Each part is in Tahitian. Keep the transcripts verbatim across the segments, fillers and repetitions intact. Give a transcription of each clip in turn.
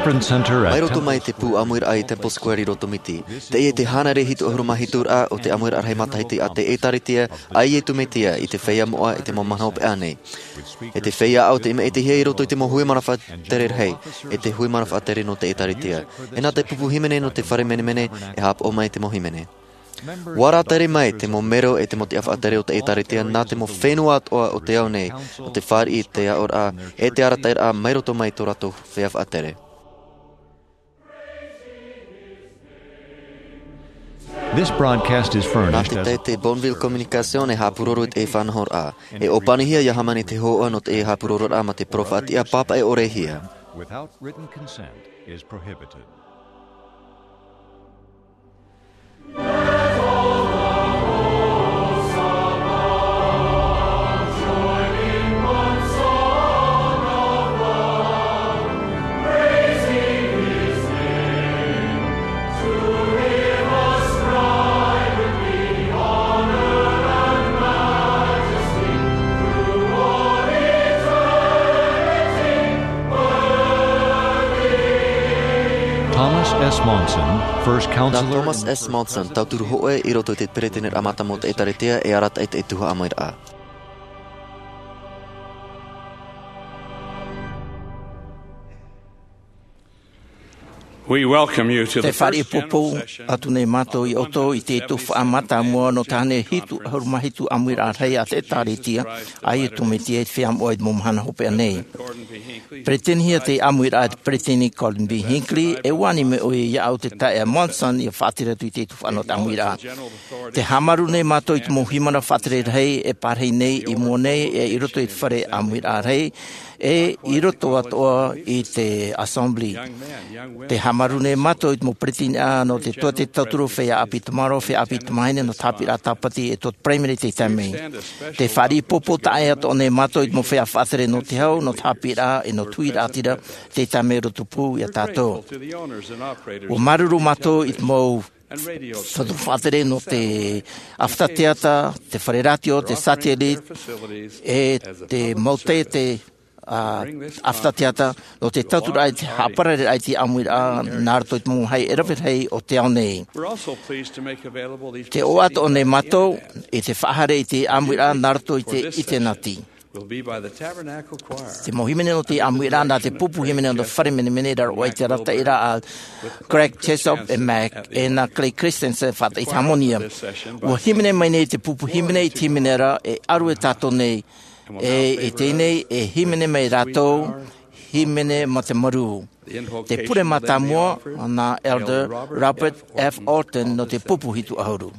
Reverend Center at Mai roto Temple mai te pū Square. ʻĀmuiraʻa i Temple Square i Rotomiti. Teie te hānere hitu ʻahuru mā hitu raʻa o te ʻāmuiraʻa rahi matahiti a te ʻĒtārētia a Iesu Mesia i te feiā moʻa i te mau mahana hopeʻa nei. E te feiā ʻāʻau tei maʻitihia i roto i te mau hui mana faʻatere rahi, e te hui mana faʻatere nō te ʻĒtārētia. E nā te pupu hīmene nō te fare menemene e haʻapaʻo mai te mau hīmene. ʻUa rātere mai te mau mero e te mau tiʻa faʻatere o te ʻĒtārētia nā te mau fenua atoʻa o te ao nei, nō te fāriʻi i te aʻoraʻa, e te arataʻiraʻa mai roto mai tō rātou feiā faʻatere. This broadcast is Nā furnished te as taʻata Bonneville Communication e haʻapūroro i te faʻanahoraʻa. E ʻōpanihia ia hāmani te hōhoʻa nō te haʻapūrororaʻa mā te parau faʻatiʻa pāpaʻi ʻore hia. Without written consent is prohibited. Thomas S. Monson, first Nā counselor Thomas S. Monson, tauturu hōʻē i roto i te peretiteniraʻa mātāmua o te ʻĒtārētia, e arataʻi i te tuhaʻa ʻāmuiraʻa. We welcome you to Te the first general fāriʻi poupou session atu nei mātou ia ʻoutou i te tuhaʻa mātāmua nō te hānere hitu ʻahuru mā hitu ʻāmuiraʻa rahi a te ʻĒtārētia a Iesu Mesia i te feiā moʻa i te mau mahana hopeʻa nei. Peretitenihia te ʻāmuiraʻa e te peretiteni Gordon B. Hinckley, e ʻua ani mai ʻoia iāʻu te taeaʻe Monson ia faʻatere atu i te tuhaʻa nō te ʻāmuiraʻa. Tē haʻamāuruuru nei mātou i te mau hui mana faʻatere rahi e pārahi nei i mua nei e i roto i te fare ʻāmuiraʻa rahi, e i roto atoʻa i te Assembly. Tē haʻamāuruuru nei mātou i te mau peretiteni nō te tuatāpapa tauturu, feiā ʻāpī tamaroa, feiā ʻāpī tamāhine, nō te haʻapiʻiraʻa tāpati e tuatāpapa paraimere i te taime. Te fāriʻi poupou taʻa atoʻa nei mātou i te mau feiā faʻatere nō te hau, nō te haʻapiʻiraʻa, e nō te huiraʻatira, te taime roto pū ia tātou. ʻUa māuruuru mātou i te mau tauturu faʻatere nō te ʻāfata teata, te fare rātio, te satellite, e te mau taʻata, ā, ʻāfata teata, nō te tauturu i te haʻaparareraʻa i te ʻāmuiraʻa, nā roto i te mau mōhai e rave rahi o te ao nei. We're also pleased to make available these Tē ʻoaʻoa atoʻa nei mātou i te faʻahaere i te ʻāmuiraʻa, nā roto i te ʻinitēneti. Will be by the Tabernacle Choir. Te mau hīmene nō te ʻāmuiraʻa nā te pupu hīmene nō te fare menemene i raro aʻe i te arataʻiraʻa a Greg Chesop e Mac, e nā Clay Christensen e faʻataʻitahamania. ʻUa hīmene mai nei te pupu hīmene i te hīmene ra e ʻaru e tātou nei, e i teie nei e hīmene mai rātou, hīmene mā te marū. Te pure mātāmua nā Elder Robert F. Orton nō te pupu hitu ʻahuru.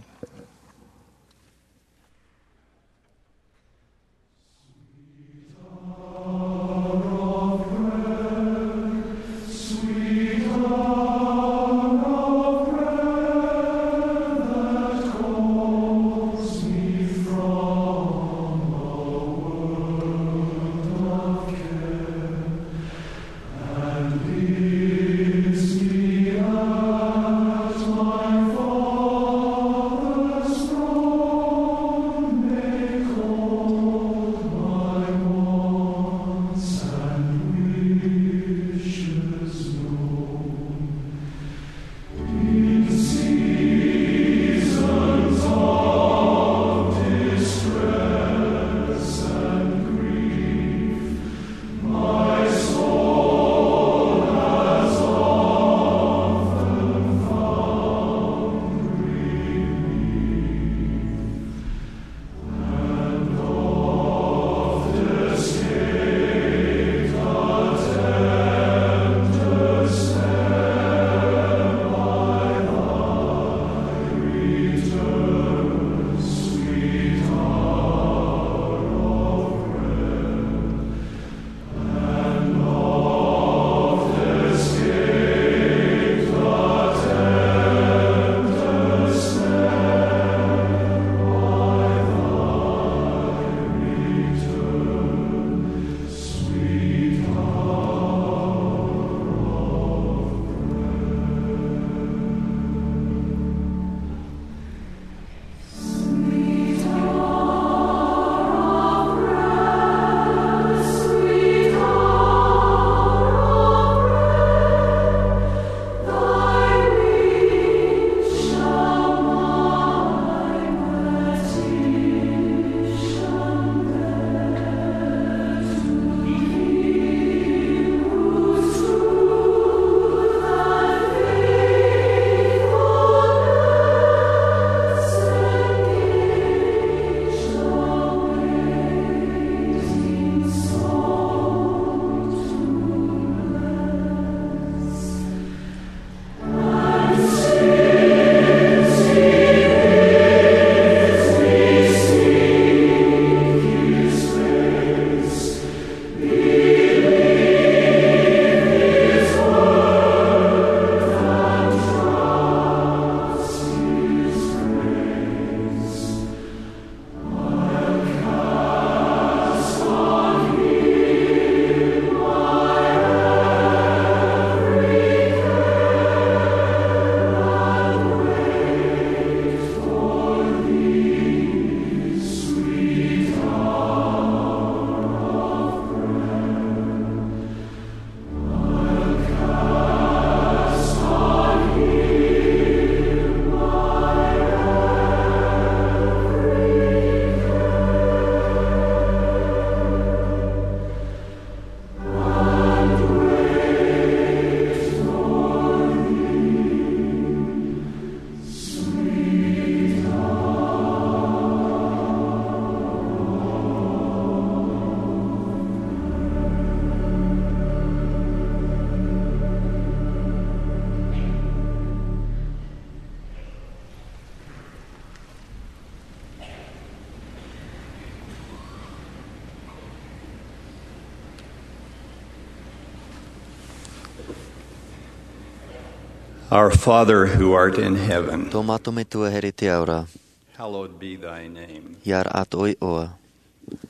Our Father who art in heaven, Tō mātou Metua here i te ao ra, hallowed be thy name. Ia rahi atoʻa ʻoe iʻoa.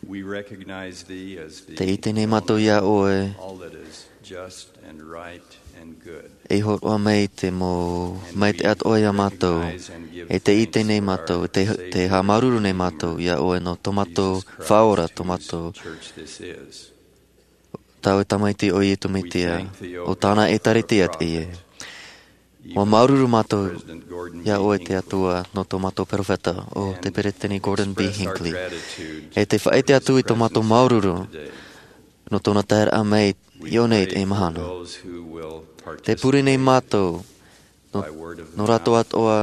We recognize thee as the Tē ʻite nei mātou iā ʻoe, all that is just and right and good. E hōroʻa mai te mau maitaʻi atoʻa iā mātou, e tē ʻite nei mātou, tē, tē haʻamāuruuru nei mātou iā ʻoe nō tō mātou Faʻaora, tō mātou Tāʻu Tamaiti ʻo Iesu Mesia, ʻo tāna ʻĒtārētia teie. ʻUa māuruuru mātou iā ʻoe te Atua nō tō mātou peropheta, ʻo te Peresideni Gordon B. Hinckley. E tē faʻaʻite atu i tō mātou māuruuru nō tōna taeraʻa mai i ʻō nei i teie mahana. Tē pure nei mātou nō, nō rātou atoʻa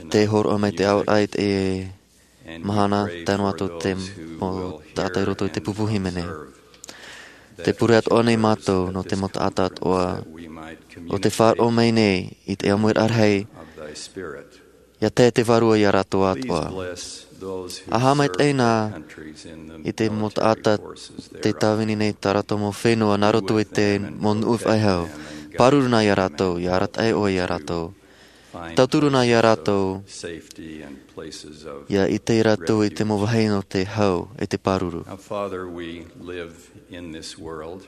tē hōroʻa mai te aoraʻi i teie mahana, tae noa atu te mau taʻata i roto i te pupu hīmene. Tē pure atoʻa nei mātou nō te mau taʻata atoʻa ʻo tē faʻaroʻo mai nei i te ʻāmuiraʻa rahi, ʻia tae te Vārua iā rātou atoʻa. ʻA haʻamaitaʻi na i te mau taʻata tē tāvini nei tā rātou mau fenua nā roto i te mau nuʻu faʻehau. Pāruru na iā rātou, ʻia arataʻi ʻoe iā rātou. Tauturu na iā rātou, ʻia ʻite rātou i te mau vāhi nō te hau e te pāruru. Now, Father, we live in this world.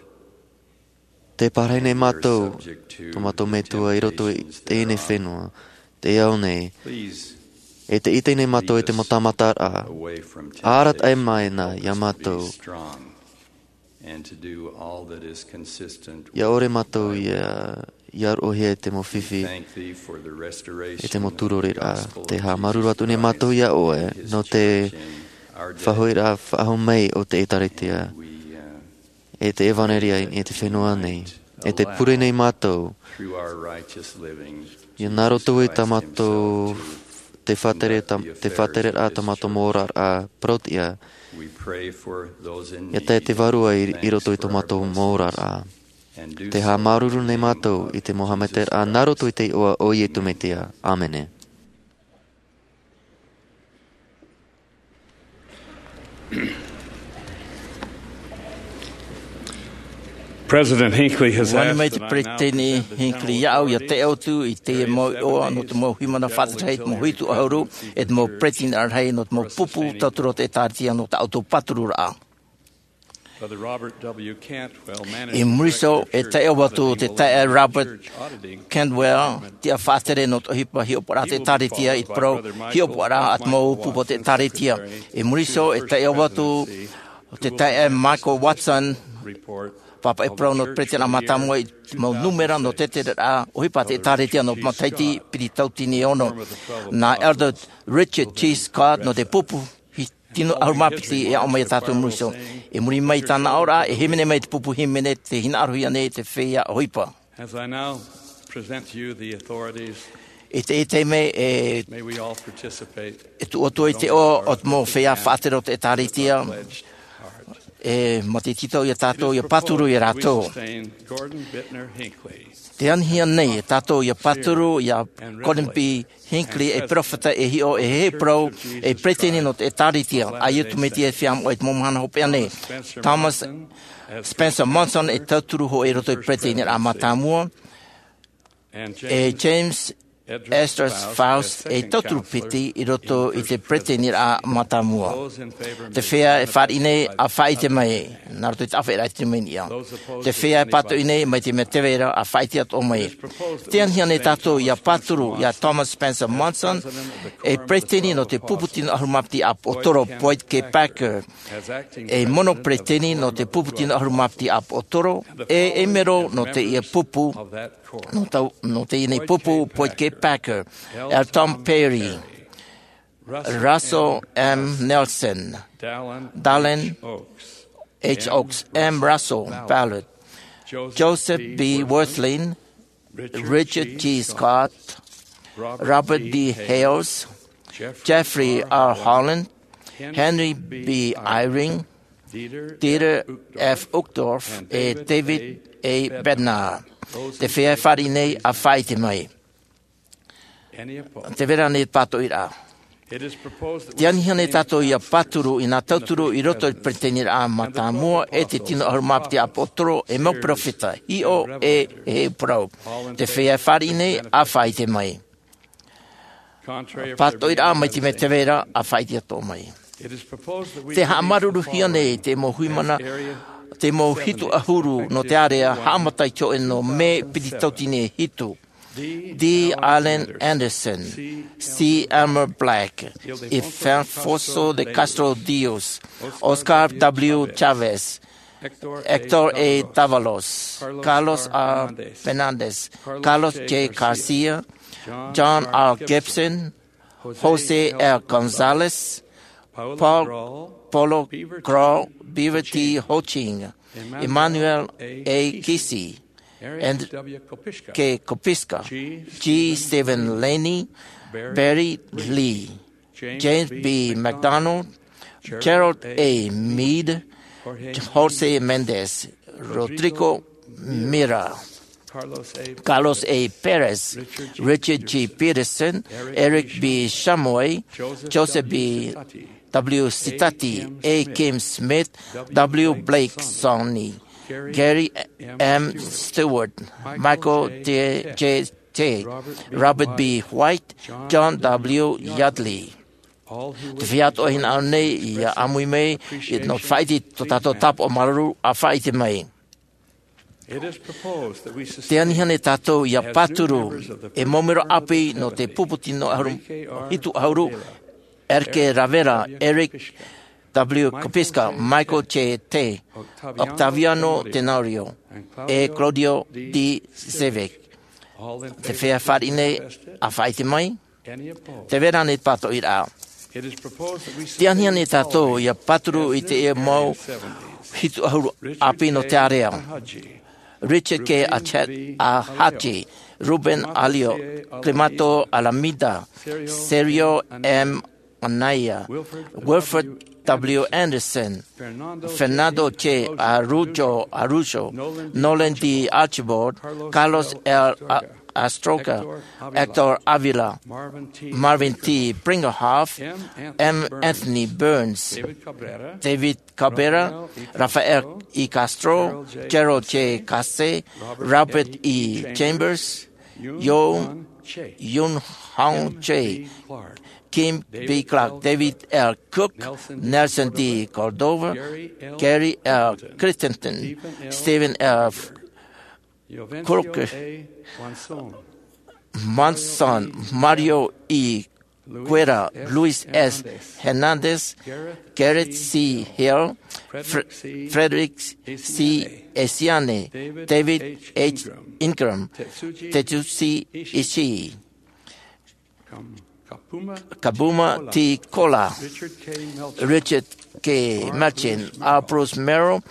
Tē parahi nei mātou, tō mātou Metua, i roto i teie nei fenua, te ao nei. E tē ʻite nei mātou i te mau tāmataraʻa. ʻA arataʻi mai na iā mātou. And to do all that is consistent with ʻIa ʻore mātou ʻia, ʻia roʻohia i te mau fifi, i te mau tūroreraʻa. Tē haʻamāuruuru atu nei mātou iā ʻoe, nō te faʻahoʻiraʻa faʻahou mai o te ʻĒtārētia, e te ʻevanelia i te fenua nei. E tē pure nei mātou, ʻia nā roto i tā mātou te faʻatere, tā, te faʻatereraʻa tā mātou mau oraraʻa parauʻtiʻa, ʻia tae te Vārua i, i roto i tō mātou mau oraraʻa. Tē haʻamāuruuru nei mātou i te mau haʻamaitaʻiraʻa nā roto i te iʻoa o Iesu Mesia. ʻĀmene. President Hinckley has ʻUa ani mai te Peresideni Hinckley iāʻu ʻia tae atu i te mau iʻoa nō te mau hīmene faʻatereraʻa, te mau hitu ʻahuru, e te mau peresideni rahi nō te mau pupu tauturu o te ʻĒtārētia nō tā ʻoutou pātururaʻa. Brother Robert W. Cantwell, manager I muri iho e taeaʻe atu o te taeaʻe Robert Cantwell, tiʻa faʻatere nō te ʻohipa hiʻopoʻaraʻa te ʻĒtārētia i te parau hiʻopoʻaraʻa a te mau pupu o te ʻĒtārētia. I muri iho e taeaʻe atu o te taeaʻe Michael Watson, pāpaʻi parau nō te peresideni mātāmua i te mau nūmera nō te tereraʻa ʻohipa te ʻĒtārētia nō matahiti piti tauatini e ono. Nā Elder Richard G. Scott nō te pupu tino ʻahuru mā piti e aʻo mai iā tātou i muri iho. I muri mai i tāna aʻoraʻa, e hīmene mai te pupu hīmene tē hinaʻarohia nei te feiā ʻohipa. As I now present to you the authorities, I te, i teie nei e, may we all participate. E tuʻu atu i te iʻoa o te mau feiā faʻatere o te ʻĒtārētia. E, mā te tītau iā tātou ʻia pāturu iā rātou. We sustain Gordon Bittner Hinckley. Tē anihia nei e tātou ʻia pāturu iā Gordon B. Hinckley, e peropheta e hiʻo, e heheu parau, e peresideni nō te ʻĒtārētia a Iesu Mesia e Feiā Moʻa i te mau mahana hopeʻa nei. Thomas Spencer Monson e tauturu hōʻē i roto i te peresideniraʻa mātāmua. E James Esdras Faust e tauturu piti i roto i te peresideniraʻa mātāmua. Te feiā e fāriʻi nei, ʻa faʻaʻite mai, nā roto i te ʻāfaʻiraʻa i te mau niʻa. Te feiā e pātoʻi nei, mai te mea tē vai ra, ʻa faʻaʻite atoʻa mai. Tē anihia nei tātou ʻia pāturu iā Thomas Spencer Monson, e peresideni nō te pupu tino ʻahuru mā piti ʻāpoʻotoro, Boyd K. Packer, e mono peresideni nō te pupu tino ʻahuru mā piti ʻāpoʻotoro, e, e mero nō teie pupu, nō tau, nō teie nei pupu, Boyd K. Packer, L. Tom Perry, Russell M. Nelson, Dallin H. Oaks, M. Russell Ballard, Joseph B. Wirthlin, Richard G. Scott, Robert D. Hales, Jeffrey R. Holland, Henry B. Eyring, Dieter F. Uchtdorf, e David A. Bednar. Te feiā e fāriʻi nei, ʻa faʻaʻite mai. Tē vai ra ānei te pātoʻiraʻa? Te anihia nei tātou ia pāturu i nā tauturu i roto i te peretiteniraʻa mātāmua e te tino ʻahuru mā piti ʻāpōsetolo e mau peropheta, hiʻo e, e parau. Te feiā fāriʻi nei, ʻa faʻaʻite mai. Pātoʻiraʻa mai te mea tē vai ra, ʻa faʻaʻite atoʻa mai. Te haʻamāuruuruhia nei te mau hui mana, te mau hitu ʻahuru nō te ārea, haʻamata i te hōʻē nō mē piti tauatini e hitu. D. Allen Anderson, C. Elmer Black, Ildefonso de Castro Dios, Oscar W. Chavez, Hector A. Davalos, Carlos A. Fernandez, Carlos J. Garcia, John R. Gibson, Jose L. Gonzalez, Paul, Paulo Grau, Beaver T. Hoching, Emmanuel A. Kisi, Enrique Kopiska, G. Stephen Laney, Barry Lee, James B. McDonald, Gerald A. Mead, Jose Mendez, Rodrigo Mira, Carlos A. Perez, Richard G. Peterson, Eric B. Chamoy, Joseph B. W. Sitati, A. Kim Smith, W. Blake Sonny, Gary M. Stewart, Michael J. T., Robert B. White, John W. Yardley. Te feiā atoʻa hinaʻaro nei ia ʻāmui mai i te nō faʻaʻite i tō tātou tāpaʻo māuruuru, ʻa faʻaʻite mai. Te anihia nei tātou ia pāturu e mau mero ʻāpī nō te pupu tino ʻahuru, hitu ʻahuru, Enrique Rivera, Eric W. Kopiska, Michael J. T., Octaviano Tenorio, e Claudio D. Zivik. Te feiā fāriʻi nei, ʻa faʻaʻite mai. Tē vai ra ānei te pātoʻiraʻa? Te anihia nei tātou ia pāturu i te mau hitu ʻahuru ʻāpī nō te ārea. Richard K. Ache-, Ahachi, Ruben Alio, Climato Alameda, Sergio M. Anaya, Wilfred W. Anderson, Fernando J. Araujo, Araujo, Nolan D. Archibald, Carlos L. A-, Astorga, Hector Avila, Marvin T. Brinkerhoff, M. Anthony Burns, David Cabrera, Rafael E. Castro, Gerald J. Case, Robert E. Chambers, Yoon, Yoon Hong Che, Kim B. Clark, David L. Cook, Nelson D. Cordova, Gary L. Christensen, Stephen F. Cook, Monson, Mario E. Guerra, Luis S. Hernandez, Garrett C. Hill, Fre-, Frederick C. Esiane, David H. Ingram, Tetsushi Ishii, Kabuma T. Kola, Richard K. Melchin, R. Bruce Merrill,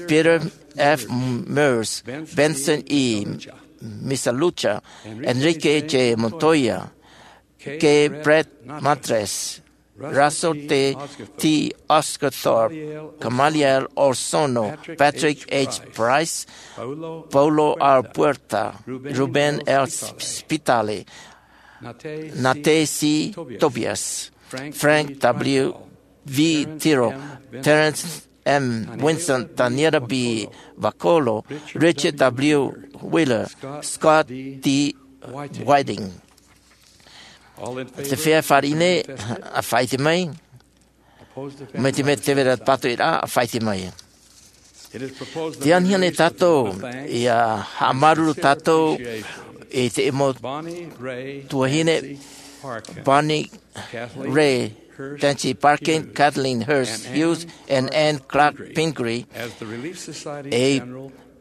Peter F. Meurs, Benson E. Misalucha, Enrique J. Montoya, K. Brett Matres, Russell T. Osguthorpe, Gamaliel Orsono, Patrick H. Price, Paulo R. Puerta, Ruben L. Spitale, Nate C. Tobias, Frank W. V. Tiro, Terence M. Winston, Daniela B. Vakolo, Richard W. Wheeler, Scott D. Whiting. Te feiā fāriʻi nei, ʻa faʻaʻite mai. Mai te mea tē vai ra te pātoʻiraʻa, ʻa faʻaʻite mai. Te anihia nei tātou ia haʻamāuruuru tātou i te mau tuahine, Bonnie Ray Tanchi Parkin, Kathleen Hurst Hughes, and Anne Clark Pingree, ei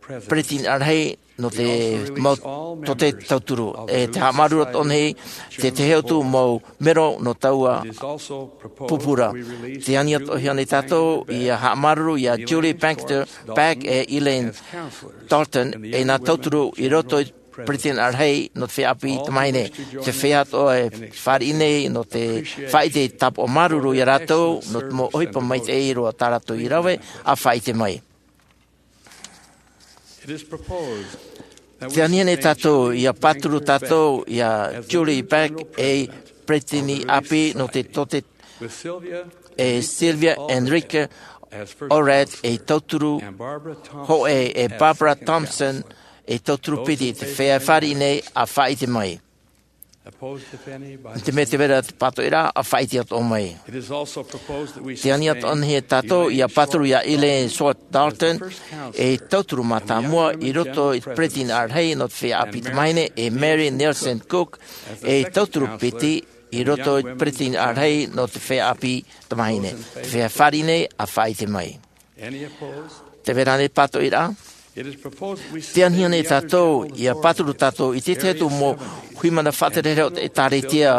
peretiteni ʻārahi nō te mau tōtē tauturu, e te haʻamāuruuru atoʻa nei te tahi atu mau mero nō taua pupu ra. Te anihia atoʻa nei tātou ia haʻamāuruuru ia Julie Baxter, Pack, e Elaine Dalton, e nā tauturu i roto i te peretiteni ʻārahi nō te feiā ʻāpī tamāhine. Te feiā atoʻa e fāriʻi nei nō te faʻaʻite tāpaʻo māuruuru ia rātou, nō te mau ʻohipa maitaʻi roa tā rātou i rave, ʻa faʻaʻite mai. Te anihia nei tātou ia pāturu tātou ia Julie Beck, e peretiteni ʻāpī nō te tōtaiete, e Sylvia Enrique Orrat ei tauturu hōʻē, e Barbara Thompson ei tauturu piti. Te feiā fāriʻi nei, ʻa faʻaʻite mai. Te mea tē vai ra te pātoʻiraʻa, ʻa faʻaʻite atoʻa mai. Te ani atoʻa nei e tātou ʻia pāturu iā Elaine Schwartz Dalton ei tauturu mātāmua i roto i te peretiteni rahi nō te feiā ʻāpī tamāhine, e Mary Nielsen Cook ei tauturu piti i roto i te peretiteni rahi nō te feiā ʻāpī tamāhine. Te feiā fāriʻi nei, ʻa faʻaʻite mai. Tē vai ra ānei pātoʻiraʻa? Tē anihia nei tātou ʻia pāturu tātou i te tahi atu mau huimana faʻatereraʻa o te ʻĒtārētia,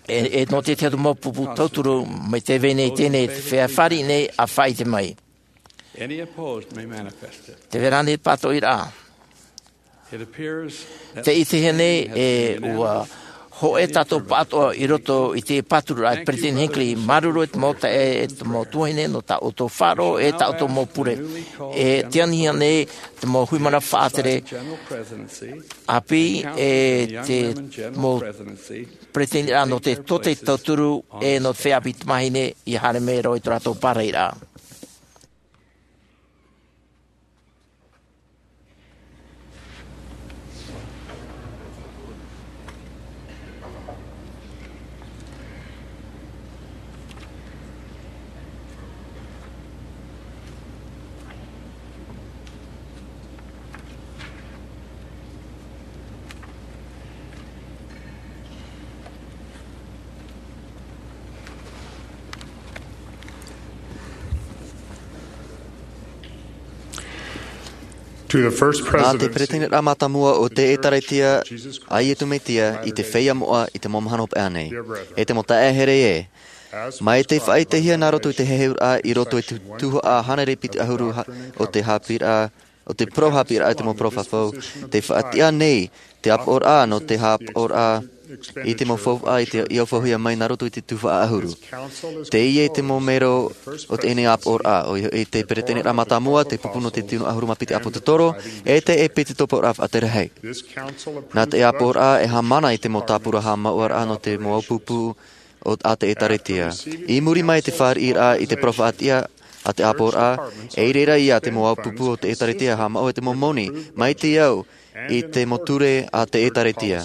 e, e nō te tahi atu mau pupu tauturu mai te vai nei teie, te feiā fāriʻi nei, ʻa faʻaʻite mai. Tē vai ra ānei pātoʻiraʻa? Tē ʻitehia nei ē ʻua hōʻē tātou pāʻatoʻa i roto i te pātururaʻa a te Peretiteni Hinckley, māuruuru i te mau taeaʻe, e te mau tuahine, nō tā ʻoutou faʻaroʻo, e tā ʻoutou mau pure. E tē anihia nei te mau huimana faʻatere ʻāpī, e te mau peretiteniraʻa nō te tōtaiete tauturu, e nō te feiā ʻāpī tamāhine, ʻia haere mai roa i tō rātou pārahiraʻa. To the first Nā te president Peretiteniraʻa Mātāmua o te ʻĒtārētia a Iesu Mesia i te feiā moʻa i te mau mahana hopeʻa nei. E te mau taeaʻe here ē, mai te faʻaʻitehia nā roto i te heheuraʻa i roto i te tuhaʻa hānere piti ʻahuru ha-, o te haʻapiʻiraʻa, o te parau haʻapiʻiraʻa i te mau parau faʻahou, tē faʻatiʻa nei te ʻāpoʻoraʻa nō te haʻapaʻoraʻa i te mau faufaʻa i te, i ʻaufauhia mai nā roto i te tuhaʻa ʻahuru. Teie te mau mero o teie nei ʻāpoʻoraʻa, ʻoia hoʻi te Peretiteniraʻa Mātāmua, te pupu nō te tino ʻahuru mā piti ʻāpōsetolo, e te ʻēpīsikoporaʻa faʻatere rahi. Nā te ʻāpoʻoraʻa e haʻamana i te mau tāpura haʻamāuʻaraʻa nō te mau ʻāupupu o, a te ʻĒtārētia. I muri mai i te fāriʻiraʻa i te parau faʻatiʻa a te ʻāpoʻoraʻa, e i reira ia te mau ʻāupupu o te ʻĒtārētia e haʻamāuʻa i te mau moni, mai te au i te mau ture a te ʻĒtārētia.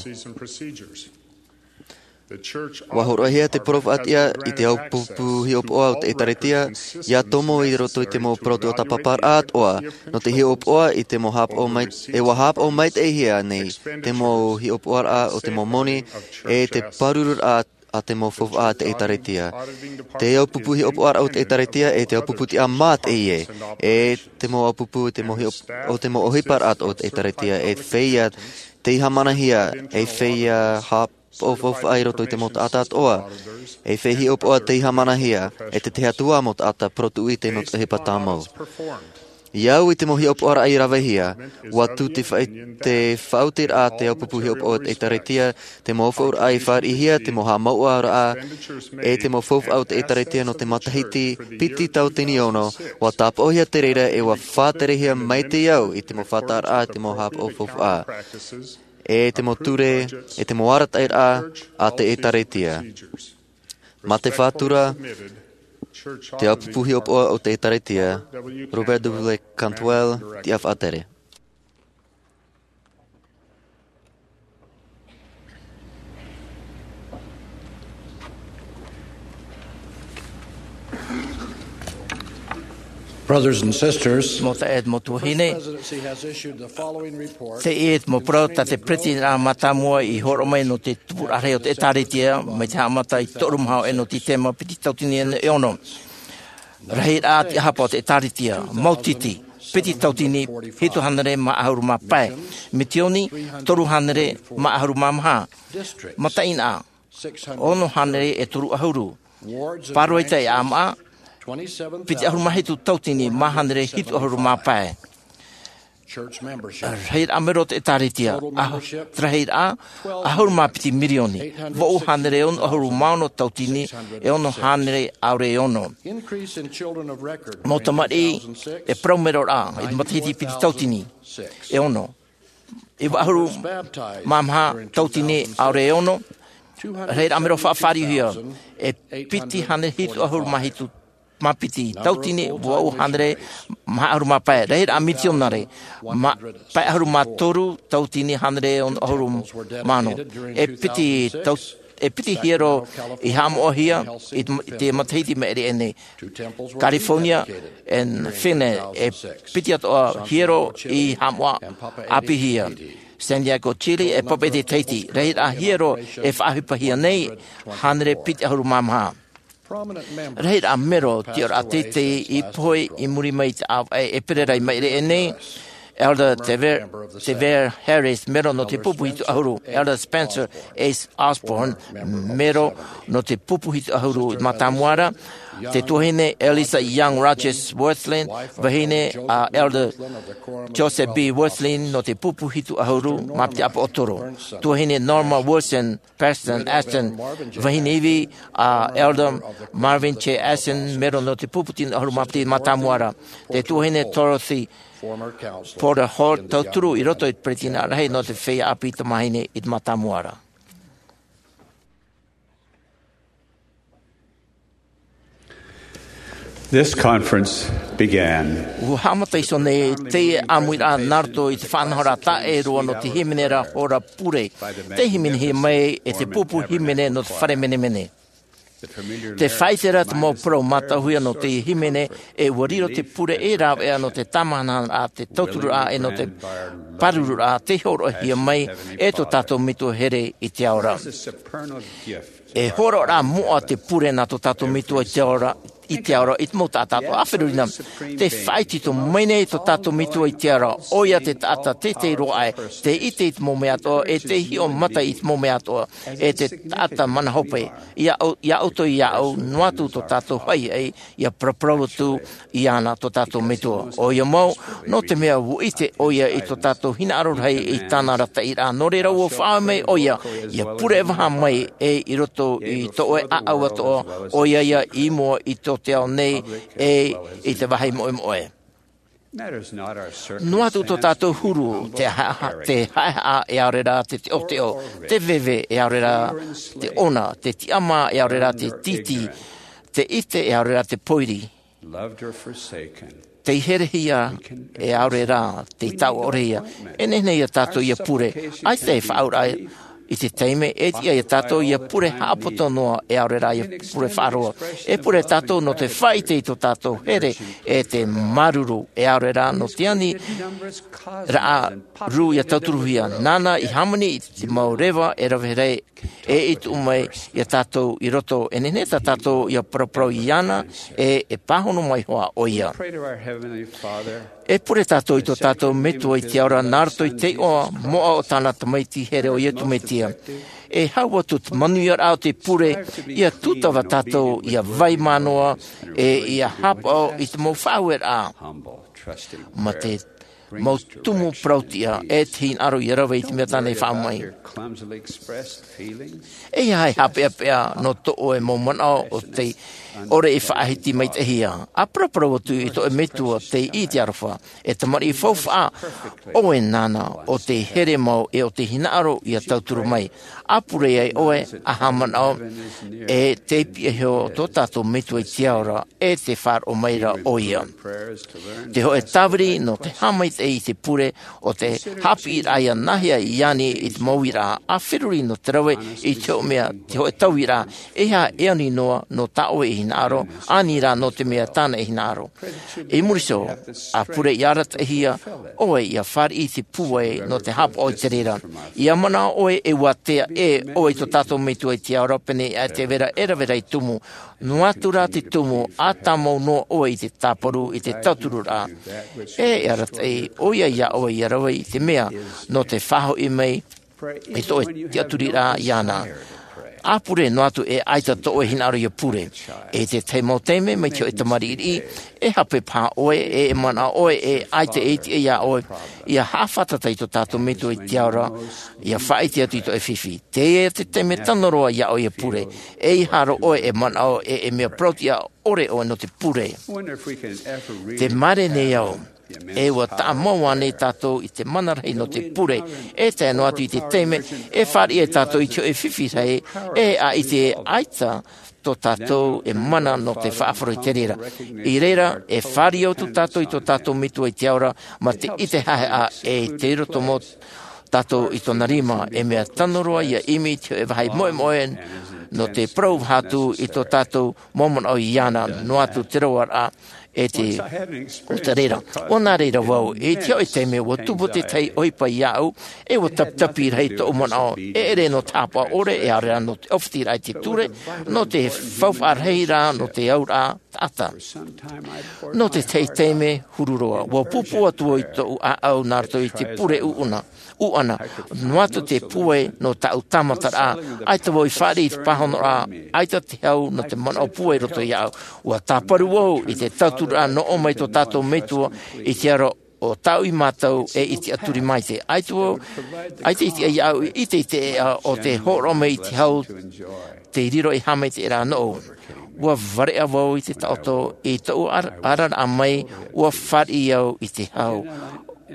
ʻUa hōroʻahia te parau faʻatiʻa i te ʻāupupu hiʻopoʻa o te ʻĒtārētia, ʻia tomo i roto i te mau parau tuatāpaparaʻa atoʻa, nō te hiʻopoʻa i te mau haʻapaʻo mai, e ʻua haʻapaʻo maitaʻihia nei te mau hiʻopoʻaraʻa o te mau moni, e te pārururaʻa a te mau faufaʻa a te ʻĒtārētia. Te ʻāupupu hiʻopoʻaraʻa o te ʻĒtārētia, e te ʻāupupu tiʻamā teie, e te mau ʻāupupu i te mau hiʻo-, o te mau ʻohiparaʻa o te ʻĒtārētia, e feiā tei haʻamanahia, e feiā haʻapaʻo faufaʻa i roto i te mau taʻata atoʻa, e feiā hiʻopoʻa tei haʻamanahia e te Atua mau taʻata parau tuʻu ʻite nō te ʻohipa tāmau. ʻIa au i te mau hiʻopoʻaraʻa i ravehia, ʻua tū te fa-, te faʻaotiraʻa a te ʻāupupu hiʻopoʻa o te ʻĒtārētia, te mau faʻaʻohipa i fāriʻihia, te mau haʻamāuʻaraʻa, e te mau faufaʻa o te ʻĒtārētia nō te matahiti piti tauatini ono, ʻua tāpaʻohia te reira e ʻua faʻaterehia mai te au i te mau faʻataʻaraʻa, te mau haʻapaʻo faufaʻa, e te mau ture, e te mau arataʻiraʻa a te ʻĒtārētia. Mā te faʻatura, te ʻāupupu hiʻopoʻa o te ʻĒtārētia, Robert W. Cantwell, tiʻa faʻatere. Brothers and sisters, Mau taeaʻe, mau tuahine, teie te mau parau tā te Peretiteniraʻa Mātāmua i hōroʻa mai nō te tupuraʻa rahi o te ʻĒtārētia, mai te haʻamata i te toru maha e nō te tēma piti tauatini e ono. Rahiraʻa tiʻahapa o te ʻĒtārētia, mautiti, piti tauatini, hitu hānere mā ʻahuru mā pae, mitioni, toru hānere mā ʻahuru mā maha, mataʻeinaʻa, ono hānere e toru ʻahuru, pāroita e ʻāmaʻa, piti ʻahuru mā hitu tauatini mā hānere hitu ʻahuru mā pae. Rahiraʻa mero o te ʻĒtārētia, ah, rahiraʻa, ʻahuru mā piti mirioni, vaʻu hānere ono ʻahuru mā ono tauatini, e ono hānere ʻaore e ono. Mau tamariʻi e parau meroraʻa, i te matahiti piti tauatini, e ono. Iva ʻahuru mā maha tauatini ʻaore e ono, Rahiraʻa mero faʻafāriuhia, e piti hānere hitu ʻahuru mā hitu mā piti tautini, vaʻu hānere maha ʻahuru mā pae. Rahiraʻa mitionare, pae ʻahuru mā toru tautini hānere ono ʻahuru mā ono. E piti tau e piti hiero i haʻamoʻahia i te matahiti maʻiri aʻe nei. California and Finland, e piti atoʻa hiero i haʻamoʻa ʻāpīhia. Santiago, Chile, e Papeʻete, Tahiti, rahiraʻa hiero e faʻaʻohipahia nei, hānere piti ʻahuru mā maha. Rahiraʻa mero tiʻaraʻa teitei i pohe i muri mai i te ʻāvaʻe e pere ra i maʻiri aʻe nei. Elder Tever, Tever Harris, mero nō te pupu hitu ʻahuru. Elder Spencer S. Osborne, mero nō te pupu hitu ʻahuru i te mātāmua ra. Te tuahine Elisa Young Rogers Wirthlin, vahine a Elder Joseph B. Wirthlin nō te pupu hitu ʻahuru mā piti ʻāpoʻotoro. Tuahine Norma Wilson Preston Ashton, vahine ivi a Elder Marvin J. Ashton, mero nō te pupu tino ʻahuru mā piti mātāmua ra. Te tuahine Dorothy Porter Hall, tauturu i roto i te peresideni rahi nō te feiā ʻāpī tamāhine i te mātāmua ra. This conference began. ʻUa haʻamata iho nei teie ʻāmuiraʻa nā roto i te faʻanahoraʻa taʻeroa nō te hīmene ra hora pure. Tei hīmenehia mai e te pupu hīmene nō te fare menemene. Tē faʻaʻite ra te mau parau mātauhia nō teie hīmene, e ʻua riro te pure ei rāveʻa nō te tāmāhanahana, te tautururaʻa, e nō te pārururaʻa, tei hōroʻahia mai e tō tātou Metua here i te ao ra. E hōroʻaraʻa moʻa te pure nā tō tātou Metua i te ao ra, i te ao ra, i te mau taʻata atoʻa. ʻĀferurina, tē faʻaitoito mai nei tō tātou Metua i te ao ra, ʻoia te taʻata teitei roa aʻe, tē ʻite i te mau mea atoʻa, e tē hiʻo mata i te mau mea atoʻa, e te taʻata mana hope. Ia ʻou, ia ʻoutou, ia ʻou, noa atu tō tātou haʻihaʻi, ʻia paraparau atu iāna tō tātou Metua. ʻOia mau, nō te mea ʻua ʻite ʻoia i tō tātou hinaʻaro rahi i tāna arataʻiraʻa, nō reira ʻua faʻaʻohi mai ʻoia, ʻia pure vaha mai e i roto i tō ʻoe ʻāʻau atoʻa, ʻoia ia i mua i tō te ao nei, e i te vāhi moʻemoʻe. Noa atu tō tātou huru, te haʻehaʻa, te haʻehaʻa e ʻaore rā te teʻoteʻo, te veve e ʻaore rā te ʻona, te tiʻamā e ʻaore rā te tītī, te ʻite e ʻaore rā te pōiri, tei herehia e ʻaore rā tei taʻoʻorehia. E nehenehe ia tātou ʻia pure, ʻaita e faʻaauraʻa i te taime, e tiʻa ia tātou ʻia pure haʻapoto noa e ʻaore rā ʻia pure faʻaroa. E pure tātou nō te faʻaʻite i tō tātou here, e te māuruuru e ʻaore rā nō te ani raʻa rū ʻia tauturuhia. Nāna i hāmani i te mau reva e rave rahi, e i tuʻu mai ia tātou i roto, e nehenehe tā tātou ʻia paraparau iāna, e e pāhono mai hoʻi ʻoia. E pure tātou i tō tātou Metua i te ao ra nā roto i te iʻoa moʻa o tāna Tamaiti here ʻo Iesu Mesia. E hau atu te manuiaraʻa o te pure, ʻia tūtava tātou, ʻia vai mā noa, e ʻia haʻapaʻo i te mau faʻaueraʻa. Mā te mau tumu parau-tiʻa, e te hinaʻaro ʻia rave i te mea tāna e faʻaʻohi mai. E aha e haʻapeʻapeʻa nō tō ʻoe mau manaʻo ʻo tei ʻore i faʻahiti maitaʻihia? ʻA paraparau atu i tō ʻoe Metua tei i te aroha, e tamariʻi faufaʻa ʻoe nāna, ʻo tei here mau e ʻo tei hinaʻaro ʻia tauturu mai. ʻA pure ai ʻoe, ʻa haʻamanaʻo, e tei piʻi iho tō tātou Metua i te ao ra, e tē faʻaroʻo mai ra ʻoia. Te hōʻē tāviri nō te haʻamaitaʻi i te pure, ʻo te haʻapiʻiraʻa ʻia nāhea iāna i te mau uiraʻa, ʻa feruri nō te rave i te hōʻē mea, te hōʻē tauiraʻa, e aha e ani noa nō tā ʻoe e hinaʻaro, ani rā nō te mea tāna e hinaʻaro. I muri iho, ʻa pure ʻia arataʻihia ʻoe ʻia fāriʻi i te pūai nō te haʻapaʻo i te reira. ʻIa manaʻo ʻoe e ʻua ātea ʻē ʻoe i tō tātou Metua i te ao ra, pēnei aʻe te vera e rave rahi tumu, noa atu rā te tumu, ʻa tāmau noa ʻoe i te tāparu, i te tautururaʻa. E, e arataʻi ʻoia iā ʻoe ʻia rave i te mea, nō te faʻahoʻi mai i tō ʻoe tiʻaturiraʻa iāna. ʻA pure noa atu e ʻaita tō ʻoe hinaʻaro ʻia pure. I te tahi mau taime, mai te hōʻē tamariʻi, e hape paha ʻoe, e, e manaʻo ʻoe, e ʻaita e ʻite iā ʻoe, ʻia haʻafātata i tō tātou Metua i te ao ra, ʻia faʻaʻite atu i tō ʻoe fifi. Teie te taime tano roa iā ʻoe ʻia pure. E ʻeiaha roa ʻoe e manaʻo, e, e mea parau-tiʻa ʻore ʻoe nō te pure. Tē mārē nei au, E ua taʻa mau ānei tātou i te mana rahi nō te pure, e tae noa atu i te taime e fāriʻi ai tātou i te hoʻē fifi rahi, e ʻaita e ʻaita tō tātou e mana nō te faʻaroʻo i te reira. I reira, e fāriʻi atu tātou i tō tātou Metua i te ao ra, mā te ʻite haʻehaʻa e te roto mō tātou i tōna rima, e mea tano roa ia ʻimi i te hoʻē vāhi moʻemoʻe nō te parau atu i tō tātou mau manaʻo iāna, noa atu te roaraʻa e te, o te reira. ʻO nā reira vau, i te hoʻē taime ua tupu te tahi ʻohipa iāʻu, e ua taputapu rahi tōʻu manaʻo, e ʻere nō te haʻapaʻo ʻore, e ʻaore rā nō te ʻōfiti raʻa i te ture, nō te faufaʻa rahi rā, nō te auraʻa taʻata. Nō te tahi taime huru roa, ua pūpū atu vau i tōʻu ʻāʻau nā roto i te pure ʻuʻana, ʻuʻana, noa atu te pūai nō tāʻu tāmataraʻa, ʻaita vau i fāriʻi i te pāhonoraʻa, ʻaita te hau nō te manaʻo pūai i roto iāʻu. Ua tāparu vau i te tauturu nō ʻō mai tō tātou Metua i te aro o tāʻu i mātau e i te tiʻaturi maitaʻi. ʻAita vau, ʻaita i te iāʻu i te, i te ʻeʻa o te hōroʻa mai i te hau te riro i haʻamaitaʻi rā nōʻu. Ua vareʻa vau i te taʻoto i tōʻu ar-, araraʻa mai, ua fāriʻi au i te hau.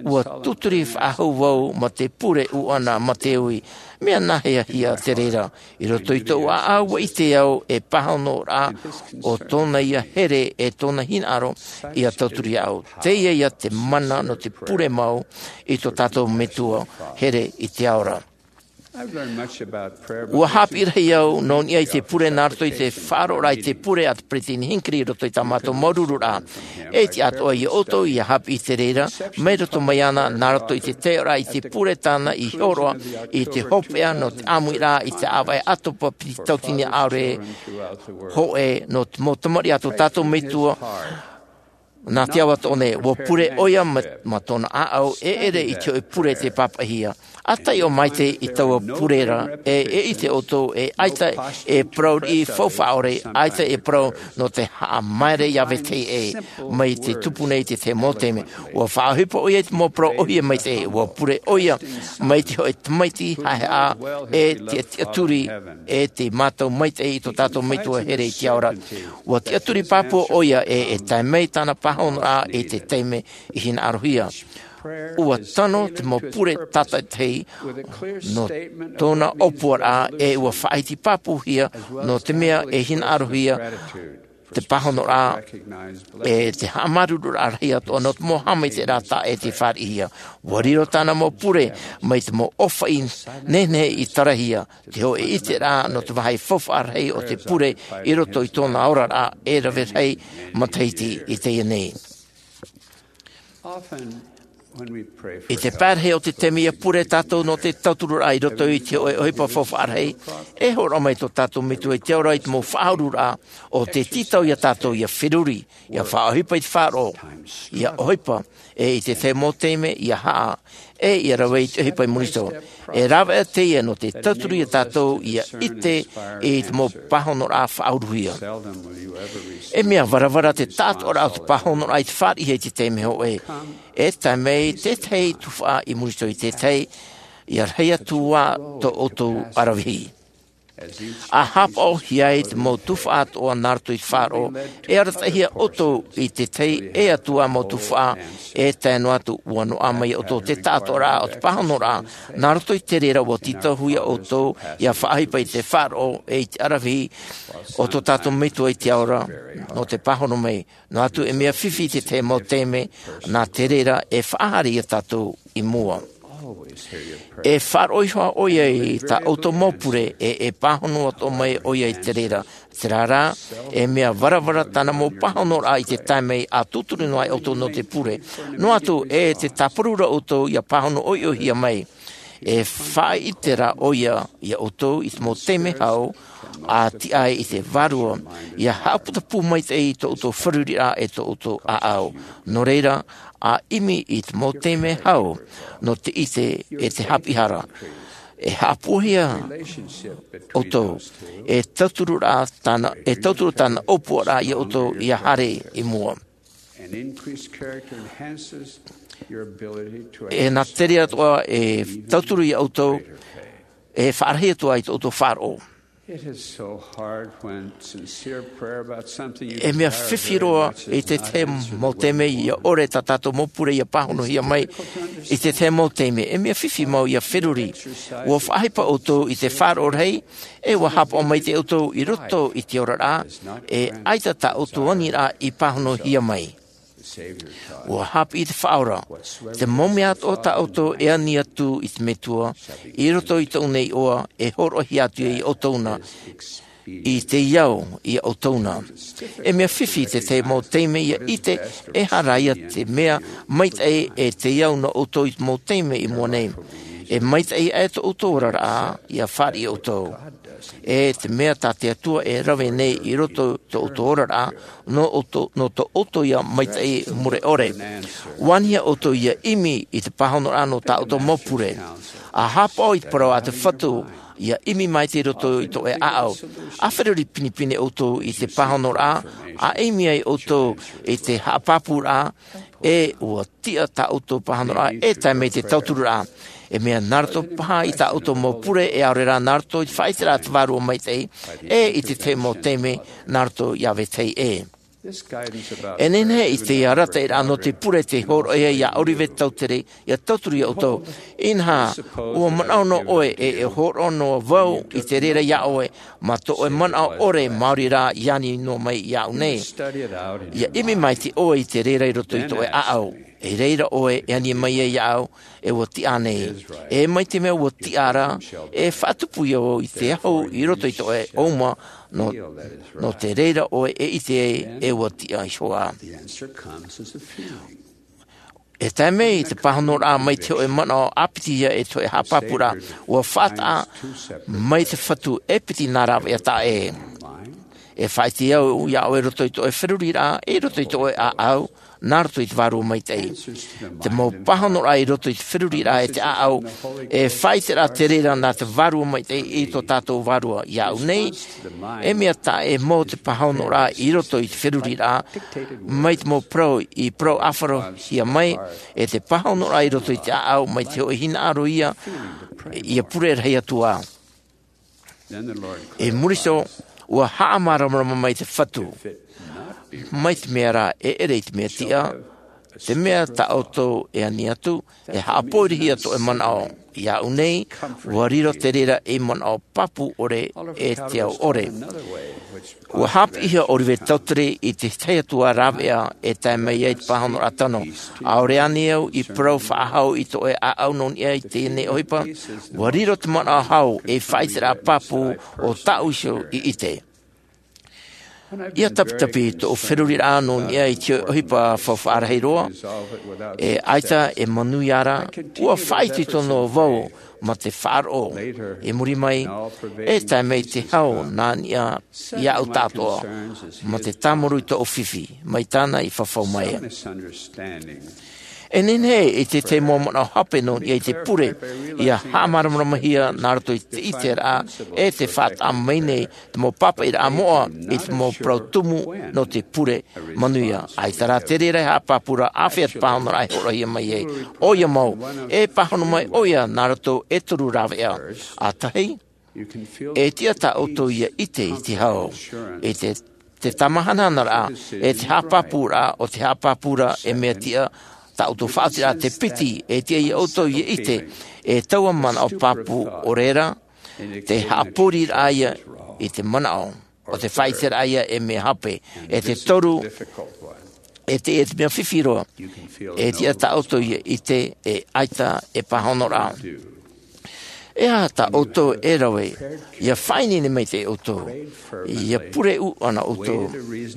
Ua tuturi faʻahou vau mā te pure ʻuʻana mā te ui. Mea nāhea hia te reira? I roto i tōʻu ʻāʻau ua ʻite au e pāhonoraʻa o tōna ia here e tōna hinaʻaro ia tauturu iāʻu. Teie ia te mana nō te pure mau i tō tātou Metua here i te ao ra. Ua haʻapiʻi rahi au nō niʻa i te pure nā roto i te faʻaroʻoraʻa i te pure a te Peresideni Hinckley i roto i tā mātou māuruururaʻa. E tiʻa atoʻa ia ʻoutou ia haʻapiʻi i te reira, mai roto mai iāna, nā roto i te taioraʻa i te pure tāna i hōroʻa i te hopeʻa nō te ʻāmuiraʻa i te ʻāvaʻe ʻātopa piti tauatini ʻāore hōʻē nō te mau tamariʻi a tō tātou Metua, nā te ao atoʻa nei, ua pure ʻoia mā, mā tōna ʻāʻau, e ʻere i te hoʻē pure tei pāpaʻihia. ʻA taiʻo maitaʻi i taua pure ra, e, e ʻite ʻoutou, e ʻaita e parau riʻi faufaʻa ʻore, ʻaita e parau nō te haʻamaere ia vetahi ʻē, mai te tupu nei i te tahi mau taime. Ua faʻaʻohipa ʻoia i te mau parau ʻōhie maitaʻi, ua pure ʻoia mai te hoʻē tamaiti haʻehaʻa, e te tiʻaturi, e te mātau maitaʻi i tō tātou Metua here i te ao ra. Ua tiʻaturi pāpū ʻoia e, e tae mai tāna pāhonoraʻa i te taime i hinaʻarohia. Ua tano te mau pure tātaʻitahi nō tōna ʻōpuaraʻa, e ua faʻahiti pāpūhia nō te mea e hinaʻarohia te pāhonoraʻa, e te haʻamāuruururaʻa rahi atoʻa nō te mau haʻamaitaʻiraʻa taʻa ʻē tei fāriʻihia. Ua riro tāna mau pure mai te mau ʻōfaʻi nehenehe i tarahia, te hoʻē ʻiteraʻa nō te vāhi faufaʻa rahi o te pure i roto i tōna oraraʻa e rave rahi matahiti i teie nei. I te pae rahi o te taime ʻia pure tātou nō te tautururaʻa i roto i te hoʻē ʻohipa faufaʻa rahi, e hōroʻa mai tō tātou Metua i te ao ra i te mau faʻaururaʻa o te tītau ia tātou ʻia feruri, ʻia faʻaʻohipa i te faʻaroʻo, ʻia ʻohipa, e i te tahi mau taime ʻia haʻa, e ʻia rave i te ʻohipa i muri iho. E rāveʻa teie nō te tauturu ia tātou ʻia ʻite i te mau pāhonoraʻa faʻauruhia. E mea varavara te taʻatoʻaraʻa o te pāhonoraʻa i te fāriʻihia i te taime hōʻē. E tae mai te tahi tuhaʻa i muri iho i te tahi, ʻia rahi atu ā tō ʻoutou ʻaravihi. ʻA haʻapaʻohia ai te mau tuhaʻa atoʻa nā roto i te faʻaroʻo, e arataʻihia ʻoutou i te tahi e atu ā mau tuhaʻa, e tae noa atu ʻua noaʻa mai ia ʻoutou te taʻatoʻaraʻa o te pāhonoraʻa, nā roto i te reira ʻua tītauhia ʻoutou ʻia faʻaʻohipa i te faʻaroʻo e i te ʻaravihi o tō tātou Metua i te ao ra, nō te pāhono mai, noa atu e mea fifi te tahi mau taime, nā te reira e faʻahaere ia tātou i mua. E faʻaroʻo iho ā ʻoia i tā ʻoutou mau pure, e, e pāhono atoʻa mai ʻoia i te reira. Terā rā, e mea varavara tāna mau pāhonoraʻa i te taime ʻa tūturu noa ai ʻoutou nō te pure. Noa atu, e te tāparu ra ʻoutou ʻia pāhono ʻoiʻoihia mai. E faʻaʻite rā ʻoia ia ʻoutou i te mau taime hau, ʻa tiʻa ai i te Vārua, ʻia haʻaputapū maitaʻi i tō ʻoutou fāriʻiraʻa e tō ʻoutou ʻāʻau. Nō reira, ʻa ʻimi i te mau taime hau, nō te ʻite e te haʻapiʻihara. E haʻapūaihia ʻoutou, e tauturu rā tāna, e tauturu tāna ʻōpuaraʻa ia ʻoutou ʻia haere i mua. E nā te reira atoʻa e tauturu ia ʻoutou, e faʻarahi atu ā i tō ʻoutou faʻaroʻo. It is so hard when sincere prayer about something you E mea desire fifi very roa much is i te not tahi answered mau with taime ia ʻore tā tātou mau pure ia pāhonohia mai i te tahi mau taime. E mea fifi mau ia feruri. Ua faʻaʻohipa ʻoutou i te faʻaroʻo rahi, e ua haʻapaʻo maitaʻi ʻoutou i roto i te oraraʻa, e ʻaita tā ʻoutou aniraʻa i pāhonohia mai. Ua haʻapiʻi te Faʻaora, te mau mea atoʻa tā ʻoutou e ani atu i te Metua, i roto i tōʻu nei iʻoa, e hōroʻahia atu ia ʻoutou na, i te ao ia ʻoutou na. E mea fifi te tahi mau taime ia ʻite, e hara ia te mea maitaʻi e te ao nō ʻoutou i te mau taime i mua nei. E maitaʻi aʻe tō ʻoutou oraraʻa, ia fāriʻi ʻoutou. E te mea tā te Atua e rave nei i roto i tō ʻoutou oraraʻa, nō ʻoutou, nō tō ʻoutou ia maitaʻi mure ʻore. Ua anihia ʻoutou ia ʻimi i te pāhonoraʻa nō tā ʻoutou mau pure. ʻA haʻapaʻo i te parau a te Fatu, ia ʻimi maitaʻi i roto i tō ʻoe ʻāʻau. ʻA feruri pinepine ʻoutou i te pāhonoraʻa, ʻa ʻimi ai ʻoutou i te haʻapāpūraʻa, e ua tiʻa tā ʻoutou pāhonoraʻa, e tae mai te tautururaʻa. E mea nā roto paha i tā ʻoutou mau pure, e ʻaore rā nā roto i te faʻaʻiteraʻa a te Vārua Maitaʻi, e i te tahi mau taime, nā roto ia vetahi ʻē. E nehenehe i te arataʻiraʻa nō te pure te hōroʻahia ia ʻOlive Tautere, ia tauturu ia ʻoutou. Inaha, ua manaʻo noa ʻoe e, e hōroʻa noa vau i te reira ia ʻoe, mā tō ʻoe manaʻo ʻore maori rā i ani noa mai iāʻu nei. Ia ʻimi maitaʻi ʻoe i te reira i roto i tō ʻoe ʻāʻau. I reira ʻoe e ani mai ai iāʻu, e ua tiʻa nei. E mai te mea ua tiʻa ra, e faʻatupu ia vau i te ahu i roto i tō ʻoe ʻōuma, nō, nō te reira ʻoe e ʻite ai, e ua tiʻa iho ā. E tae mai te pāhonoraʻa mai te hōʻē manaʻo ʻāpiti ia e te hōʻē haʻapāpūraʻa, ua faʻataʻa mai te Fatu e piti nā rāveʻa taʻa ʻē. E faʻaʻite au ia ʻoe i roto i tō ʻoe feruriraʻa, i roto i tō ʻoe ʻāʻau, nā roto i te Vārua Maitaʻi. Te mau pāhonoraʻa i roto i te feruriraʻa e te ʻāʻau, e faʻaʻiteraʻa te reira nā te Vārua Maitaʻi i tō tātou Vārua iāʻu nei. E mea taʻa ʻē mau te pāhonoraʻa i roto i te feruriraʻa, mai te mau parau i parau ʻāfarohia mai, e te pāhonoraʻa i roto i te ʻāʻau, mai te hōʻē hinaʻaro ia, ia pure rahi atu ā. I muri iho, ua haʻamāramarama mai te Fatu. Mai te mea rā, e ʻere i te mea tiʻa, te mea tā ʻoutou e ani atu, e haʻapoʻihia tō ʻoe manaʻo. Iāʻu nei, ua riro te reira ei manaʻo pāpū ʻore e te ao ʻore. Ua haʻapiʻihia ʻOlive Tautere i te tahi atu ā rāveʻa e tae mai ai te pāhonoraʻa tano. ʻAore ānei au i parau faʻahou i tō ʻoe ʻāʻau nō niʻa i teie nei ʻohipa, ua riro te manaʻo hau ei faʻaʻiteraʻa pāpū o tāʻu iho i ʻite. ʻIa tapitapi tōʻu feruriraʻa nō niʻa i te ʻohipa faufaʻa rahi roa, e ʻaita e manuia ra, ua faʻaitoito noa vau mā te faʻaroʻo. I muri mai, e tae mai te hau nā niʻa iāʻu tāʻātoʻa, mā te tāmuru i tōʻu fifi, mai tāna i fafau mai. E nehenehe i te tahi mau manaʻo hape nō niʻa i te pure, ʻia haʻamāramaramahia nā roto i te ʻiteraʻa, e te faʻataʻa mai nei te mau pāpaʻiraʻa moʻa i te mau parau tumu nō te pure manuia. ʻAita rā te reira e haʻapāpū ra, āfea te pāhonoraʻa e hōroʻahia mai ai. ʻOia mau, e pāhono mai ʻoia nā roto e toru rāveʻa. ʻA tahi, e tiʻa tā ʻoutou ʻia ʻite i te hau, e te, te tāmāhanahanaraʻa, e te haʻapāpūraʻa o te haʻapāpū ra e mea tiʻa, tā ʻoutou faʻaotiraʻa te piti, e tiʻa ia ʻoutou ʻia ʻite, e taua manaʻo pāpū ʻore ra, te haʻapōriraʻa ia i te manaʻo, o te faʻaʻiteraʻa ia e mea hape, e te toru, e te, e te mea fifi roa, e tiʻa tā ʻoutou ʻia ʻite, e ʻaita e pāhono ra. E aha tā ʻoutou e rave, ʻia faʻaineine maitaʻi ʻoutou, ʻia pure ʻū ʻana ʻoutou,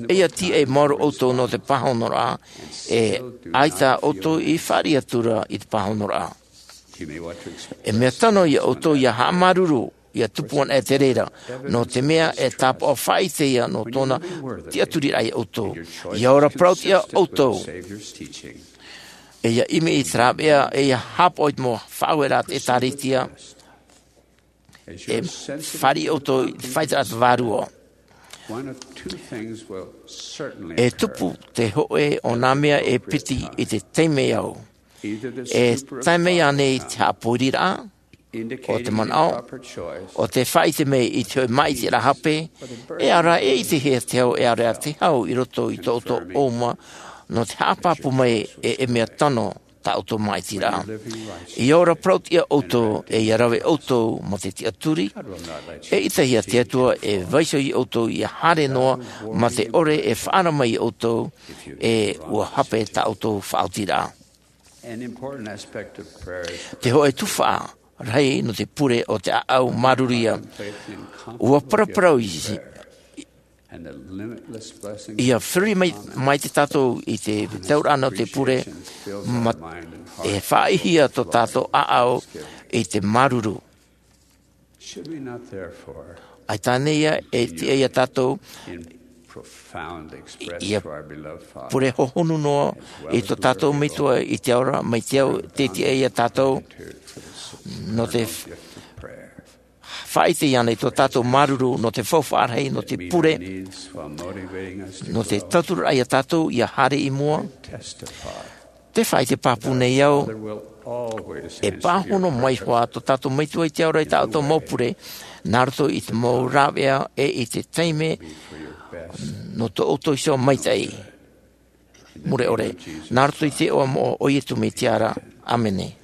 e ʻia tīaʻi maoro ʻoutou nō te pāhonoraʻa, e ʻaita ʻoutou i fāriʻi atu ra i te pāhonoraʻa. E mea tano ia ʻoutou ʻia haʻamāuruuru, ʻia tupu anaʻe te reira, nō te mea e tāpaʻo faʻaʻite ia nō tōna tiʻaturiraʻa ia ʻoutou. ʻIa ora parau-tiʻa ʻoutou. E ʻia ʻimi i te rāveʻa, e ʻia haʻapaʻo i te mau faʻaueraʻa a te ʻĒtārētia, e fāriʻi ʻoutou i te faʻaʻiteraʻa a te Vārua. E tupu te hōʻē o nā mea e piti i te taime au. E tae mai ānei te haʻapoiriraʻa, O te manaʻo, o te faʻaʻite mai i te hōʻē māʻitiraʻa hape, e ara e ʻitehia te hau, e ara te hau i roto i tō ʻoutou ʻōuma, nō te haʻapāpū mai e, e mea tano tā ʻoutou māʻitiraʻa. ʻIa ora parau atu ʻoutou, e ʻia rave ʻoutou mā te tiʻaturi, e ʻitehia te Atua e vaiiho ia ʻoutou ʻia haere noa mā te ʻore e faʻaara mai ia ʻoutou, e ʻua hape tā ʻoutou faʻaotiraʻa. Te hōʻē tuhaʻa rahi nō te pure o te ʻāʻau māuruuru. ʻUa paraparau i, ʻia feruri mai, mai te tātou i te tauraʻa nō te pure, mā, e faʻaʻihia tō tātou ʻāʻau i te māuruuru. ʻAita ānei ïa e tiʻa ia tātou, ʻia pure hohonu noa i tō tātou Metua i te ao ra, mai te ao tē tiʻa ia tātou, nō te faʻaʻite iāna i tō tātou māuruuru, nō te faufaʻa rahi, nō te pure, nō te tauturu ia tātou ʻia haere i mua. Te faʻaʻite pāpū nei au, e pāhono mai hoʻi tō tātou Metua i te ao ra i tā ʻoutou mau pure, nā roto i te mau rāveʻa e i te taime, nō tō ʻoutou iho maitaʻi. Mure ʻore, nā roto i te iʻoa moʻa o Iesu Mesia ra. ʻĀmene.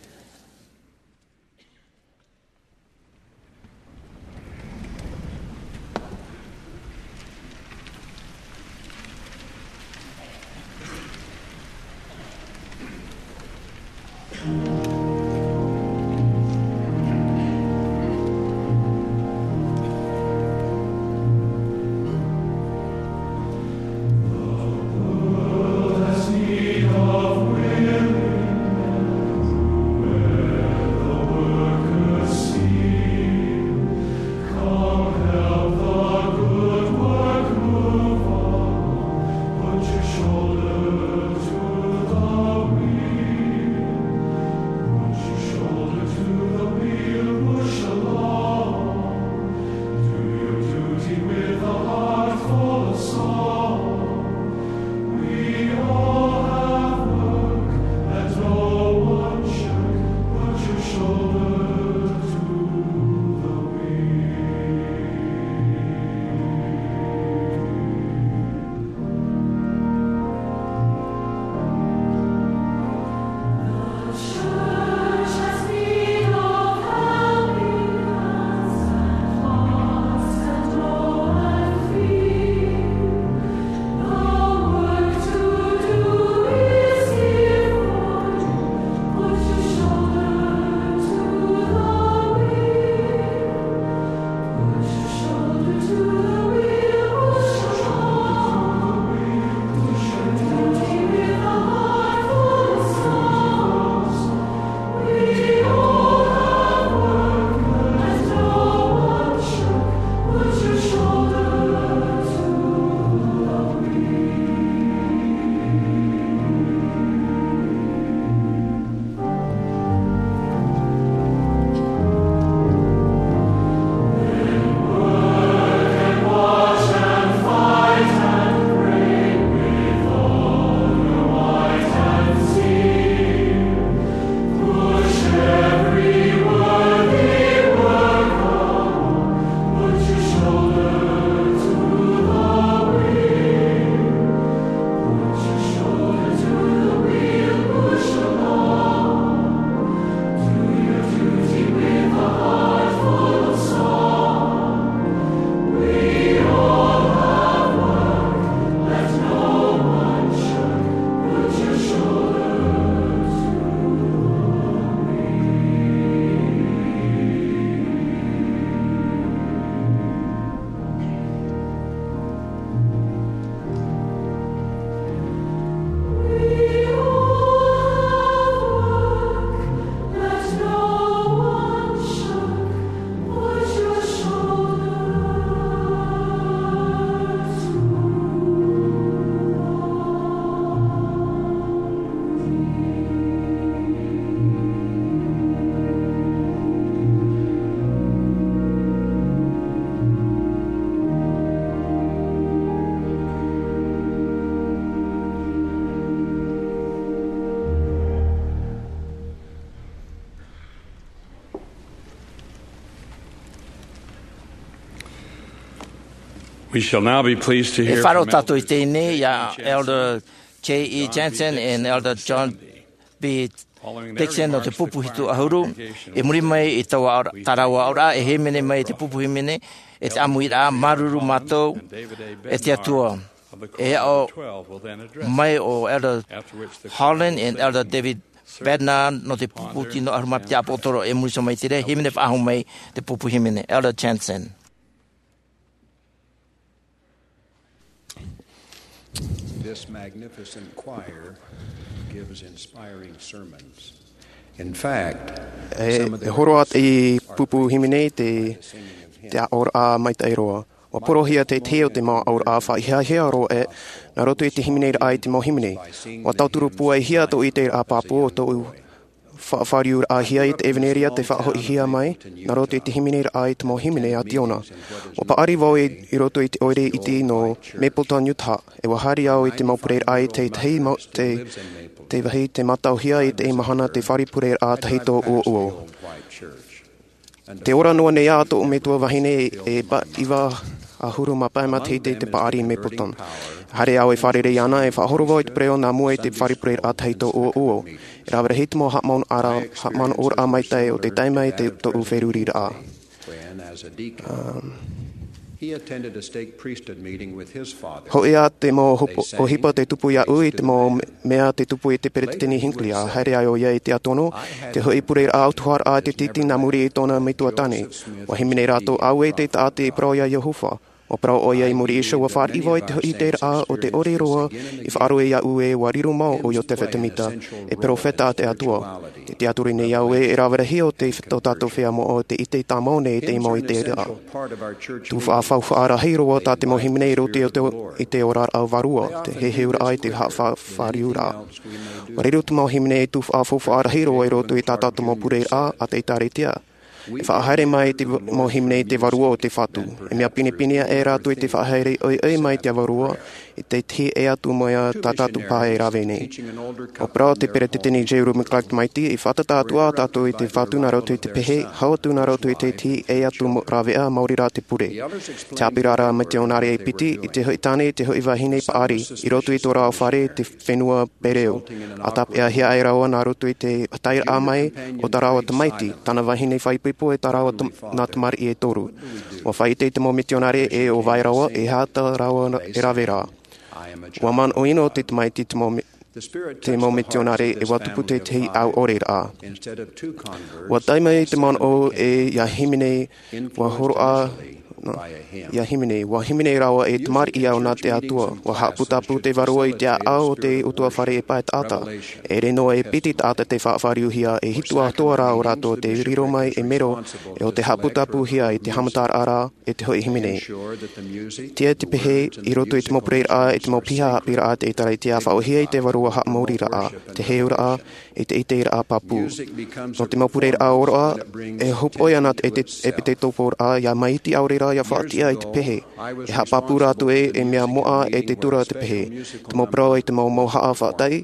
We shall now be pleased to hear from Elder J E Jensen and Elder John B. Dixon nō te pupu hitu ʻahuru. I muri mai i taua aʻo-, tā rāua aʻoraʻa, e hīmene mai te pupu hīmene, e te ʻāmuiraʻa, māuruuru mātou e te Atua. E aʻo mai ʻo Elder Holland and Elder David Bednar nō te pupu tino ʻahuru mā piti ʻāpōsetolo, e muri iho mai i te reira, hīmene faʻahou mai te pupu hīmene, Elder Jensen. This magnificent choir gives inspiring sermons. In fact, e, e hōroʻa te pupu hīmene te, te aʻoraʻa maitaʻi roa. ʻUa porohia te tahi o te mau aʻoraʻa faʻahiahia roa e, nā roto i te hīmeneraʻa i te mau hīmene. ʻUa tauturu pūaihia tō ʻiteraʻa pāpū o tōʻu faʻafāriuraʻahia i te ʻevaneria tei faʻahoʻihia mai, nā roto i te hīmeneraʻa i te mau hīmene a Tiona. ʻUa paʻari vau i, i roto i te ʻoire iti nō Mapleton, Utah, e ʻua haere au i te mau pureraʻa i te tahi mau, te, te vāhi tei mātauhia i te mahana te fare pureraʻa tahito ʻuoʻuo. Tē ora noa nei ā tōʻu metua vahine e pa-, iva ʻahuru mā pae matahiti te paʻari i Mapleton. Haere au e fārerei iāna, e faʻahoro vau i te pereʻoʻo nā mua i te fare pureraʻa tahito ʻuoʻuo. E rave rahi te mau haʻamanaʻo-, haʻamanaʻoraʻa maitaʻi o te tae mai te, tōʻu feruriraʻa. He attended a stake priesthood meeting with his father. Hoʻi ā te mau hopo-, ʻohipa tei tupu iāʻu i te mau me-, mea tei tupu i te Peretiteni Hinckley, ʻa haere ai ʻoia i te ʻātono, te hoʻi pureraʻa ʻautuharaʻa te titi nā muri i tōna metua tāne. ʻUa hīmene rātou auē te taʻata i parau iā Iehova. ʻUa parau ʻoia i muri iho, ʻua fāriʻi vau i te hoʻi ʻiteraʻa o te ʻore roa i faʻaroʻo iāʻu ē ʻua riro mau ʻo Iosepha Semita, e perofeta a te Atua. Tē tiʻaturi nei au ē, e rave rahi o te, tō tātou feiā moʻa tei ʻite tāmau nei i te mau ʻiteraʻa. Tuhaʻa faufaʻa rahi roa tā te mau hīmene i roto i te, i te oraraʻa vārua, te heheuraʻa i te haʻafā-, fāriuraʻa. ʻUa riro te mau hīmene i tuhaʻa faufaʻa rahi roa i roto i tā tātou mau pureraʻa a te ʻĒtārētia. E faʻahaere mai te v-, mau hīmene i te vārua o te Fatu. E mea pinepine aʻe rātou i te faʻahaere ʻoiʻoi mai te vārua, i te tahi ʻē atu mai ā tā tātou pae e rave nei. ʻUa parau te Peretiteni J. Reuben Clark Tamaiti, e fātata atu ā tātou i te Fatu nā roto i te pehe, hau atu nā roto i te tahi ʻē atu mo-, rāveʻa maori rā te pure. Te haʻapiʻiraʻa mitionare e piti, i te hoʻi tāne, i te hoʻi vahine paʻari, i roto i tō rāua fare, te fenua Pereu. ʻA tāpeʻahia ai rāua nā roto i te taeraʻa mai o tā rāua tamaiti, tāna vahine faʻaipoipo e tā rāua tam-, nā tamariʻi e toru. ʻUa faʻaʻite te mau mitionare ē ʻo vai rāua, e aha tā rāua ra-, e rave ra. ʻUa manaʻo ʻino te tamaiti te mau mi-, te mau mitionare e ʻua tupu te tahi ʻauʻoreraʻa. ʻUa tae mai te manaʻo ē ʻia hīmene, ʻua hōroʻa, nō, ʻia hīmene, ʻua hīmene rāua e tamariʻi au nā te Atua. ʻUa haʻaputapū te vārua i te ʻāʻau o te ʻutuāfare e pae taʻata. E ʻere noa e piti taʻata tei faʻafāriuhia, e hitu atoʻa rā ʻo rātou tei riro mai ei mero, e ʻo tei haʻaputapūhia i te haʻamataraʻa ra, e te hoʻi hīmene. Tiʻa te pehe i roto i te mau pureraʻa, e te mau piha haʻapiʻiraʻa a te ʻĒtārētia faʻaʻōhie i te vārua haʻamāuruururaʻa, te heheuraʻa, i te ʻiteraʻa pāpū. Nō te mau pureraʻa ʻōroʻa, e hopoiʻa nā te ʻepite-, ʻepitekoporaʻa, ʻia maitaʻi ʻaore rā ʻia faʻatiʻa i te pehe. E haʻapāpū rātou ē, e mea moʻa e te tura te pehe. Te mau parau e te mau mauhaʻa faʻataʻi,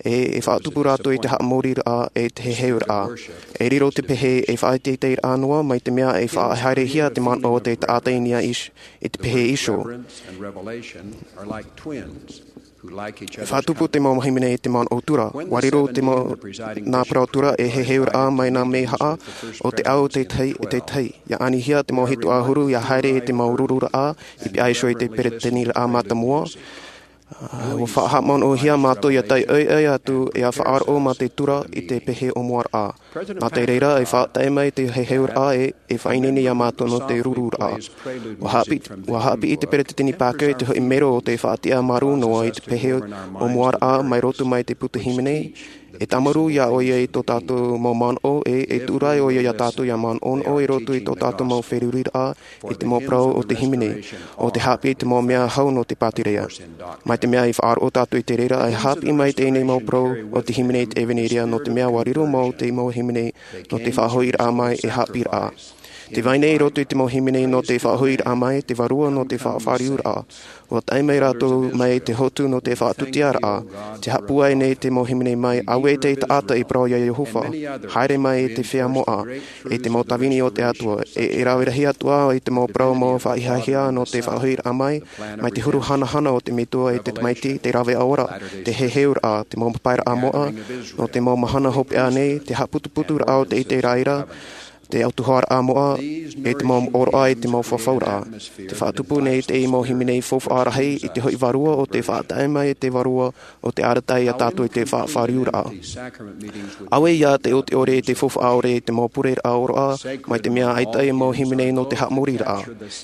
e, e faʻatupu rātou i te haʻamāuruururaʻa e te heheuraʻa. E riro te pehe, e faʻateiteiraʻa noa, mai te mea e faʻahaerehia te manaʻo o te taʻata i niʻa iho, i te pehe iho. E faʻatupu te mau hīmene i te manaʻo tura. ʻUa riro te mau, nā parau tura e heheuraʻa mai nā mea haʻa o te ao o te tahi, te tahi. ʻIa anihia te mau hitu ʻahuru, ʻia haere i te mau rururaʻa, i piha iho i te peretiteniraʻa mātāmua. ʻUa faʻahaʻamanaʻohia mātou ʻia taiʻoiʻoi atu, ʻia faʻaroʻo mā te tura i te pehe ʻōmuaraʻa. Nā te reira, e faʻataʻe mai te heheuraʻa e, e faʻaineine ia mātou nō te rururaʻa. ʻUa haʻapiʻi, ʻua haʻapiʻi te Peretiteni Packer i te hoʻi mero o te faʻatiʻa marū noa i te pehe ʻōmuaraʻa mai roto mai te puta hīmene. E tāmarū ia ʻoia i tō tātou mau manaʻo, e, e tuʻu ra ʻoia ia tātou ʻia manaʻonaʻo i roto i tō tātou mau feruriraʻa, i te mau parau o te hīmene, ʻo te haʻapiʻi i te mau mea hau nō te pātireia. Mai te mea i faʻaroʻo tātou i te reira, e haʻapiʻi mai teie nei mau parau o te hīmene i te ʻevanelia, nō te mea ʻua riro mau te mau hīmene nō te faʻahoʻiraʻa mai e haʻapiʻiraʻa. Te vai nei i roto i te mau hīmene nō te faʻahoʻiraʻa mai, te vārua nō te faʻafāriuraʻa. ʻUa tae mai rātou mai te hotu nō te faʻatūtiaraʻa. Te haʻapūai nei te mau hīmene mai, auē te taʻata i parau iā Iehova. Haere mai i te feiā moʻa, i te mau tāvini o te Atua. E, e rave rahi atu ā i te mau parau mau faʻahiahia nō te faʻahoʻiraʻa mai, mai te huru hanahana o te Metua i te tamaiti, te rave ʻaore, te heheuraʻa, te mau papairaʻa moʻa, nō te mau mahana hopeʻa nei, te haʻaputuputuraʻa o te ʻite i reira, te ʻautuharaʻa moʻa, e te mau ʻōroʻa, e te mau fafauraʻa. Te faʻatupu nei te mau hīmene faufaʻa rahi i te hoʻi vārua o te faʻatae mai, te vārua o te arataʻi iā tātou i te faʻafāriuraʻa. Auē ia te ʻoteʻore i te faufaʻa ʻore i te mau pureraʻa ʻōroʻa, mai te mea ʻaita e mau hīmene nō te haʻamoriraʻa.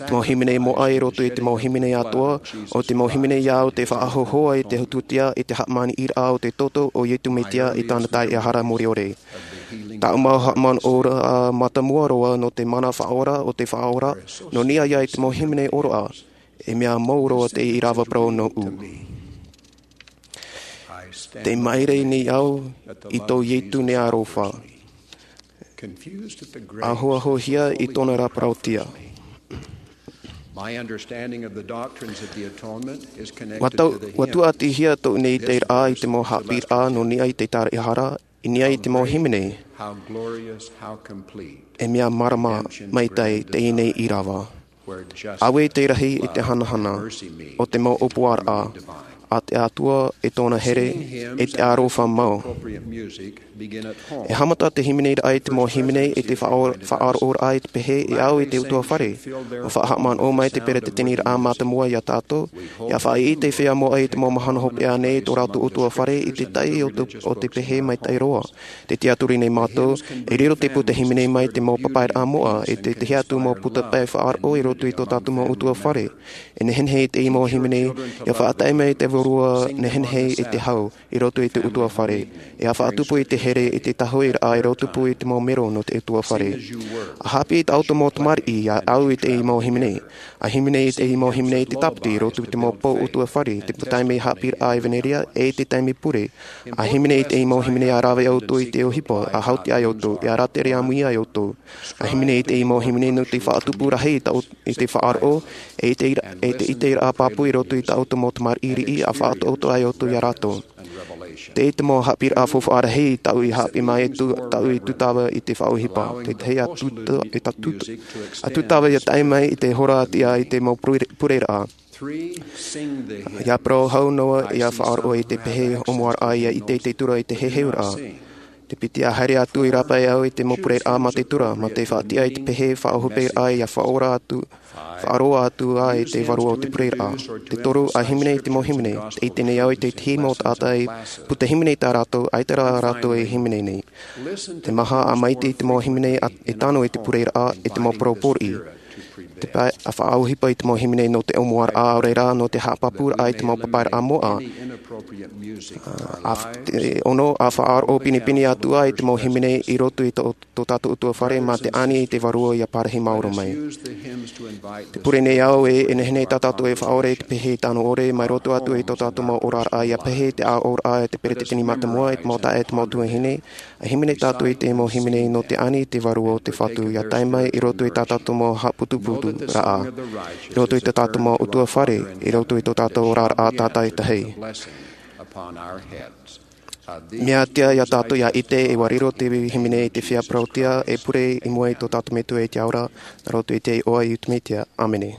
Te mau hīmene moʻa i roto i te mau hīmene atoʻa, ʻo te mau hīmene ia o te faʻahōhoʻa i te hōtūtia i te haʻamāniʻiraʻa o te toto o Iesu Mesia i tāna taeaʻehara mure ʻore. Tāʻu mau haʻamanaʻoraʻa mātāmua roa nō te mana faʻaora o te Faʻaora, nō niʻa ia i te mau hīmene ʻōroʻa, e mea mau roa te ʻīrava parau nōʻu. Tē māere nei au i tō Iesu nei aroha. Ahoahohia i tōna ra parauʻtiʻa. My understanding of the doctrines of the atonement is connected Ua tau, to the ua hymn. Tuatihia tōʻu nei te raʻa i te mau haʻapiʻiraʻa nō niʻa i te taeaʻehara, i niʻa i te mau hīmene. How glorious, how complete. E mea mārama maitaʻi teie nei ʻīrava. Auē te rahi i te hanahana, o te mau ʻōpuaraʻa, a te Atua e tōna here, e te aroha mau. E haʻamata te hīmene raʻa i te mau hīmene i te faʻa-, faʻaroʻoraʻa i te pehe e au i te ʻutuāfare. ʻUa faʻahaʻamanaʻo mai te peretiteniraʻa mātāmua iā tātou, ʻia faʻaʻite te feiā moʻa i te mau mahana hopeʻa nei tō rātou ʻutuāfare i te tahi o te, o te pehe maitaʻi roa. Tē tiʻaturi nei mātou, e riro te pū te hīmene mai te mau papairaʻa moʻa, e te, te tahi atu mau puta pae faʻaroʻo i roto i tō tātou mau ʻutuāfare. E nehenehe i te mau hīmene, ʻia faʻatae mai te vārua nehenehe i te hau, i roto i te ʻutuāfare. ʻIa faʻatupu i te here i te tahuʻiraʻa i roto pū i te mau mero nō te ʻutuāfare. ʻA haʻapiʻi tā ʻoutou mau tamariʻi, ʻia au i te mau hīmene. ʻA hīmene i te mau hīmene i te tāpiti, i roto i te mau pō ʻutuāfare, te pū taime haʻapiʻiraʻa ʻevanelia, e te taime pure. ʻA hīmene i te mau hīmene ʻia rave ʻoutou i te ʻohipa, ʻa hautī ai ʻoutou, ʻia rātere ʻāmui ai ʻoutou. ʻA hīmene i te mau hīmene nō te faʻatupu rahi i tā ʻou-, i te faʻaroʻo, e i te ira-, e te ʻiteraʻa pāpū i roto i tā ʻoutou mau tamariʻi riʻi, ʻa faʻataʻoto ai ʻoutou iā rātou. Tē ʻite mau haʻapiʻiraʻa faufaʻa rahi tāʻu i haʻapiʻi mai e tū-, tāʻu i tūtava i te faʻaʻohipa. Te tahi ʻa tūta-, e tā tūta-, ʻa tūtava ʻia tae mai i te hora tiʻa i te mau pure-, pureraʻa. ʻIa parau hau noa, ʻia faʻaroʻo i te pehe ʻōmuaraʻa, ʻia ʻite i te tura i te heheuraʻa. Te piti ʻa haere atu i rāpae au i te mau pureraʻa mā te tura, mā te faʻatiʻa i te pehe faʻaʻohiperaʻa, ʻia faʻaora atu, faʻaroa atu ā i te vārua o te pureraʻa. Te toru, ʻa hīmene i te mau hīmene, tē ʻite nei au i te tahi mau taʻata i pū te hīmene i tā rātou, ʻaita rā rātou e hīmene nei. Te maha ʻa maite i te mau hīmene ʻa, e tano i te pureraʻa, e te mau parau pōriʻi. Te pae, ʻa faʻaʻohipa i te mau hīmene nō te ʻōmuaraʻa, ʻaore rā nō te haʻapāpūraʻa i te mau papairaʻa moʻa. ʻA, ʻa, te ono, ʻa faʻaroʻo pinepine atu ā i te mau hīmene i roto i tō, tō tātou ʻutuāfare mā te ani i te vārua ʻia parahi maoro mai. Tē pure nei au ē, e nehenehe tā tātou e faʻaora i te pehe tano ʻore, mai roto atu i tō tātou mau oraraʻa ʻia pehe te ʻāʻoraʻa e te peretiteni mātāmua, e te mau taeaʻe, e te mau tuahine, ʻA hīmene tātou i te mau hīmene nō te ani i te vārua o te Fatu, ʻia tae mai i roto i tā tātou mau haʻaputuputuraʻa, i roto i tā tātou mau ʻutuāfare, i roto i tō tātou oraraʻa tātaʻitahi. Mea tiʻa ia tātou ʻia ʻite, e ʻua riro te hīmene i te feiā parauʻtiʻa, e pure i mua i tō tātou Metua i te ao ra, nā roto i te iʻoa o Iesu Mesia. ʻĀmene.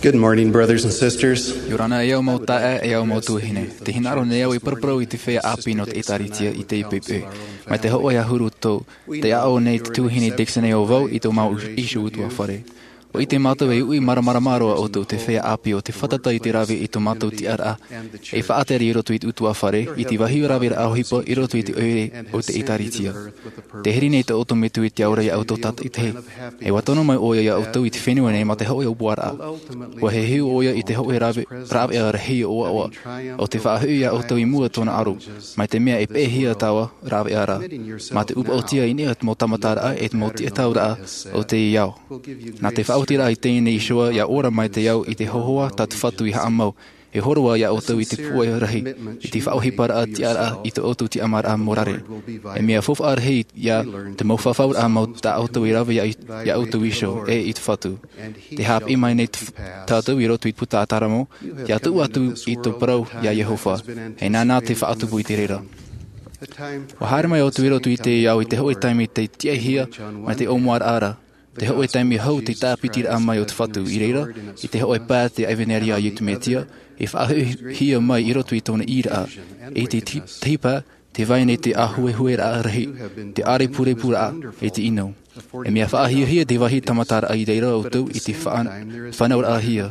Good morning, brothers and sisters. ʻIa ora na e au mau taeaʻe, e au mau tuahine. Tē hinaʻaro nei au e paraparau i te feiā ʻāpī nō te ʻĒtārētia i teie poʻipoʻi. Mai te hōʻē ʻahuru tau, tē aʻo nei te tuahine Dixon Ovau i tō mātou iho ʻutuāfare. ʻUa ʻite mātou e uʻi māramarama roa ʻoutou te feiā ʻāpī o te fātata i te rave i tō mātou tiʻaraʻa, e faʻatere i roto i te ʻutuāfare, i te vāhi raveraʻa ʻohipa i roto i te ʻoire o te ʻĒtārētia. Tē hiri nei tō ʻoutou Metua i te ao ra ia ʻoutou tātaʻitahi. E ʻua tono mai ʻoia ia ʻoutou i te fenua nei mā te hōʻē ʻōpuaraʻa. ʻUa heheu ʻoia i te hōʻē rave-, rāveʻa rahi ʻoaʻoa. ʻO te faʻahoʻi ia ʻoutou i mua tōna aro. Mai te mea e peʻehia taua rāveʻa ra. Mā te ʻūpaʻotia i niʻa i te mau tāmataraʻa e te mau tiʻatauraʻa o teie ao. Nā te faʻaotiraʻa i teie nei iho ā, ʻia ora mai te ao i te hōhoʻa tā te Fatu i haʻamau. E hōroʻa iā ʻoutou i te pūai rahi, i te faʻaʻohiparaʻa tiʻaraʻa i tō ʻoutou tiʻamāraʻa morare. E mea faufaʻa rahi ia te mau fafauraʻa mau tā ʻoutou i rave iā, iā ʻoutou iho, e i te Fatu. Te haʻapiʻi mai nei t-, tātou i roto i te puta a Tāmote, ia tuʻu atu i tō parau iā Iehova. E nāna te faʻatupu i te reira. ʻUa haere mai ʻoutou i roto i te ao i te hōʻē taime tei tiʻahia mai te ʻōmuaraʻa ra. Te hōʻē taime hou te tāpitiraʻa mai o te Fatu i reira, i te hōʻē pae te ʻevaneria a Iesu Mesia, e faʻahoʻihia mai i roto i tōna ʻīraʻa, i te ti-, tipa, te vai nei te ʻāhuehueraʻa rahi, te ʻārepurepuraʻa, e te ʻino. E mea faʻahiahia te vāhi tāmataraʻa i reira ʻoutou i te faʻa-, fānauraʻahia,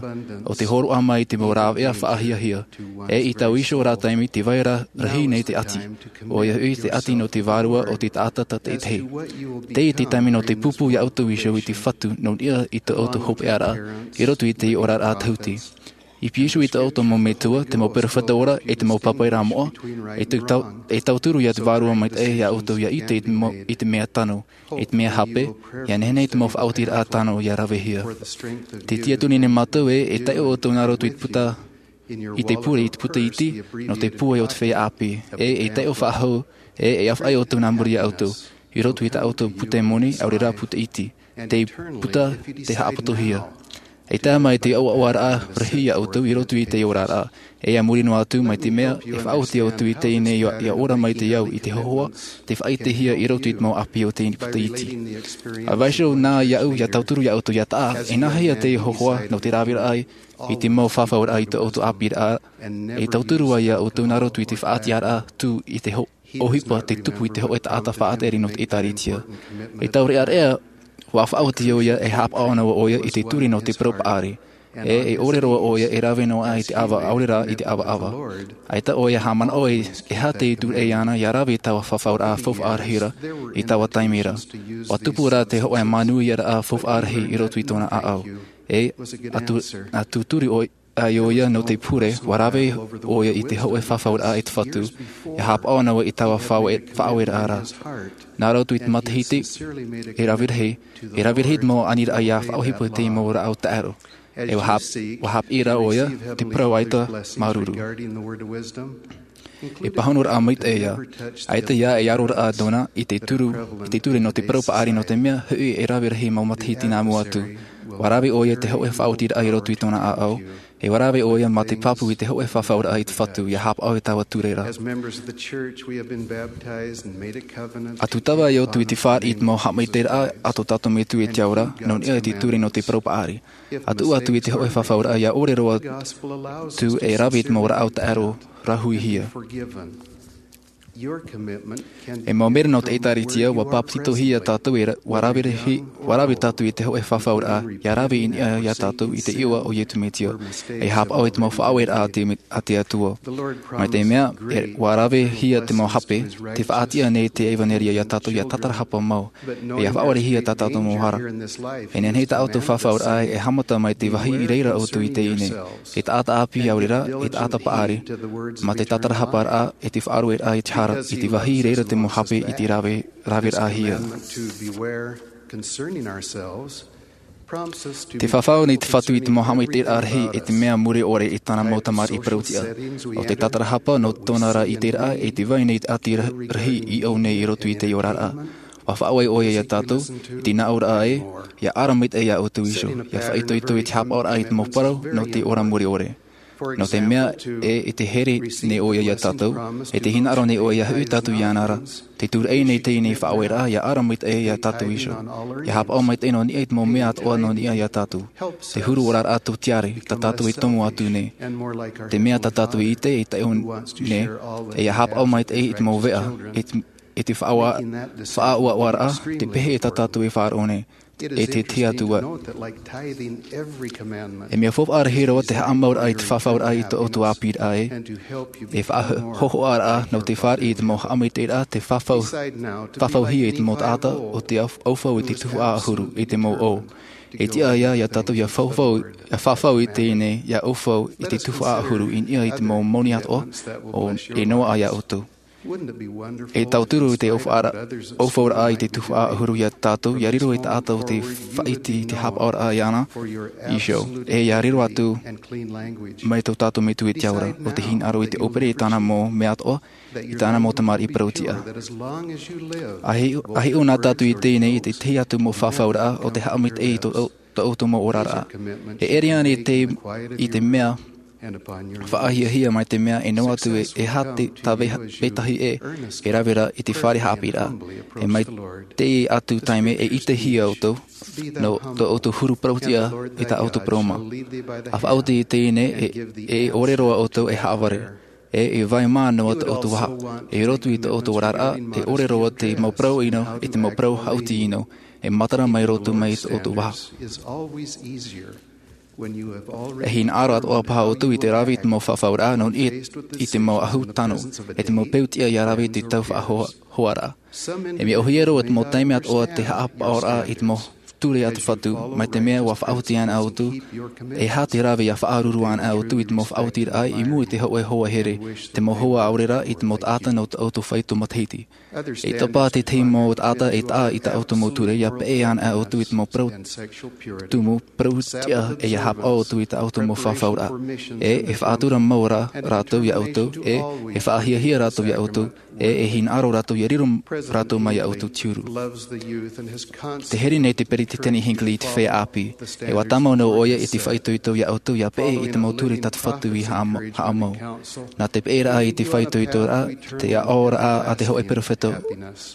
ʻo te hōroʻa mai te mau rāveʻa faʻahiahia, e i taua iho rā taime te vai ra rahi nei te ʻati, ʻoia hoʻi te ʻati nō te vārua o te taʻata tātaʻitahi. Tei te taime nō te pūpū iā ʻoutou iho i te Fatu nō niʻa i tō ʻoutou hopeʻaraʻa, i roto i te oraraʻa tahuti. I pīhaʻi iho i tō ʻoutou mau metua, te mau perofeta ora, e te mau pāpaʻiraʻa moʻa, e tau-, tau-, e tauturu ia te Vārua Maitaʻi iā ʻoutou ia ʻite i te mau, i te mea tano, i te mea hape, ia nehenehe te mau faʻaotiraʻa tano ia ravehia. Te tiaturi nei mātou ē, e taiʻo ʻoutou nā roto i te puta, i te pure, i te puta iti, nō te pūai o te feiā ʻāpī, e, e taiʻo faʻahou, e, e ʻāfaʻi ʻoutou nā muri iā ʻoutou, i roto i tā ʻoutou puta moni, ʻaore rā puta iti, te puta, te haʻapatohia. E tae mai te ʻoaʻoaraʻa rahi iā ʻoutou i roto i te oraraʻa, e a muri noa atu mai te mea, e faʻaoti ʻoutou i teie nei ia, ia ora mai te au i te hōhoʻa, tei faʻaʻitehia i roto i te mau ʻāpī o te puta iti. ʻA vaiiho nā iāʻu, ia tauturu iā ʻoutou ia taʻa, e nāhea te hōhoʻa nō te raveraʻa i te mau fafauraʻa i tō ʻoutou ʻāpīraʻa, e tauturu ai iā ʻoutou nā roto i te faʻatiʻaraʻa tū i te ho-, ʻohipa te tupu i te hōʻē taʻata faʻatere nō te ʻĒtārētia. I taua reʻareʻa, ʻua faʻaoti ʻoia e haʻapaʻo noa ʻoia i te ture nō te parau paʻari. E, e ʻore roa ʻoia e rave noa aʻe i te ʻava ʻaore rā i te ʻavaʻava. ʻAita ʻoia haʻamanaʻo e, e aha te ture ʻana ia rave i taua fafauraʻa faufaʻa rahi ra, i taua taime ra. ʻUa tupu rā te hōʻē manuiaraʻa faufaʻa rahi i roto i tōna ʻāʻau. E, ʻa tū-, ʻa tūturi ʻoia, ʻoia nō te pure, ʻua rave ʻoia i te hōʻē fafauraʻa i te Fatu, ia haʻapaʻo noa i taua faʻaue-, faʻaueraʻa ra. Nā roto i te matahiti, e rave rahi, e rave rahi te mau aniraʻa ia faʻaʻohipa i te mau rāʻau taʻero. E ʻua hap-, ʻua haʻapiʻi rā ʻoia, te parau ʻaita māuruuru. E pāhonoraʻa maitaʻi ia, ʻaita ia e aroraʻa nōna i te turu, i te ture nō te parau paʻari nō te mea, hoʻi e rave rahi mau matahiti nā mua atu. ʻUa rave ʻoia te hōʻē faʻaotiraʻa i roto i tōna ʻāʻau, e ʻua rave ʻoia mā te pāpū i te hōʻē fafauraʻa i te Fatu, ia haʻapaʻo i taua ture ra. As members of the church, we have been baptized and made a covenant. ʻA tūtava ai ʻoutou i te fāriʻi i te mau haʻamaitaʻiraʻa a tō tātou Metua i te ao ra, nō niʻa i te ture nō te parau paʻari. ʻA tuʻu atu i te hōʻē fafauraʻa ia ʻore roa atu e rave i te mau rāʻau taʻero rāhuihia. E mau mera nō te ʻĒtārētia, ʻua pāpetitohia tātou e ra-, ʻua rave rahi, ʻua rave tātou i te hōʻē fafauraʻa, ia rave i niʻa iā tātou i te iʻoa o Iesu Mesia, e haʻapaʻo i te mau faʻaueraʻa a te me-, a te Atua. Mai te mea, e, ʻua ravehia te mau hape, te faʻatiʻa nei te ʻevaneria iā tātou ia tātarahapa mau, e ia faʻaorehia tā tātou mau hara. E nehenehe tā ʻoutou fafauraʻa e haʻamata mai te vāhi i reira ʻoutou i teie nei. E taʻata ʻāpī ʻaore rā, e taʻata paʻari, mā te tātarahaparaʻa, e te faʻarueraʻa i te hara, i te vāhi i reira te mau hape i te rave, raveraʻahia. Te fafau nei te Fatu i te mau haʻamaitaʻiraʻa rahi e te mea mure ʻore i tāna mau tamariʻi parau-tiʻa. ʻO te tātarahapa nō tōna ra ʻiteraʻa e te vai nei te ʻati ra-, rahi i ʻō nei i roto i te oraraʻa. ʻUa faʻaue ʻoia iā tātou, i te nāʻōraʻa ē, ia ara maitaʻi iā ʻoutou iho, ia faʻaitoito i te haʻapaʻoraʻa i te mau parau nō te ora mure ʻore. Nō te mea, e, e te here nei ʻoia iā tātou, e te hinaʻaro nei ʻoia ia hoʻi tātou iāna ra, tē tūraʻi nei teie faʻaueraʻa ia ara maitaʻi iā tātou iho. Ia haʻapaʻo maitaʻi nō niʻa i te mau mea atoʻa nō niʻa iā tātou. Te huru oraraʻa tōtiare, tā tātou e tomo atu nei. Te mea tā tātou e ʻite, e taiʻo nei, e ia haʻapaʻo maitaʻi i te mau veʻa, e te, e te faʻaua-, faʻaʻuaʻuaraʻa, te pehe tā tātou e faʻaroʻo nei. E te, te Atua. E mea faufaʻa rahi roa te haʻamauraʻa i te fafauraʻa i tō ʻoutou ʻāpīraʻa ē. E faʻahohoʻaraʻa nō te fāriʻi i te mau haʻamaitaʻiraʻa te fafau, fafauhia i te mau taʻata ʻo tē au-, aufau i te tuhaʻa ʻahuru i te mau ʻō. E tiʻa ia, iā tātou ia fafau, ia fafau i teie nei, ia aufau i te tuhaʻa ʻahuru i niʻa i te mau moni atoʻa, ʻo e noaʻa iā ʻoutou. E tauturu te ʻōfaʻara-, ʻōfaʻaraʻa i te tuhaʻa ʻahuru ia tātou, ʻia riro ei taʻata ʻo tē faʻaʻite i te haʻapaʻoraʻa iāna iho, ʻe ʻia riro atu mai tō tātou Metua i te ao ra, ʻo tē hinaʻaro i te ʻōpere i tāna mau mea atoʻa, i tāna mau tamariʻi parau-tiʻa. ʻA hiʻo, ʻa hiʻo na tātou i teie nei, i te tahi atu mau fafauraʻa, ʻo tē haʻamaitaʻi i tō, tō ʻoutou mau oraraʻa. E ʻere ānei te, i te mea faʻahiahia mai te mea e noa atu e, e aha te, tā vē-, vetahi ʻē, e rave ra i te fare haʻapiʻiraʻa. E mai teie atu taime e ʻitehia ʻoutou, nō tō ʻoutou huru parau-tiʻa i tā ʻoutou parau mā. ʻA faʻaoti i teie nei, e, e ʻore roa ʻoutou e haʻavare. ʻE, e vai mā noa tō ʻoutou vaha. E roto i tō ʻoutou oraraʻa, e ʻore roa te mau parau ʻino, e te mau parau haʻuti ʻino. E matara mai roto mai tō ʻoutou vaha. E hinaʻaro atoʻa paha ʻoutou i te rave i te mau fafauraʻa, nō niʻa i te mau ahu tano, e te mau peu-tiʻa ʻia rave i te tau faʻahoa-, hoaraʻa. E mea ʻōhie roa te mau taime atoʻa te haʻapaʻoraʻa i te mau ture a te Fatu, mai te mea ʻua faʻaoti ana ʻoutou, e aha te rave ʻia faʻaruru ana ʻoutou i te mau faʻaotiraʻa i mua i te hōʻē hoa here, te mau hoa ʻaore rā i te mau taʻata nō tō ʻoutou faito matahiti. E tapā te tahi mau taʻata e taʻa i tā ʻoutou mau ture, ʻia peʻe ana ʻoutou i te mau parau tumu, parau-tiʻa, ʻe ʻia haʻapaʻo ʻoutou i tā ʻoutou mau fafauraʻa. ʻE, e faʻatura mau ra rātou ia ʻoutou, ʻe, e faʻahiahia rātou ia ʻoutou, ʻe, e hinaʻaro rātou ʻia riro rātou mai ia ʻoutou te huru. Tē here nei te Peretiteni Hinckley i te feiā ʻāpī, ʻe ʻua tāmau noa ʻoia i te faʻaitoito ia ʻoutou ʻia peʻe i te mau ture tā te Fatu i haʻama-, haʻamau. Nā te peʻeraʻa i te faʻaitoitoraʻa, te aʻoraʻa a te hōʻē perofeta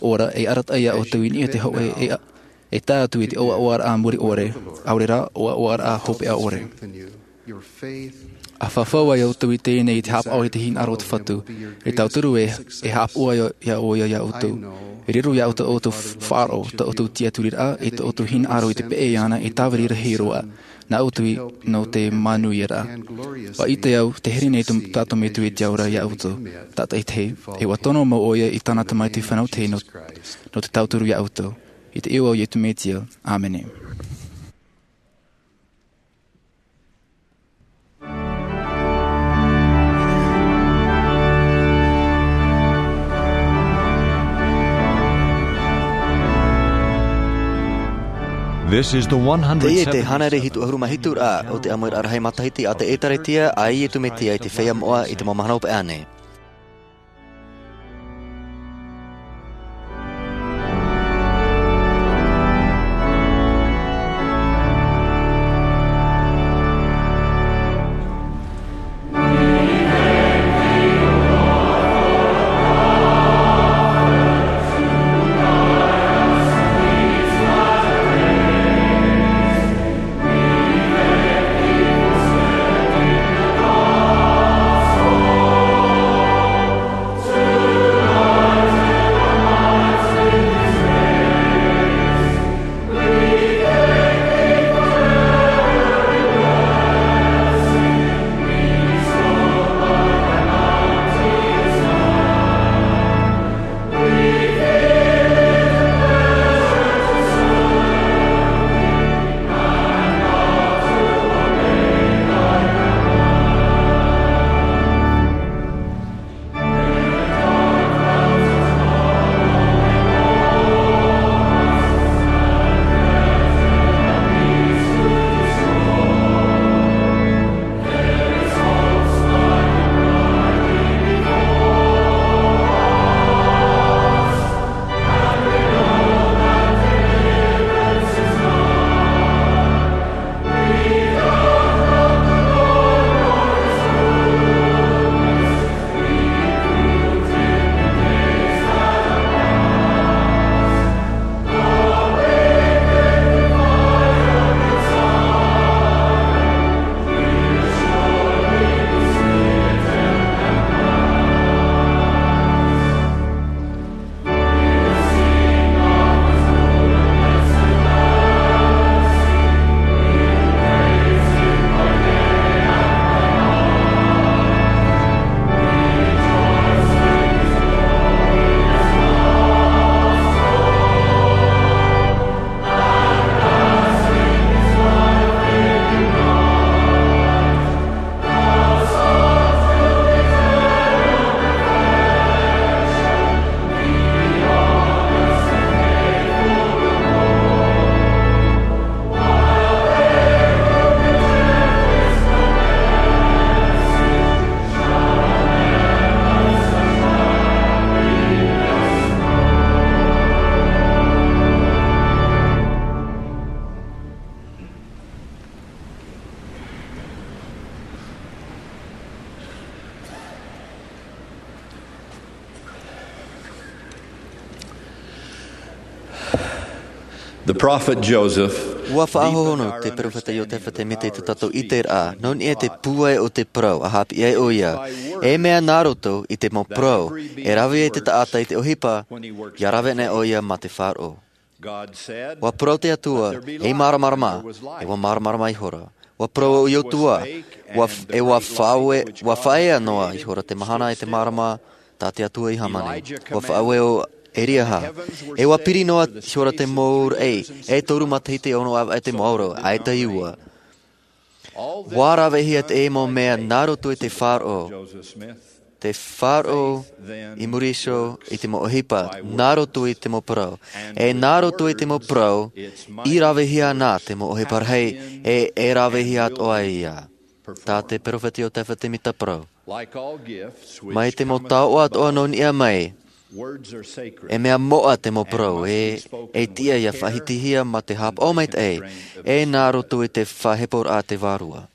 ora, e arataʻi ia ʻoutou i niʻa i te hōʻē e a-, e tae atu i te ʻoaʻoaraʻa muri ʻore, ʻaore rā, ʻoaʻoaraʻa hopeʻa ʻore. ʻA fafau ai ʻoutou i teie nei i te haʻapaʻo i te hinaʻaro o te Fatu, e tauturu ē, e haʻapaʻo ai ia ʻoia ia ʻoutou. E riro ia ʻoutou ʻoutou faʻaroʻo, tō ʻoutou tiʻaturiraʻa, ʻe tō ʻoutou hinaʻaro i te peʻe iāna e tāviri rahi roa, nā ʻoutou i, nō te manuiaraʻa. ʻUa ʻite au, tē here nei tō tātou Metua i te ao ra ia ʻoutou. Tātaʻitahi, ʻe ʻua tono mau ʻoia i tāna Tamaiti Fānau Tahi nō, nō te tauturu ia ʻoutou. I te iʻoa o Iesu Mesia. ʻĀmene. This is the one hundred seventy-seventh. Teie te hānere hitu ʻahuru mā hitu ra o te ʻāmuiraʻa rahi matahiti a te ʻĒtārētia a Iesu Mesia i te feiā moʻa i te mau mahana hopeʻa nei. The prophet Joseph, ua faʻahohonu te peropheta Iotefa Semita i tō tātou ʻiteraʻa, nō niʻa i te pūai o te parau, a haʻapiʻi ai ʻoia, e mea nā roto i te mau parau, e rave ai te taʻata i te ʻohipa, ʻia rave anaʻe ʻoia mā te faʻaroʻo. Ua parau te Atua, e māramarama, e ua māramarama ihora. Ua parau ʻo Iosua, ua f-, e ua faʻaue-, ua faʻaea noa ihora te mahana e te mārama, tā te Atua i hāmani. Ua faʻaue ʻo Eliaha. E ua piri noa ihora te mau raʻi, e toru matahiti e ono ʻāvaʻe te mau ʻauro, ʻaita i ua. Ua ravehia te mau mea nā roto i te faʻaroʻo. Te faʻaroʻo i muri iho i te mau ʻohipa, nā roto i te mau parau. E nā roto i te mau parau, i ravehia ana te mau ʻohipa rahi, e, e ravehia atoʻa ia. Tā te peropheta Iotefa Semita parau. Mai te mau taoʻa atoʻa nō niʻa mai, e mea moʻa te mau parau, e, e tiʻa ʻia faʻahitihia mā te haʻapaʻo maitaʻi, e nā roto i te faʻaheporaʻa a te Vārua.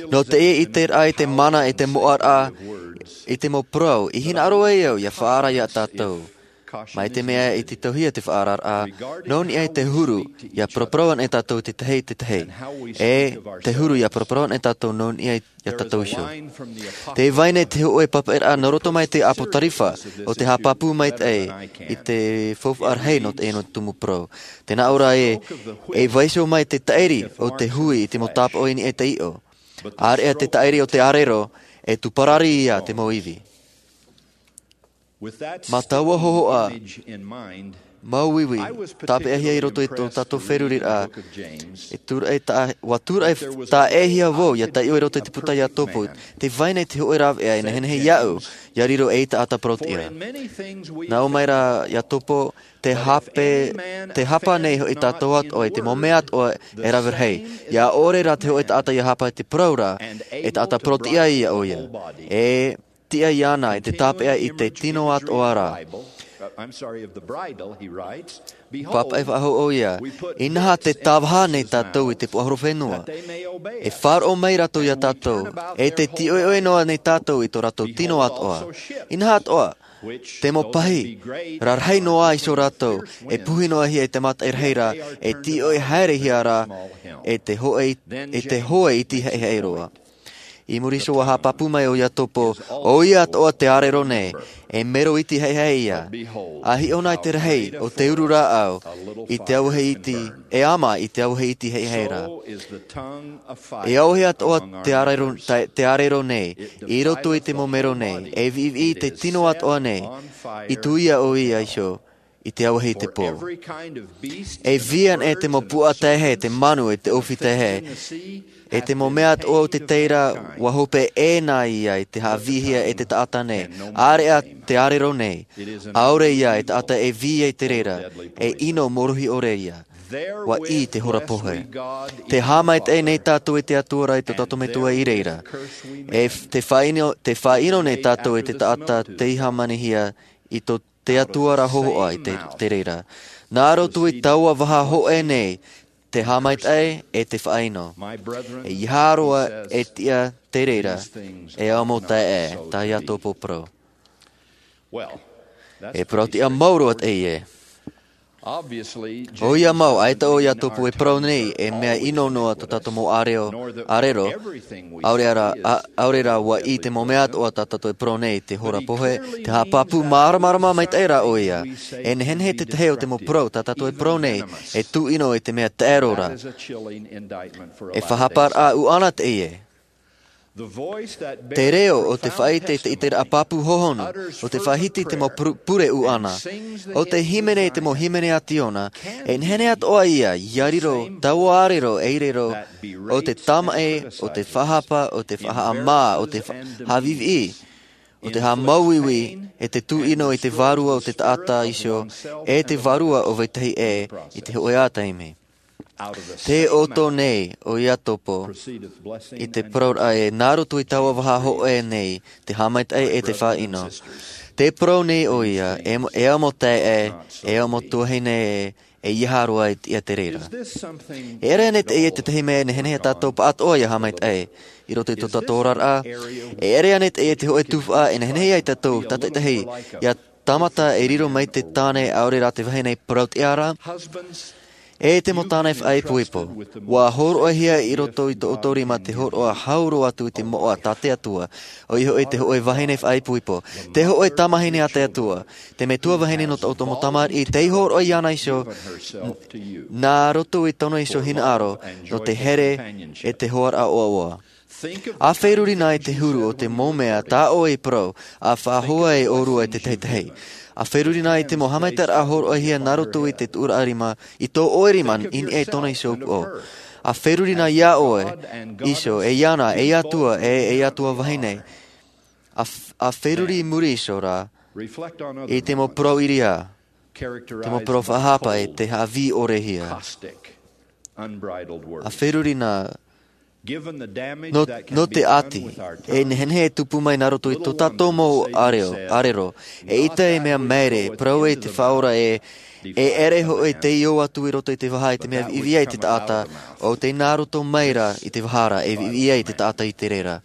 Nō teie ʻiteraʻa i te mana e te moʻaraʻa i te mau parau, i hinaʻaro ai au ʻia faʻaara ia tātou. Mai te mea i tītauhia te faʻaararaʻa, nō niʻa i te huru, ʻia paraparau anaʻe tātou i te tahi, te tahi. E te huru ʻia paraparau anaʻe tātou nō niʻa i, ia tātou iho. Tē vai nei te hōʻē papaʻiraʻa nō roto mai te ʻApotarifa, ʻo te haʻapāpū maitaʻi i te faufaʻa rahi nō te ʻino tumu parau. Tē nā ʻō ra ē, e vaiiho mai te taʻiri o te hui i te mau tāpaʻo i niʻa i te iʻo. ʻĀreʻa te taʻiri o te ʻārero, e tū parari ia te mau ivi. Mā taua hōhoʻa, māuiui, tāpeʻahia i roto i tō tātou feruriraʻa, e tūraʻi tā-, ua tūraʻi tāʻēhia vau, ʻia taiʻo i roto i te puta Iakobo, tē vai nei te hōʻē rāveʻa e nehenehe iāʻu, ʻia riro ei taʻata parauʻtiʻa. Nā ʻō mai ra Iakobo, te hape, tē hapa nei hoʻi tātou atoʻa i te mau mea atoʻa e rave rahi. ʻIa ʻore rā te hōʻē taʻata ʻia hapa i te parau ra, e taʻata parauʻtiʻa ia ʻoia. E tiʻa iāna i te tāpeʻa i te tino atoʻa ra. Pāpaʻi faʻahou ʻoia, inaha tē tāvaha nei tātou i te puaʻahorofenua. E faʻaroʻo mai rātou ia tātou, e tē tīʻoiʻoi noa nei tātou i tō rātou tino atoʻa. Inaha atoʻa, te mau pahi, rarahi noa iho rātou, e puhi noa hia i te mataʻi rahi ra, e tīʻoi haerehia ra, e te hōʻē, e te hōʻē iti haʻehaʻe roa. I muri iho ua haʻapāpū mai ʻo Iakobo, ʻoia atoʻa tē ʻārero nei, e mero iti haʻehaʻe ia. ʻA hiʻo na i te rahi o te uru rāʻau, i te auahi iti, e ama i te auahi iti haʻehaʻe ra. E auahi atoʻa tē ʻārero, tē, tē ʻārero nei, i roto i te mau mero nei, e viʻiviʻi i te tino atoʻa nei, i tuia ʻoia iho, i te auahi i te pō. E vī anaʻe te mau puaʻa taehae, te manu, e te ʻōfī taehae. E te mau mea atoʻa o te tahi ra, ua hope ʻē na ia i te haʻavīhia e te taʻata nei. ʻĀreʻa tē ʻārero nei. ʻAore ia e taʻata e vī ai i te reira. E ʻino mōrohi ʻore ia. Ua ʻī te hora pohe. Tē haʻamaitaʻi nei tātou e te Atua ra i tō tātou Metua i reira. E f-, tē faʻaʻino, tē faʻaʻino nei tātou e te taʻata tei hāmanihia i tō te Atua ra hōhoʻa i te, te reira. Nā roto i taua vaha hōʻē nei, te haʻamaitaʻi e te faʻaʻino. E ʻeiaha roa e tiʻa te reira, e au mau taeaʻe, tā Iakobo parau. E parauʻtiʻa mau roa teie. ʻOia mau, ʻaita ʻo Iakobo e parau nei, e mea ʻino noa tō tātou mau ʻārero, ʻārero, ʻaore ra, a, ʻaore ra ua ʻī te mau mea atoʻa tā tātou e parau nei, te hora pohe, te haʻapāpū māramarama maitaʻi rā ʻoia. E nehenehe te tahi o te mau parau tā tātou e parau nei, e tūʻino i te mea taʻero ra. E faʻahaparaʻa ʻuʻana teie. Te reo o te faʻaʻite i te ʻiteraʻa pāpū hohonu, ʻo tē faʻahiti i te mau pure, pure ʻuʻana, ʻo tē hīmene i te mau hīmene a Ziona, e nehenehe atoʻa ia, ʻia riro taua ʻārero ei reo, ʻo te tāmaʻi, ʻo te faʻahapa, ʻo te faʻahaʻamā, ʻo te fa-, haʻaviʻiviʻi, ʻo te haʻamāuiui, e te tūʻino i te vārua o te taʻata iho, e te vārua o vetahi ʻē, i te hōʻē taime. Tē ʻoto nei ʻo Iakobo i te parauraʻa ē, nā roto i taua vaha hōʻē nei, te haʻamaitaʻi e te faʻaʻino. Tē parau nei ʻoia, e mo-, e au mau taeaʻe, e au mau tuahine ē, e ʻeiaha roa e tiʻa te reira. E ʻere ānei teie i te tahi mea e nehenehe tātou pāʻatoʻa ʻia haʻamaitaʻi, i roto i tō tātou oraraʻa? E ʻere ānei teie i te hōʻē tuhaʻa e nehenehe ai tātou tātaʻitahi, ʻia tāmata e riro mai te tāne ʻaore rā te vahine parauʻtiʻa ra? E te mau tāne faʻaipoipo, ua hōroʻahia i roto i tō ʻoutou rima te hōroʻa hau roa atu i te moʻa tā te Atua, ʻoia hoʻi te hōʻē vahine faʻaipoipo, te hōʻē tamahine a te Atua, te metua vahine nō tō ʻoutou mau tamariʻi, tei hōroʻa iāna iho, nā roto i tōna iho hinaʻaro, nō te here e te hoaraʻa ʻoaʻoa. ʻA feruri na i te huru o te mau mea tā ʻoe i parau, ʻa faʻahoa e ʻōrua i te tahi tahi. ʻA feruri na i te mau haʻamaitaʻiraʻa hōroʻahia nā roto i te tuʻuraʻa rima, i tō ʻoe rima i niʻa i tōna iho upoʻo. ʻA feruri na iā ʻoe iho, e iāna, ei Atua, e, ei Atua vahine. ʻA f-, ʻa feruri i muri iho rā, i te mau parau ʻiriā, te mau parau faʻahapa e te haʻavī ʻore hia. ʻA feruri na, nō, nō te ʻati, e nehenehe e tupu mai nā roto i tō tātou mau ʻārero, ʻārero, eʻita e mea maere, parau e te Faʻaora e, e ʻere hoʻi tei ō atu i roto i te vaha i te mea viʻiviʻi ai te taʻata, ʻo tei nā roto mai rā i te vaha ra, e viʻiviʻi ai te taʻata i te reira.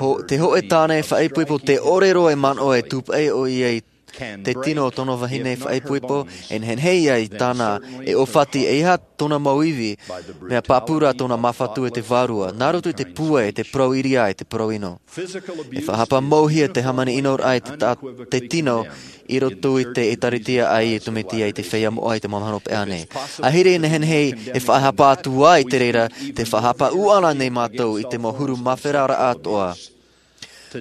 Ho-, te hōʻē tāne faʻaipoipo te ʻore roa e manaʻo e tūpaʻi ʻoia i te tino o tōna vahine faʻaipoipo, e nehenehe ia i tāna e ʻōfati, e ʻeiaha tōna mau ivi, mea pāpū rā tōna māfatu e te Vārua, nā roto i te pūai, e te parau ʻiriā, e te parau ʻino. E faʻahapa mau hia te hāmani ʻinoraʻa i te ta-, te tino i roto i te ʻĒtārētia a Iesu Mesia i te feiā moʻa i te mau mahana hopeʻa nei. ʻAhiri e nehenehe e faʻahapa atu ai te reira, tē faʻahapa ʻūʻana nei mātou i te mau huru māferaraʻa atoʻa.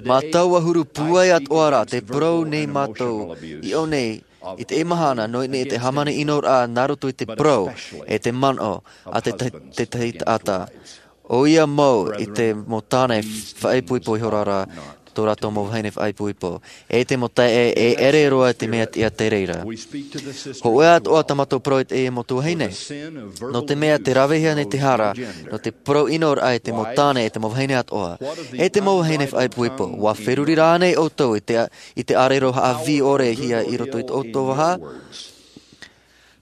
Mā taua huru pūai atoʻa rā, tē parau nei mātou i ʻō nei, i teie mahana, nō niʻa i te hāmani ʻinoraʻa nā roto i te parau, e te manaʻo, a te ta-, te tahi taʻata. ʻOia mau i te mau tāne faʻaipoipo ihora rā, tō rātou mau vahine faʻaipoipo. E te mau taeaʻe, e ʻere roa te mea tiʻa te reira. Hōʻē atoʻa tā mātou parau i te mau tuahine. Nō te mea tē ravehia nei te hara, nō te parau ʻinoraʻa e te mau tāne, e te mau vahine atoʻa. E te mau vahine faʻaipoipo, ʻua feruri rā ānei ʻoutou i te, i te ʻārero haʻavī ʻore hia i roto i tō ʻoutou vaha?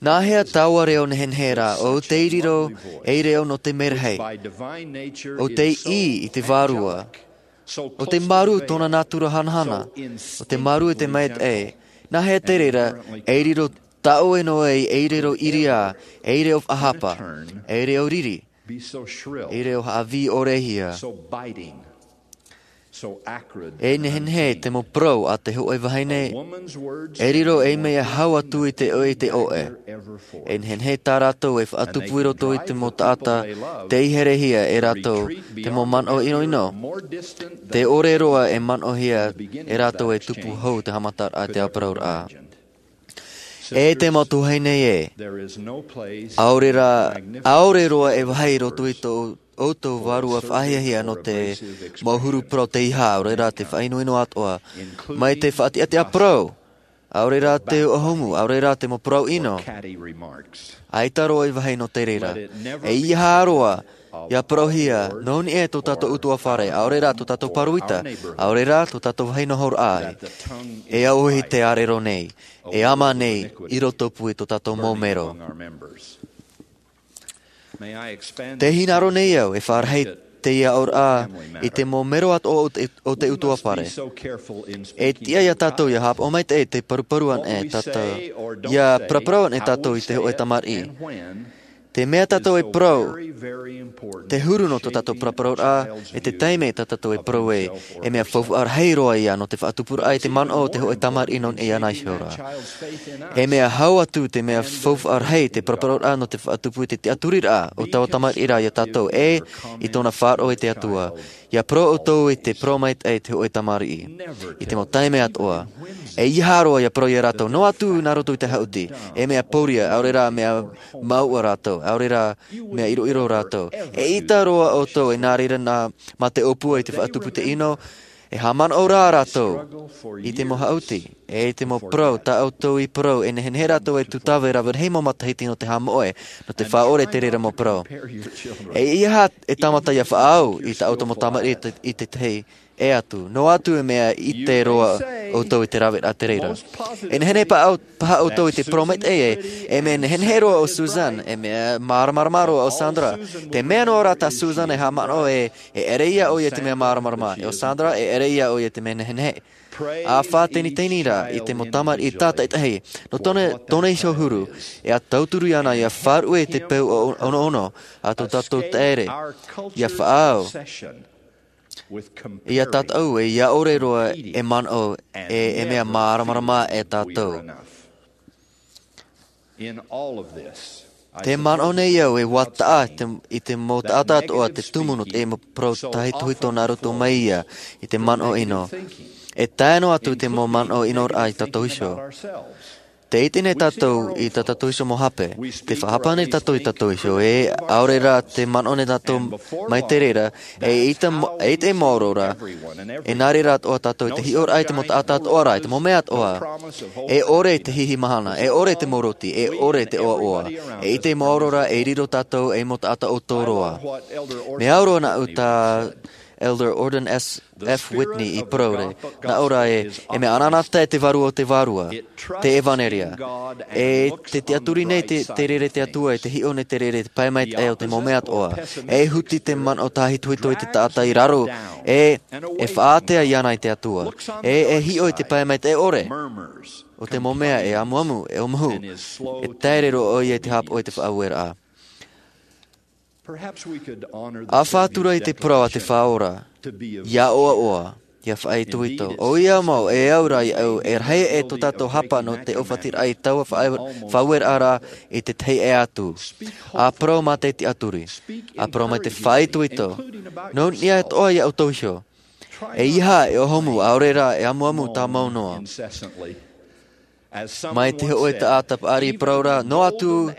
Nā hea taua reo nehenehe rā, ʻo tei riro ei reo nō te merahi, ʻo tei ʻī i te Vārua, ʻo tei māuruuru tōna nātura hanahana, ʻo tei māuruuru i te maitaʻi, nā hea te reira, ei riro tā ʻoe noa ei, ei reo ʻiriā, ei reo faʻahapa, ei reo riri, ei reo haʻavī ʻore hia. E nehenehe te mau parau a te hōʻē vahine, e riro ei mea hau atu i te ʻoe, i te ʻoe. E nehenehe tā rātou e faʻatupu i roto i te mau taʻata, tei herehia e rātou, te mau manaʻo ʻinoʻino. Tē ʻore roa e manaʻohia e rātou e tupu hou te haʻamataraʻa, te ʻāparauraʻa. E te mau tuahine ē, ʻaore rā, ʻaore roa e vāhi i roto i tō ʻoutou vārua faʻahiahia nō te mau huru parau teiaha, ʻaore rā te faʻaʻinoʻino atoʻa, mai te faʻatiʻatiʻa parau, ʻaore rā te ʻōhumu, ʻaore rā te mau parau ʻino. ʻAita roa i vāhi nō te reira. E ʻeiaha roa, ʻia parauhia, nō niʻa i tō tātou ʻutuāfare, ʻaore rā tō tātou pāroita, ʻaore rā tō tātou vāhi nohoraʻa. E auahi te ʻārero nei, e ama nei, i rotopū i tō tātou mau mero. Tē hinaʻaro nei au, e faʻarahi teie aʻoraʻa, i te mau mero atoʻa o te, o te ʻutuāfare. E tiʻa ia tātou, ʻia haʻapaʻo maitaʻi te paruparu anaʻe tātou, ʻia paraparau anaʻe tātou i te hōʻē tamariʻi. Te mea tātou e parau, te huru nō tō tātou paraparau ra, e te taime tā tātou e parau ai, e mea faufaʻa rahi roa ia nō te faʻatupuraʻa i te manaʻo o te hōʻē tamariʻi nō niʻa iāna iho ra. E mea hau atu te mea faufaʻa rahi te paraparau ra nō te faʻatupu i te tiʻaturiraʻa o taua tamariʻi ra ia tātou, e i tōna faʻaroʻo i te Atua. ʻIa parau ʻoutou i te parau maitaʻi i te hōʻē tamariʻi. I te mau taime atoʻa. E ʻeiaha roa ʻia parau ia rātou, noa atu nā roto i te haʻuti, e mea pōria, ʻaore rā mea mauʻa rātou, ʻaore rā mea ʻiroʻiro rātou. Eʻita roa ʻoutou, e nā reira nā, mā te ʻōpua i te faʻatupu i te ʻino, e haʻamanaʻo rā rātou i te mau haʻuti, e i te mau parau, tā ʻoutou i parau, e nehenehe rātou e tūtave rave rahi mau matahiti nō te haʻamoʻe, nō te faʻaʻore te reira mau parau. E ʻeiaha e tāmata ʻia faʻaau i tā ʻoutou mau tamariʻi i te, i te tahi, e atu, noa atu e mea ʻite roa ʻoutou i te raveraʻa te reira. E nehenehe paha, paha ʻoutou i te parau maitaʻi ē, e mea nehenehe roa ʻo Susan, e mea māramarama roa ʻo Sandra. Te mea noa rā tā Susan e haʻamanaʻo ē, e ʻere ia ʻoia te mea māramarama, e ʻo Sandra, e ʻere ia ʻoia te mea nehenehe. A faʻateniteni rā i te mau tamariʻi tātaʻitahi nō tōna, tōna iho huru, e a tauturu iāna ia faʻaruʻe i te peu o, onoono a tō tātou taere, ia faʻaau, ia tātaʻu, e ia ʻore roa e manaʻo, e, e mea māramarama e tātou. Te manaʻo nei au e ua taʻa te, i te mau taʻata atoʻa te tumu nō te mau parau tāhitohito nā roto mai ia i te manaʻo ʻino. E tae noa atu te mau manaʻo ʻinoraʻa i tātou iho. Te ʻite nei tātou i tā tātou iho mau hape. Te faʻahapa nei tātou i tātou iho, e ʻaore rā te manaʻo nei tātou mai te reira, e ʻite mo-, e ʻite maoro rā, e nā reira atoʻa tātou i te hiʻoraʻa i te mau taʻata atoʻa rā, i te mau mea atoʻa. E ʻore te hihi mahana, e ʻore te mau roti, e ʻore te ʻoaʻoa. E ʻite maoro rā, e riro tātou ei mau taʻata ʻoutou roa. Mea au roa nāʻu tā Elder Gordon S F Whitney i parau ra, nā ʻō ra ē, e mea anaanatae te vārua o te vārua, te ʻevanelia. E te tiʻaturi nei te, te reira te Atua, e te hiʻo nei te reira, te pae maitaʻi o te mau mea atoʻa. E huti te manaʻo tāhitohito i te taʻata i raro, e, e faʻaātea iāna i te Atua. E, e hiʻo i te pae maitaʻi ʻore o te mau mea e amuamu, e ʻōmahu, e taere roa ʻoia i te haʻapaʻo i te faʻaueraʻa. A faʻatura i te parau a te Faʻaora, ia ʻoaʻoa, ia faʻaitoito. ʻOia mau, e au rā iāʻu, e rahi e tō tātou hapa nō te ʻōfatiraʻa i taua faʻa-, faʻaueraʻa ra i te tahi ʻē atu. A parau mā te tiʻaturi. A parau mai te faʻaitoito. Nō niʻa atoʻa iā ʻoutou iho. E ʻeiaha e ʻōmahu, ʻaore rā e amuamu tāmau noa. Mai te hōʻē taʻata paʻari i parau ra, noa atu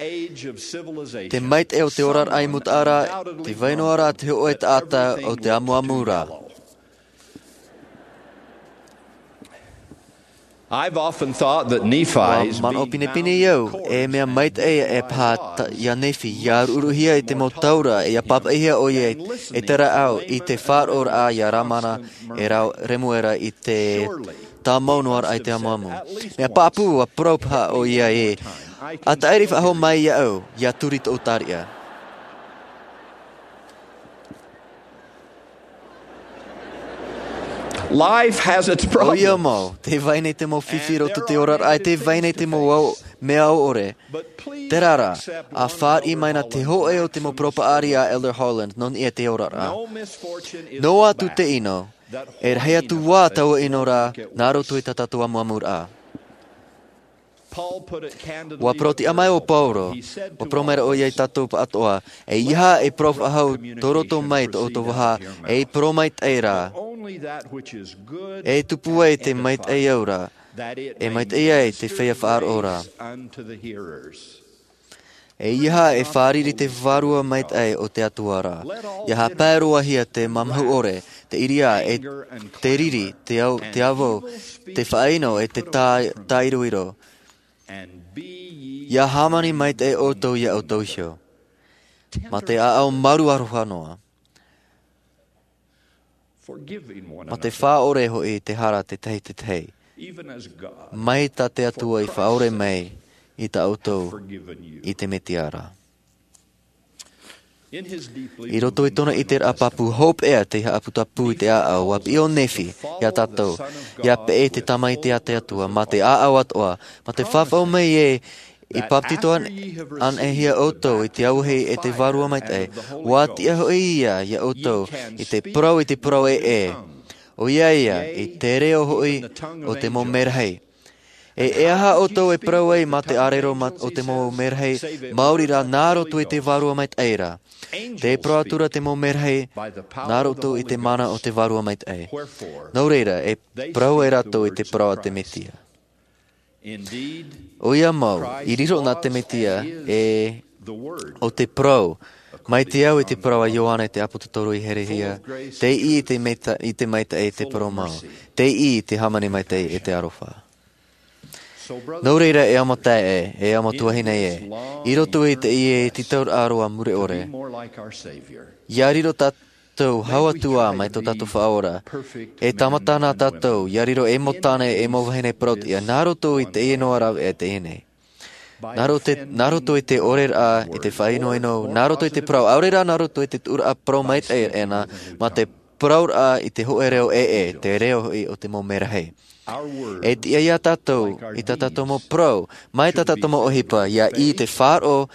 te maitaʻi o te oraraʻa i mūtaʻa ra, tē vai noa ra te hōʻē taʻata o te amuamu ra. I've often thought that Nephi's Ua manaʻo pinepine au, e mea maitaʻi e paha ta-, iā Nephi, ia ruʻuruʻuhia i te mau taura, e ia pāpaʻihia ʻoia i te rāʻau i te faʻaroʻoraʻa iā Lamana e rā Remuera i te tāmau noa raʻa i te amuamu. Mea pāpū, ua parau paha ʻoia ē, a tāʻiri faʻahou mai iāʻu, ia turi tōʻu tariʻa. Life has its problems. ʻOia mau, tē vai nei te mau fifi i roto i te oraraʻa, e tē vai nei te mau au, mea au ʻore. Terā rā, a fāriʻi mai na te hōʻē o te mau parau paʻari a Elder Holland, nō niʻa i te oraraʻa. Noa atu te ʻino, e rahi atu ā taua ʻino ra, nā roto i tā tātou amuamuraʻa. Ua parau tiʻa mai ʻo Paulo, ua parau mai ra ʻoia iā tātou pāʻatoʻa, ʻeiaha e parau faʻahou tō roto mai tō ʻoutou vaha, e parau maitaʻi rā. E tupu ai te maitaʻi aura, e maitaʻi ai te feiā faʻaroʻo ra. ʻEiaha e fārerei te Vārua Maitaʻi o te Atua ra. Ia haʻapae roa hia te mamahu ʻore, te ʻiriā, e te riri, te au-, te avo, te faʻaʻino, e te tā-, tāiroiro. Ia hāmani maitaʻi ʻoutou iā ʻoutou iho. Mā te ʻāʻau maru aroha noa. Mā te faʻaʻore hoʻi te hara te tahi te tahi. Mai tā te Atua i faʻaʻore mai i tā ʻoutou i te Mesia ra. I roto i tōna ʻiteraʻa pāpū hopeʻa te haʻaputapū i te ʻāʻau, ua piʻi ʻo Nephi iā tātou, ia peʻe te Tamaiti a te Atua, mā te ʻāʻau atoʻa, mā te fafau mai ē, i bāpetizo an-, anaʻe hia ʻoutou i te auahi e te Vārua Maitaʻi, ua tiʻa hoʻi ia iā ʻoutou i te parau, i te parau ē, ē. ʻOia ia, i te reo hoʻi o te mau merahi. E, e aha ʻoutou e parau ai mā te ʻārero ma-, o te mau merahi, maori rā nā roto i te Vārua Maitaʻi ra. Tē parau atu ra te mau merahi, nā roto i te mana o te Vārua Maitaʻi. Nō reira, e parau ai rātou i te parau a te Mesia. ʻOia mau, i riro na te Mesia, e, ʻo te parau, mai te au i te parau a Ioane te ʻāpōsetolo i herehia, tei ʻī i te maita-, i te maitaʻi te parau mau, tei ʻī i te hāmani maitaʻi e te aroha. Nō reira e ʻaita e, e ʻaita tuahine e, i roto i teie tītauraʻa roa mure ʻore. Ia riro tā-, tātou hau atu ā mai tō tātou Faʻaora. E tāmata na tātou, ia riro ei mau tāne, ei mau vahine parauʻtiʻa, nā roto i teie noa rāveʻa teie nei. Nā roto, nā roto i te ʻoreraʻa, i te faʻaʻinoʻino, nā roto i te parau, ʻaore rā nā roto i te tuʻuraʻa parau maitaʻi ʻē na, mā te parauraʻa i te hōʻē reo ʻē, ʻē, te reo hoʻi o te mau merahi. E tiʻa ia tātou i tā tātou mau parau mai tā tātou mau ʻohipa ia i te faʻaroʻo,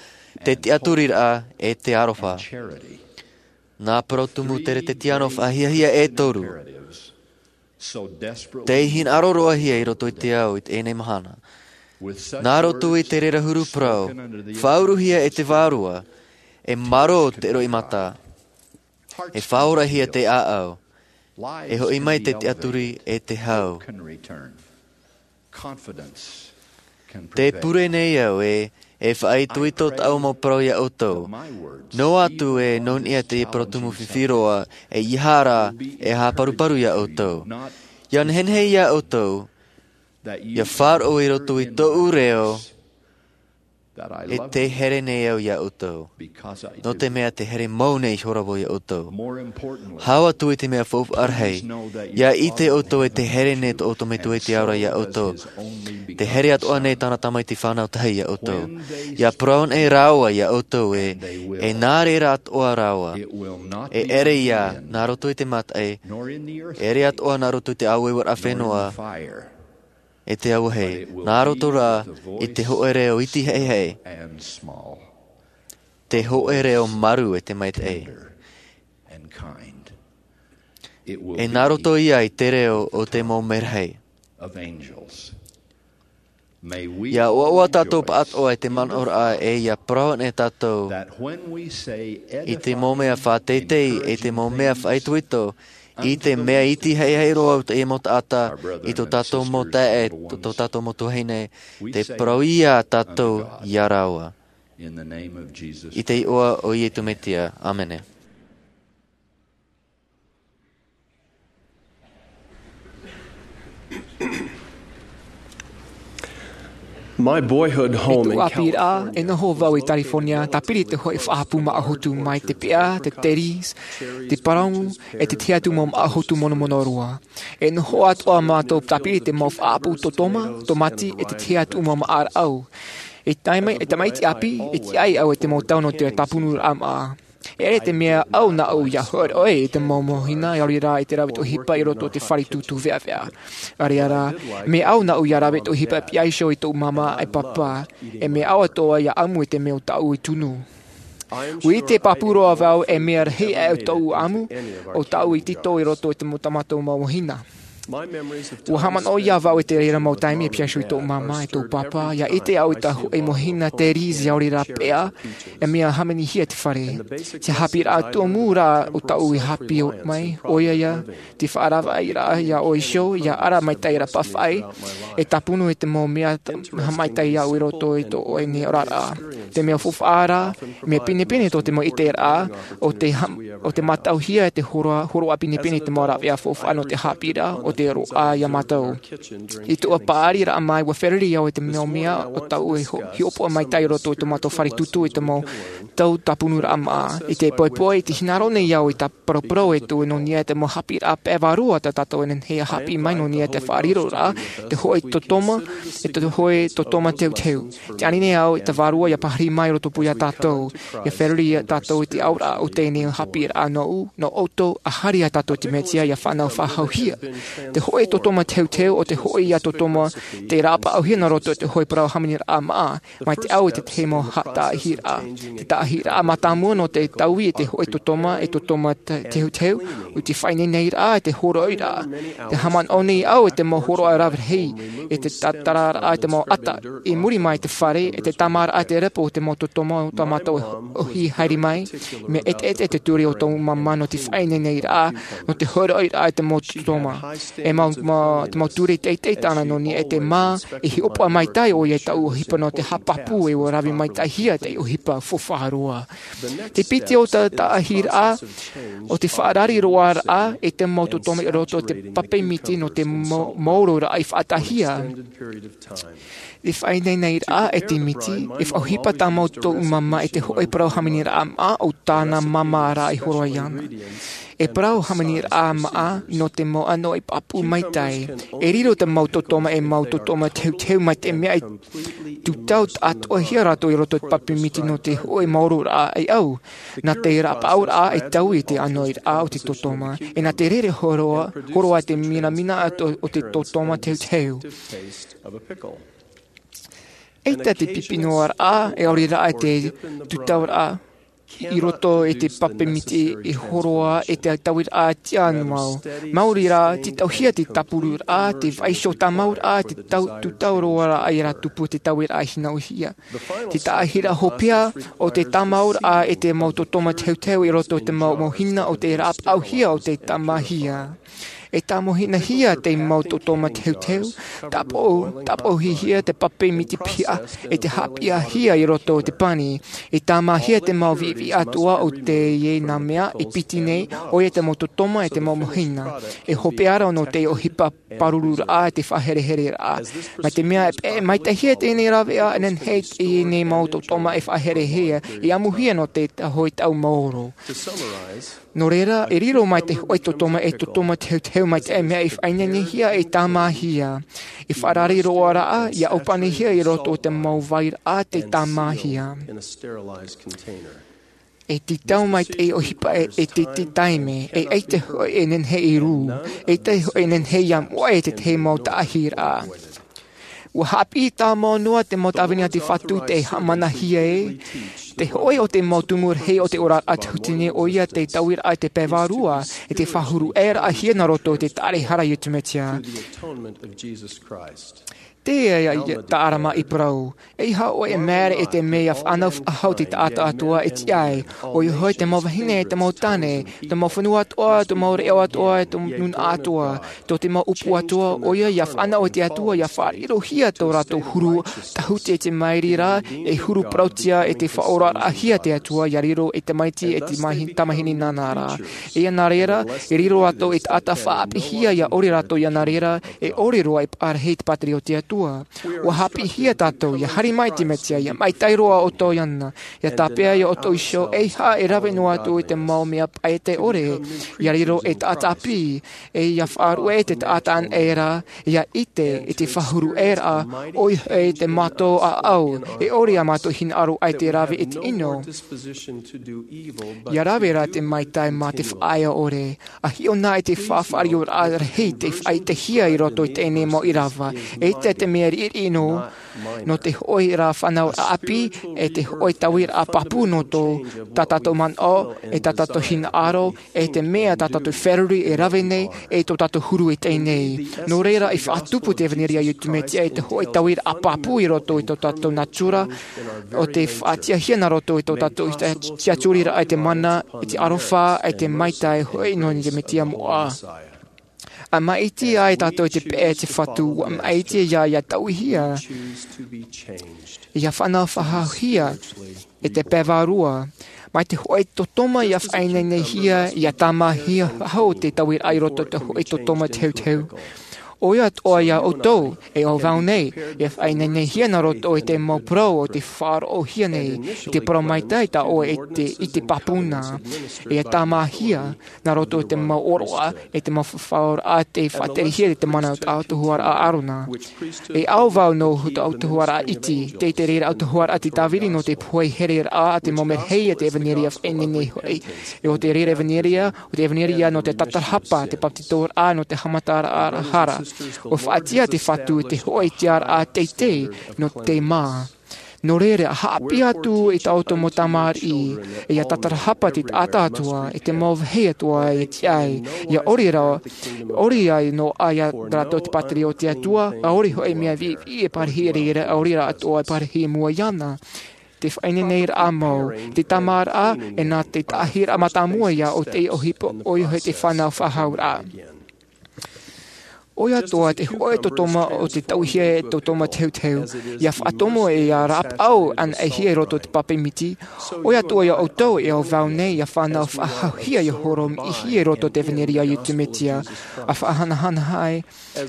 te tiʻaturiraʻa, e te aroha. Nā parau tumu teretetiano faʻahiahia e toru tei hinaʻaro roa hia i roto i te ao i teie mahana. Nā roto i te reira huru parau, faʻauruhia e te vārua, e maro te roimata, e faʻaorahia te ʻāʻau, e hoʻi mai te tiʻaturi e te hau. Te pure nei au e e faʻaitoito tāʻu mau parau ia ʻoutou. Noa atu e nō niʻa te parau tumu fifi roa, e ia hara e haparuparu ia ʻoutou, ia nehenehe ia ʻoutou ia faʻaroʻo i roto i tōʻu reo, e te here nei au ia ʻoutou, nō te mea te here mau nei ihora vau ia ʻoutou. Hau atu i te mea faufaʻa rahi, ia ʻite ʻoutou e te here nei tō ʻoutou metua i te ao ra ia ʻoutou. Te here atoʻa nei tāna tamaiti fānau tahi ia ʻoutou. Ia parau nei rāua ia ʻoutou e, e nā reira atoʻa rāua. E ʻere ia nā roto i te mataʻi, e ʻere atoʻa nā roto i te aueue ra fenua, e te auahi, nā roto rā i te hoʻe reo iti haʻehaʻe, te hoʻe reo maru e te maitaʻi. E nā roto ia i te reo o te mau mea rahi. Ia ʻoaʻoa tātou pāʻatoʻa i te manaʻoraʻa e ia parau nei tātou i te mau mea faʻateitei, i te mau mea faʻaitoito, i te mea iti haʻehaʻe roa o teie mau taʻata, i tō tātou mau taeaʻe, tō tātou mau tuahine, te parau ia tātou ia rāua. I te iʻoa o Iesu Mesia. ʻĀmene. My boyhood home in California. I tōʻu ʻāpīraʻa, e noho vau i California, tāpiri te hoʻe faʻahapū māʻohotu mai te peʻa, te cherries, te parau, e te tahi atu mau māʻohotu monomono roa. E noho atoʻa mātou tāpiri te mau faʻahapū tōtoma, tōmati, e te tahi atu mau māʻa rāʻau. E tae mai, e tamaiti ʻāpī, e tiʻa ai au e te mau tau nō te tāpunuraʻa māʻa. E ʻere te mea au nāʻu ia hōroʻa i te mau mōhina, ʻaore rā i te rāveʻa ʻohipa i roto i te fare tūtū veʻaveʻa. ʻAore rā, mea au nāʻu ia rāveʻa ʻohipa e piha iho i tōʻu māmā e pāpā, e mea au atoʻa ia ʻamu i te mea o tāʻu i tunu. ʻUa ʻite pāpū roa vau e mea rahi aʻe tōʻu ʻamu, o tāʻu i tītau i roto i te mau, tā mātou mau mōhina. ʻUa haʻamanaʻo ia vau i te reira mau taime e piha iho i tōʻu māmā e tōʻu pāpā, ia ʻite au i tā hōʻē mōhina cherries ʻaore rā peʻa, e mea hāmanihia te fare. Te haʻapiʻiraʻa tumu rā o tāʻu i haʻapiʻi mai, ʻoia ia, te faʻaravaʻiraʻa ia ʻoe iho, ia ara maitaʻi rā pāfaʻi, e tāpunu i te mau mea t-, haʻamaitaʻi au i roto i tō ʻoe nei oraraʻa. Te mea faufaʻa rā, mea pinepine tō te mau ʻiteraʻa, ʻo te ha-, ʻo te mātauhia e te hōroʻa, hōroʻa pinepine i te mau rāveʻa faufaʻa nō te haʻapiʻiraʻa, ʻo te roaʻa ia mātou. I tōʻu paʻariraʻa mai, ʻua fēruri au i te mau mea o tāʻu e ho-, hiʻopoʻa maitaʻi i roto i tō mātou fare tūtū i te mau tau tāpunuraʻa māʻa. I te poʻipoʻi, i te hinaʻaro nei au i tā paraparau e tō nō niʻa i te mau haʻapiʻiraʻa pae vārua tā tātou e nehenehe ia haʻapiʻi mai nō niʻa i te faʻariroraʻa, te hōʻē tōtoma, e te hōʻē tōtoma teuteu. Tē ani nei au i te vārua ia pāhiri mai i roto pū ia tātou, ia fēruri ia tātou i te auraʻa o teie nei haʻapiʻiraʻa nōʻu, nō ʻoutou, ʻa haere ia tātou i te Mesia ia fānau faʻahouhia. Te hōʻē tōtoma teuteu ʻo te hōʻē ia tōtoma tei rāpaʻauhia nā roto i te hōʻē parau hāmaniraʻa māʻa, mai te au i te tahi mau ha-, tāʻahiraʻa. Te tāʻahiraʻa mātāmua nō te taui e te hōʻē tōtoma, e tōtoma te-, teuteu, ʻo te faʻaineinairaʻa, e te hōroʻaraʻa. Tē haʻamanaʻo nei au i te mau hōroʻa rave rahi, e te tātararaʻa, e te mau ata, i muri mai i te fare, e te tāmāraʻa, te repo, te mau tōtoma, tā mātou e ʻohi haere mai, mea ʻeteʻete te ture o tōʻu māmā nō te faʻaineinairaʻa, nō te hōroʻaraʻa, e te mau tōtoma. E mau, mau, te mau ture teitei tāna nō niʻa i te mā, e hiʻopoʻa maitaʻi ʻoia i tāʻu ʻohipa nō te haʻapāpū e ʻua rave maitaʻihia te ʻohipa faufaʻa roa. Te piti o te tāʻahiraʻa, ʻo te faʻarari roaraʻa, e te mau tōtoma i roto i te pape miti nō te mau, maoro rā i faʻataʻahia. Te faʻaineinairaʻa e te miti, e faʻaʻohipa tā mātou māmā i te hōʻē parau hāmaniraʻa māʻa o tāna māmā rā i hōroʻa iāna. E parau hāmaniraʻa maʻa nō te mau ʻānoʻi pāpū maitaʻi. E riro te mau tōtōma e mau tōtōma teuteu mai te mea e tūtau atoʻa hia rātou i roto i te pape miti nō te hoʻi maororaʻa e au. Nā te rapaʻauraʻa e taui i te ʻānoʻiraʻa o te tōtōma, e nā te rere horoʻa, horoʻa te minamina o te tōtōma teuteu. ʻAita te pipi noa raʻa, e ʻaore rā te tūtauraʻa i roto i te pape miti e horoʻa e te tauiraʻa tiʻa noa. Maori rā, te tauhia te tāpururaʻa, te vaiiho tāmauraʻa, te tau, tūtau roa raʻa i rā tupu te tauiraʻa hinaʻuhia. Te taʻahiraʻa hopeʻa o te tāmauraʻa e te mau tōtōma teuteu i roto i te mau mōhina o te rapaʻauhia o te tāmāhia. E tāmāhinahia te mau tōtōma teuteu, tāpō, tāpōhihia te pape miti piha, e te haʻapiʻihia i roto o te pani. E tāmāhia te mau viʻiviʻi atoʻa o teie nā mea e piti nei, ʻoia te mau tōtōma e te mau mōhina. E hopeʻa rā nō te ʻohipa pārururaʻa e te faʻaherehereraʻa. Mai te mea e peʻe maitaʻihia teie nei rāveʻa, e nehenehe teie nei mau tōtōma e faʻaherehia, e amuhia nō te tahi tau maoro. Nō reira, e riro mai te hoʻi tōtōma e tōtōma teuteu mai te mea e faʻaineinehia e tāmāhia. E faʻarare roa raʻa, ʻia ʻōpanihia i roto o te mau vairaʻa te tāmāhia. E tītau mai te ʻohipa e, e te, te taime, e ʻaita hoʻi e nehenehe e rū, e ʻaita hoʻi e nehenehe ʻia moʻe e te tahi mau taʻahiraʻa. ʻUa haʻapiʻi tāmau noa te mau tāvini a te Fatu i te haʻamanahia e te hoʻi o te mau tumu rahi o te oraraʻa tahuti nei, ʻoia te tauiraʻa i te pae vārua, e te faʻahuru ʻē raʻa hia nā roto i te taʻare hara a Iesu Mesia. Teie ia, ia, tā ʻArama i parau. ʻEiaha ʻoe e māere i te mea ʻia fānau faʻahou te taʻata atoʻa e tiʻa ai. ʻOia hoʻi te mau vahine, te mau tāne, te mau fenua atoʻa, te mau reo atoʻa, te nūnaʻa atoʻa. Tō te mau ʻupu atoʻa, ʻoia ʻia fānau i te Atua, ʻia faʻarirohia tō rātou huru, tahuti i te mairi ra, e huru parauʻtiʻa i te faʻaoraraʻahia te Atua, ʻia riro i te tamaiti e te mahi-, tamāhine nānā ra. E ʻia nā reira, e riro rātou e taʻata faʻaʻāpīhia, ʻia ʻore rātou ʻia nā reira, e ʻore roa e parahi te pātireia o te Atua. ʻUa haʻapiʻihia tātou, ʻia haere mai te Mesia, ʻia maitaʻi roa ʻoutou iāna, ʻia tāpeʻa ia ʻoutou iho, ʻeiaha e rave noa atu i te mau mea paʻete ʻore, ʻia riro e taʻata ʻāpī, e ʻia faʻaruʻe te taʻata anaʻe ra, ʻia ʻite i te faʻahuru ʻē raʻa, ʻoia hoʻi te mātau ʻāʻau, e ʻore ā mātou hinaʻaro ʻaita e rave i te ʻino. ʻIa rave rā te maitaʻi mā te faʻaea ʻore, ʻa hiʻo na i te faʻafaʻarioraʻa rahi tei faʻaʻitehia i roto i teie nei mau ʻīrava. ʻEita te mea riʻiriʻi noa, nō te hoʻi ra fānauraʻa ʻāpī, e te hoʻi tauiraʻa pāpū nō tō, tā tātou manaʻo, e tā tātou hinaʻaro, e te mea tā tātou feruri e rave nei, e tō tātou huru i teie nei. Nō reira, e faʻatupu te ʻevaneria a Iesu Mesia i te hoʻi tauiraʻa pāpū i roto i tō tātou natura, ʻo te faʻatiʻahia nā roto i tō tātou tiʻaturiraʻa i te mana, i te aroha, i te maitaʻi hoʻi nō te Mesia moʻa. ʻA maʻiti ai tātou i te peʻe a te Fatu, ʻua maʻiti ïa ʻia tauihia, ʻia fānau faʻahouhia, i te pae vārua. Mai te hoʻi tōtōma ʻia faʻaineinehia, ʻia tāmāhia faʻahou te tauiraʻa i roto i te hoʻi tōtōma teuteu. ʻOia atoʻa ia ʻoutou, e ʻo vau nei, ʻia faʻaineinehia nā roto i te mau parau o tē faʻaroʻohia nei, i te parau maitaʻi tā ʻoe e te, i te pāpū na. ʻIa tāmāhia, nā roto i te mau ʻōroʻa, e te mau faʻaora tei faʻaterehia i te mana o te autahuʻaraʻa ʻĀrona. E ʻo vau nō te autahuʻaraʻa iti, tē, te reira autahuʻaraʻa te tāviri nō te pohe hereraʻa a te mau merahi a te ʻevaneria faʻaineine hoʻi. E ʻo te reira ʻevaneria, ʻo te ʻevaneria nō te tatarahapa, te bāpetizoraʻa, nō te haʻamataraʻa hara. ʻUa faʻatiʻa te Fatu i te hoʻi tiʻaraʻa teitei nō te mā. Nō reira, haʻapiʻi atu i tā ʻoutou mau tamariʻi, ʻia tatarahapa te taʻata atoʻa, i te mau vāhi atoʻa e tiʻa ai, ʻia ʻore rā, ʻore ai noa ia rātou te pātireia o te Atua, ʻaore hoʻi mea viʻiviʻi e parahi i reira, ʻaore rā atoʻa e parahi i mua iāna. Te faʻaineineraʻa mau, te tāmāraʻa, e nā te taʻahiraʻa mātāmua ïa o te ʻohipa, ʻoia hoʻi te fānau faʻahouraʻa. ʻOia atoʻa te hōʻē tōtōma o te tauihia e tōtōma teuteu, ia faʻatomo e ia rāpaʻau anaʻe hia i roto i te pape miti. ʻOia atoʻa ia ʻoutou e au vau nei ia fānau faʻahauhia ia horomiʻihia i roto i te ʻevanelia a Iesu Mesia, a faʻahanahana ai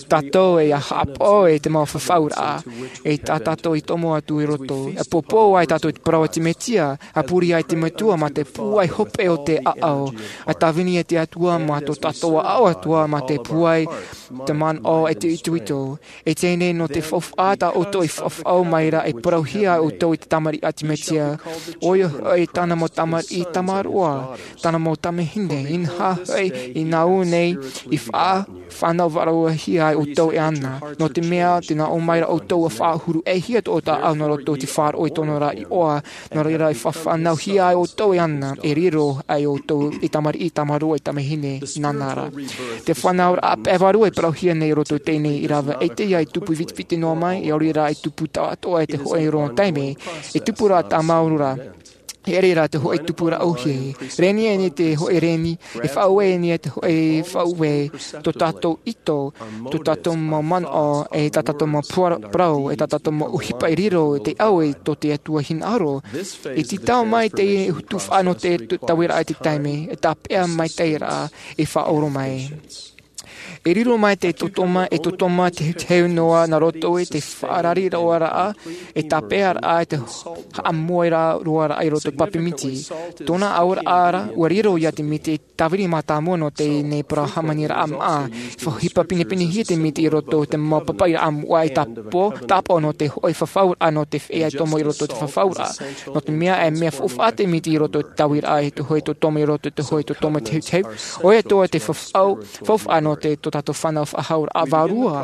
tātou e ia haʻapaʻo i te mau fafauraʻa, e tā tātou i tomo atu i roto, e pōpō ai tātou i te parau a te Mesia, a puri ai te Metua mā te pūai hope o te ʻāʻau, a tāvini e te Atua mā tō tātou ʻāʻau atoʻa mā te pūai te manaʻo e te itoito. E teie nei nō te faufaʻa tā ʻoutou i faʻaau mai ra e parauhia ai ʻoutou i te tamariʻi a te Mesia. ʻOia hoʻi tāna mau tamariʻi tamaroa, tāna mau tamahine, inaha hoʻi i nā ʻō nei i faʻa-, fānau vārua hia ai ʻoutou e ana. Nō te mea, tē nā ʻō mai ra ʻoutou ʻua faʻahuru ʻē hia tō ʻoutou ʻāʻau nā roto i te faʻaroʻo i tōna ra iʻoa, nō reira e faʻafānauhia ai ʻoutou e ana, e riro ai ʻoutou i tamariʻi, tamaroa, i tamahine, nāna rā. Te fānauraʻa pae vārua e parauhia nei i roto i teie nei ʻīrava, ʻaita ia e tupu vitiviti noa mai, e ʻaore rā e tupu taʻatoʻa e te hōʻē roa taime, e tupu rā tāmau ra. E ʻere rā te hōʻē tupu rāʻau hia. Rēni e nei te hōʻē rēni, e faʻauē e nei te hōʻē faʻauē, tō tātou ʻito, tō tātou mau manaʻo, e tā tātou mau pura-, parau, e tā tātou mau ʻohipa i riro, te au e tō te Atua hinaʻaro. E tītau mai te tufaʻa nō te tu-, tauiraʻa i te taime, e tāpeʻa maitaʻi ra, e faʻaora mai. E riro mai te tōtōma, e tōtōma teuteu noa nā roto i te faʻarari roa rā, e tāpeʻa rā, e te haʻamoe rā roa rā i roto i te pape miti. Tōna auraʻa ra, ʻua riro ia te miti, tāvini mātāmua nō teie nei parau hāmaniraʻa māʻa. Faʻaʻohipa pinepinehia te miti i roto i te mau papaʻiraʻa moʻa e tāpaʻo, tāpaʻo nō te hōʻē fafauraʻa nō te feiā e tomo i roto i te fafauraʻa. Nō te mea e mea faufaʻa te miti i roto i te tauiraʻa e te hōʻē tōtōma i roto i te hōʻē tōtōma teuteu. ʻOia atoʻa te fafau-, faufaʻa nō te tō tātou fānau faʻahauraʻa vārua.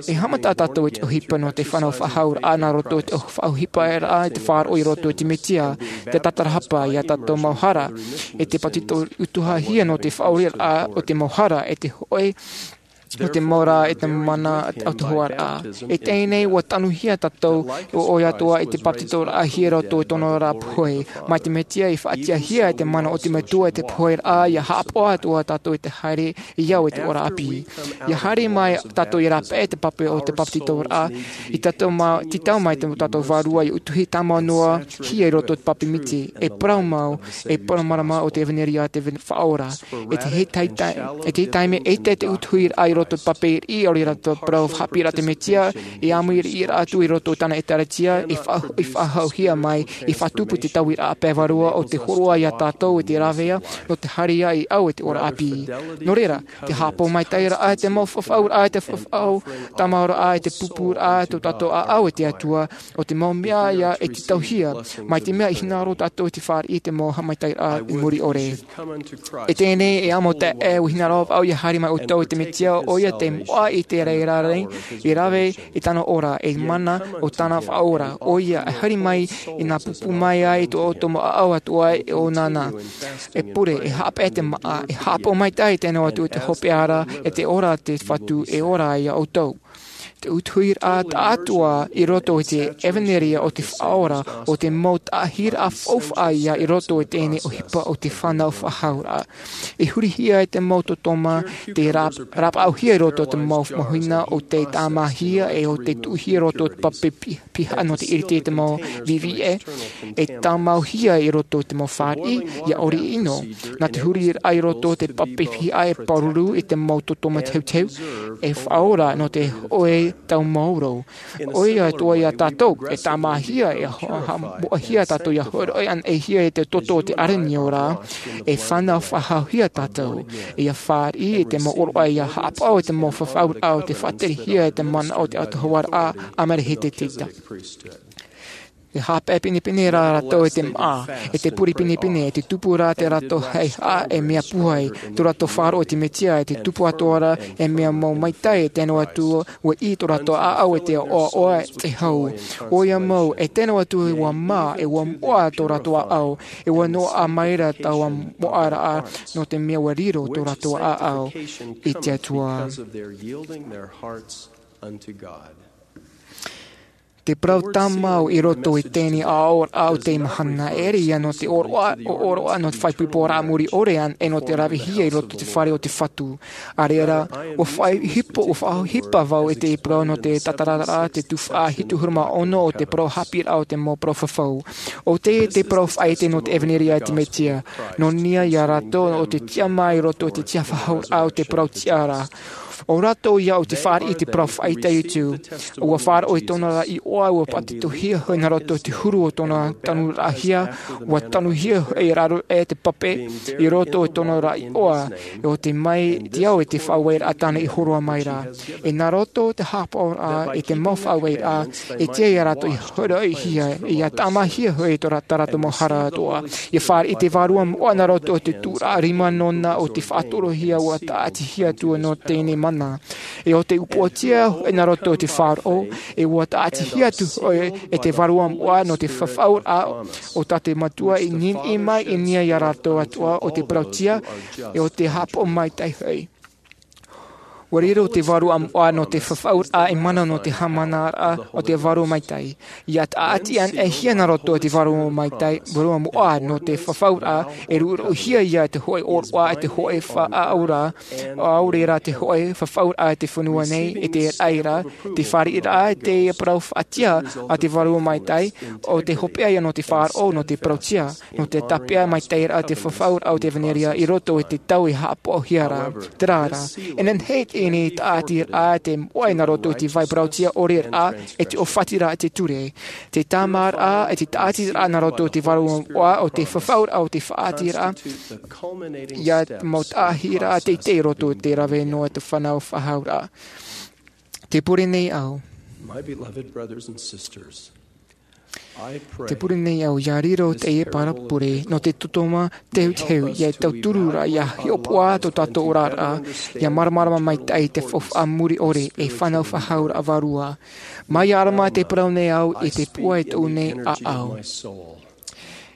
E haʻamata tātou i te ʻohipa nō te fānau faʻahauraʻa nā roto i te faʻaʻohiparaʻa i te faʻaroʻo i roto i te Mesia, te tatarahapa ia tātou mau hara, e te pātito utuhahia nō te faʻaoreraʻa o te mau hara, e te hōʻē, o te mau rā, e te mana autahuʻaraʻa. E teie nei, ʻua tanuhia tātou, ʻo, ʻoia atoʻa i te pātitoraʻa hia roto i tōna ra pohe. Mai te Mesia i faʻatiʻahia e te mana o te Metua i te poheraʻa, ia haʻapaʻo atoʻa tātou i te haere, i au e te ora ʻāpī. Ia haere mai tātou i rāpae te pape o te pātitoraʻa, i tātou ma-, tītau mai te tātou vārua i utuhi tāmau noa hia i roto i te pape miti, e parau mau, e parau mārama o te ʻevanelia te ven-, faʻaora. E te hei tai-, tai-, e te hei taime, ʻaita te utuhiraʻa i roto i te pape riʻi, ʻaore rā te parau haʻapiʻiraʻa te Mesia, e āmui riʻi rā atu i roto i tāna ʻēkālesia, e faʻa-, e faʻahauhia mai, e faʻatupu te tauiraʻa pae vārua o te hōroʻa ia tātou i te rāveʻa, nō te haere i au e te ora ʻāpī. Nō reira, te haʻapaʻo maitaʻi ra, e te mau fafauraʻa, e te fafau, tāmau ra, e te pūpūraʻa, tō tātou ʻāʻau e te Atua, ʻo te mau mea ia e tītauhia, mai te mea i hinaʻaro tātou i te fāriʻi i te mau haʻamaitaʻiraʻa i muri ʻore. E teie nei, e amo taeaʻe, ʻua hinaʻaro vau ia haere mai ʻoutou i te Mesia, ʻoia te moʻa i te reira nei, e rave i tāna ora, e mana o tāna faʻaora, ʻoia e haere mai, e nā pūpū mai ai tō ʻoutou mau ʻāʻau atoʻa e ʻōna na. E pure, e haʻapaʻo te māʻa, e haʻapaʻo maitaʻi tē nā ʻō atu i te hopeʻa ra, e te ora te Fatu, e ora ia ʻoutou. Te utuhiraʻa taʻatoʻa i roto i te ʻevanelia o te faʻaora, ʻo te mau taʻahiraʻa faufaʻa ia i roto i teie nei ʻohipa o te fānau faʻahauraʻa. E hurihia e te mau tōtōma, te rā-, rāpaʻauhia i roto i te mau mahina o te tāmāhia e o te tuʻuhia i roto i te pape pi-, piha nō te ʻiriti i te mau viviʻe, e tāmauhia i roto i te mau fāriʻi, ia ʻori ʻino. Nā te huriraʻa i roto i te pape piha e pāruru i te mau tōtōma teuteu, e faʻaora nō te hōʻē tau māoro. ʻOia atoʻa ia tātou, e tāmāhia, e ha-, ha-, moʻahia tātou ia hōroʻa anaʻe hia i te toto o te ʻārenio ra, e fānau faʻahauhia tātou, ia fāriʻi i te mau ʻōroʻa ia haʻapaʻo i te mau fafauraʻa o te faʻaterehia i te mana o te autahuʻaraʻa, ʻāmarahete te ita. E haʻapaʻo pinepine rā rātou e te māʻa, e te pure pinepine, e te tupu rā tō rātou haʻehaʻa e mea pūai, tō rātou faʻaroʻo i te Mesia, e te tupu atoʻa ra e mea mau maitaʻi, e tē nā ʻō atu ʻua ʻī tō rātou ʻāʻau e te ʻoaʻoa, e te hau. ʻOia mau, e tē nā ʻō atu ʻua mā, e ʻua moʻa tō rātou ʻāʻau, e ʻua noaʻa mai ra taua moʻaraʻa, nō te mea ʻua riro tō rātou ʻāʻau i te Atua. Because of their yielding their hearts unto God. Te parau tāmau i roto i teie aʻoraʻa o te mahana, e ʻere ia nō te ʻōroʻa, ʻōroʻa nō te fāipoiporaʻa muri ʻore ʻana, e nō te ravehia i roto i te fare o te Fatu. ʻA reira, ʻua faʻaʻohipa, ʻua faʻaʻohipa vau i te parau nō te Tatararaʻa, te tuhaʻa hitu ʻahuru mā ono o te parau haʻapiʻiraʻa o te mau parau fafau. ʻO tē, te parau faʻaʻite nō te ʻevanelia a te Mesia. Nō niʻa ia rātou ʻo te tiʻamā i roto i te tiʻafaʻahouraʻa o te parau tiʻa ra. ʻO rātou ia ʻo te fāriʻi i te parau faʻaʻite atu. ʻUa faʻaroʻo i tōna ra iʻoa, ʻua pātitohia hoʻi nā roto i te huru o tōna tanuraʻahia, ʻua tanuhia hoʻi e raro e te pape i roto i tōna ra iʻoa, ʻo te mai te ao e te faʻaueraʻa tāna i hōroʻa mai ra. E nā roto i te haʻapaʻoraʻa, e te mau faʻaueraʻa, e tiʻa ia rātou i hōroʻahia, ia tāmāhia hoʻi tō rā-, tā rātou mau hara atoʻa. Ia fāriʻi te Vārua Moʻa nā roto i te tūraʻa rima nōna o te faʻatorohia ʻua tāʻatihia atu nō teie mahana. E ʻo te upoʻotia hoʻi nā roto i te faʻaroʻo, e ʻua tāʻatihia atu hoʻi e te Vārua Moʻa nō te fafauraʻa o tā te Metua i niʻihi mai i niʻa ia rātou atoʻa ʻo te parau tiʻa, e ʻo te haʻapaʻo maitaʻi hoʻi. ʻUa riro te Vārua Moʻa nō te fafauraʻa e mana nō te haʻamanaraʻa o te Vārua Maitaʻi. Ia tāʻati anaʻe hia nā roto i te Vārua Maitaʻi, Vārua Moʻa nō te fafauraʻa, e ruʻuruʻuhia ia te hōʻē ʻōroʻa, e te hōʻē faʻaauraʻa, ʻaore rā te hōʻē fafauraʻa i te fenua nei, e te raʻi ra, te fāriʻiraʻa, e te parau faʻatiʻa a te Vārua Maitaʻi, ʻo te hopeʻa ia nō te faʻaroʻo, nō te parau tiʻa, nō te tāpeʻa maitaʻi ra te fafauraʻa o te ʻevanelia i roto i te tau e haʻapaʻohia ra. Terā rā, e nehenehe e tāʻatiraʻa te moʻa nā roto i te vai parau tiʻa ʻore ra, e te ʻōfatiraʻa i te ture. Te tāmāraʻa, e te tāʻatiraʻa nā roto i te Vārua Moʻa, ʻo te fafauraʻa, ʻo te faʻaʻiteraʻa, ia mau tāʻatiraʻa teitei i roto i te rave noa te fānau faʻahouraʻa. Tē pure nei au. My beloved brothers and sisters, I pray Tē pure nei au ia riro teie parau pure nō te tōtōma teuteu, ia tauturu ra, ia hiʻopoʻa tō tātou oraraʻa, ia māramarama maitaʻi te faufaʻa muri ʻore e fānau faʻahouraʻa vārua. Mai ia ʻArama tē parau nei au i te pūai atoʻa nei ʻāʻau.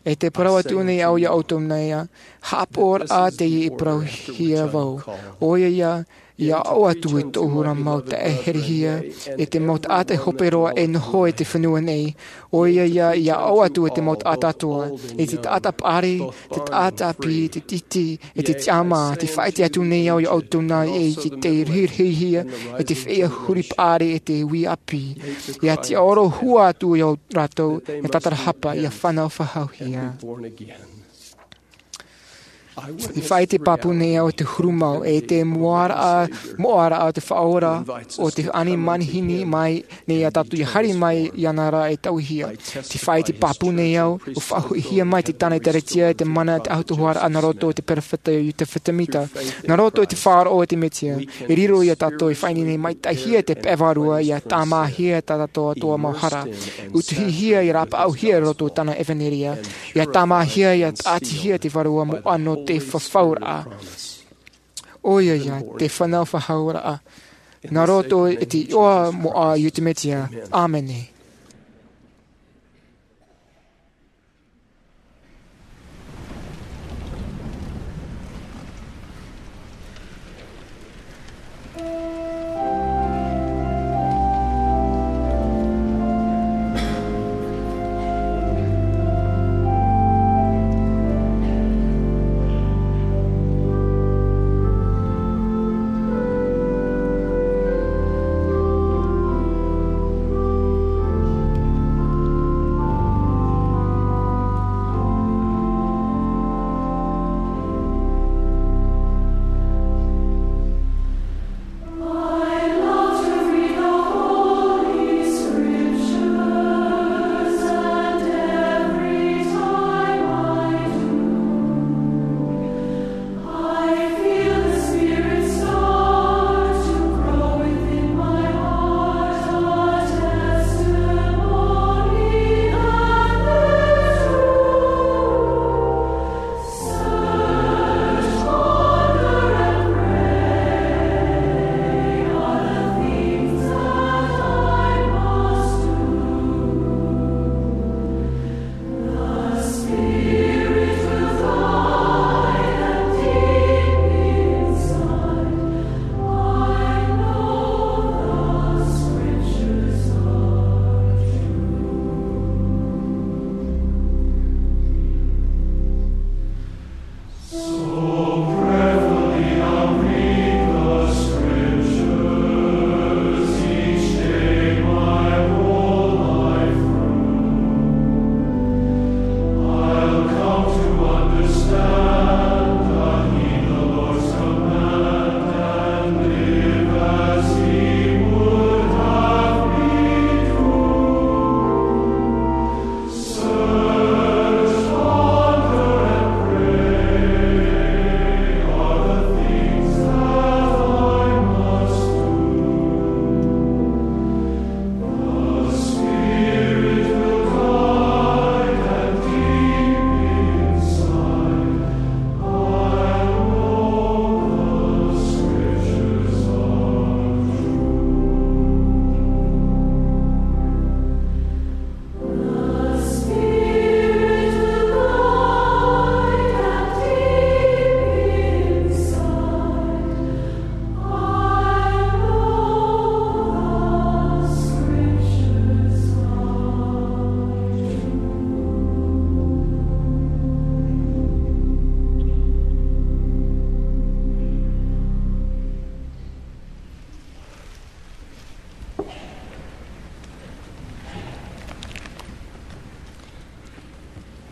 E tē parau atoʻa nei au ia ʻoutou nei ā, haʻapaʻoraʻa teie i parauhia vau. ʻOia ia, ia ʻaʻo atu i tō ʻoutou mau taʻeherehia, e te mau taʻata hope roa e noho i te fenua nei. ʻOia ia, ia ʻaʻo atu i te mau taʻata atoʻa, e te taʻata paʻari, te taʻata ʻāpī, te tītī, e te tiʻamā, tē faʻaʻite atu nei au ia ʻoutou nei ē, i te rahirahihia, e te feiā huri paʻari, e te uʻi ʻāpī. Ia tiʻaoro hua atu ia rātou, e tatarahapa, ia fānau faʻahouhia. Tē faʻaʻite pāpū nei au i te huru mau, e te moʻaraʻa, moʻaraʻa o te Faʻaora, ʻo tē ani manihini mai nei ia tātou ia haere mai iāna ra e tauihia. Tē faʻaʻite pāpū nei au, ʻua faʻahoʻihia mai te tāna ʻēkālesia, te mana, te autahuʻaraʻa nā roto i te perofeta Iotefa Semita. Nā roto i te faʻaroʻo i te Mesia, e riro ia tātou e faʻaineine maitaʻihia te pae vārua, ia tāmāhia tā tātou atoʻa mau hara. ʻUtuhia, ia rāpaʻauhia i roto i tāna ʻevanelia. Ia tāmāhia, ia tāʻatihia te Vārua Moʻa nō te fafauraʻa. ʻOia ia, te fānau faʻahouraʻa. Nā roto i te iʻoa moʻa o te Mesia. ʻĀmene.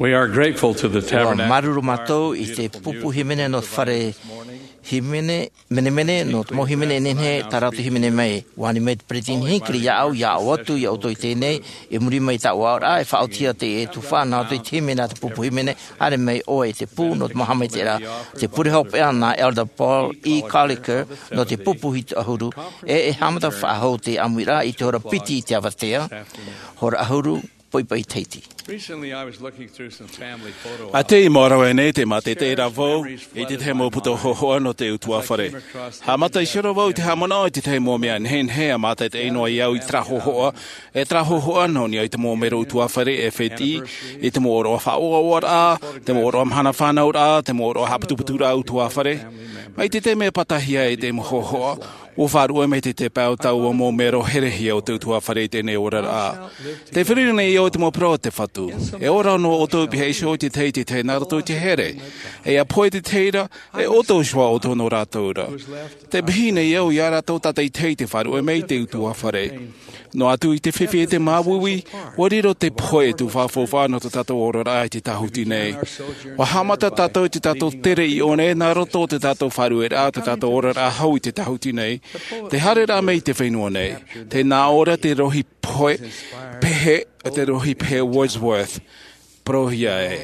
We are grateful to the Tabernacle. Māuruuru mātou i te pupu hīmene nō te fare hīmene, menemene, nō te mau hīmene e nehenehe tā rātou e hīmene mai. ʻUa ani mai te peresideni Hinckley iāʻu, ʻia aʻo atu iā ʻoutou i teie nei, i muri mai i tāʻu aʻoraʻa, e faʻaotihia te tuhaʻa nā roto i te hīmene a te pupu hīmene, haere mai ʻoe i te pū nō te mau haʻamaitaʻiraʻa. Te pure hopeʻa nā Elder Paul E. Collier nō te pupu hiti ʻahuru, e, e haʻamata faʻahou te ʻāmuiraʻa i te hora piti i te avatea, hora ʻahuru, poʻipoʻi Tahiti. Recently, I was looking through some family photo albums. ʻA tei mau rave nei te mātaʻitaʻiraʻa vau i te tahi mau puta hōhoʻa nō te ʻutuāfare. Haʻamata i ʻite vau i te haʻamanaʻo i te tahi mau mea nehenehe ʻa mātaʻitaʻi noa iāʻu i terā hōhoʻa, e terā hōhoʻa nō niʻa i te mau mero ʻutuāfare e fētiʻi, i te mau ʻōroʻa faʻaʻoaʻoaraʻa, te mau ʻōroʻa mahana fānauraʻa, te mau ʻōroʻa haʻaputuputuraʻa ʻutuāfare. Mai te taime e pātahia ai te mau hōhoʻa, ʻua faʻaruʻe mai te, te pae o taua mau mero herehia o te ʻutuāfare i teie nei oraraʻa. Tē feruri nei au i te mau parau a te Fatu. E ora noa ʻoutou i pihaʻi iho i te tahi, te tahi nā roto i te here. E ʻia pohe te tahi ra, e ʻoutou iho ā ʻoutou nō rātou ra. Tē pihaʻi nei au iā rātou tātaʻitahi tē faʻaruʻe mai i te ʻutuāfare. Noa atu i te fifi e te māuiui, ʻua riro te pohe e te faʻaʻoaʻoa nō tō tātou oraraʻa i te tāhuti nei. ʻUa haʻamata tātou i tō tātou tere i ʻō nei nā roto i tō tātou faʻaruʻeraʻa, tō tātou oraraʻa hou i te tāhuti nei. Te haereraʻa mai i te fenua nei. Tē nā ʻō ra te rohi pohe, pehe, te rohi pehe Wordsworth. Parauhia ē.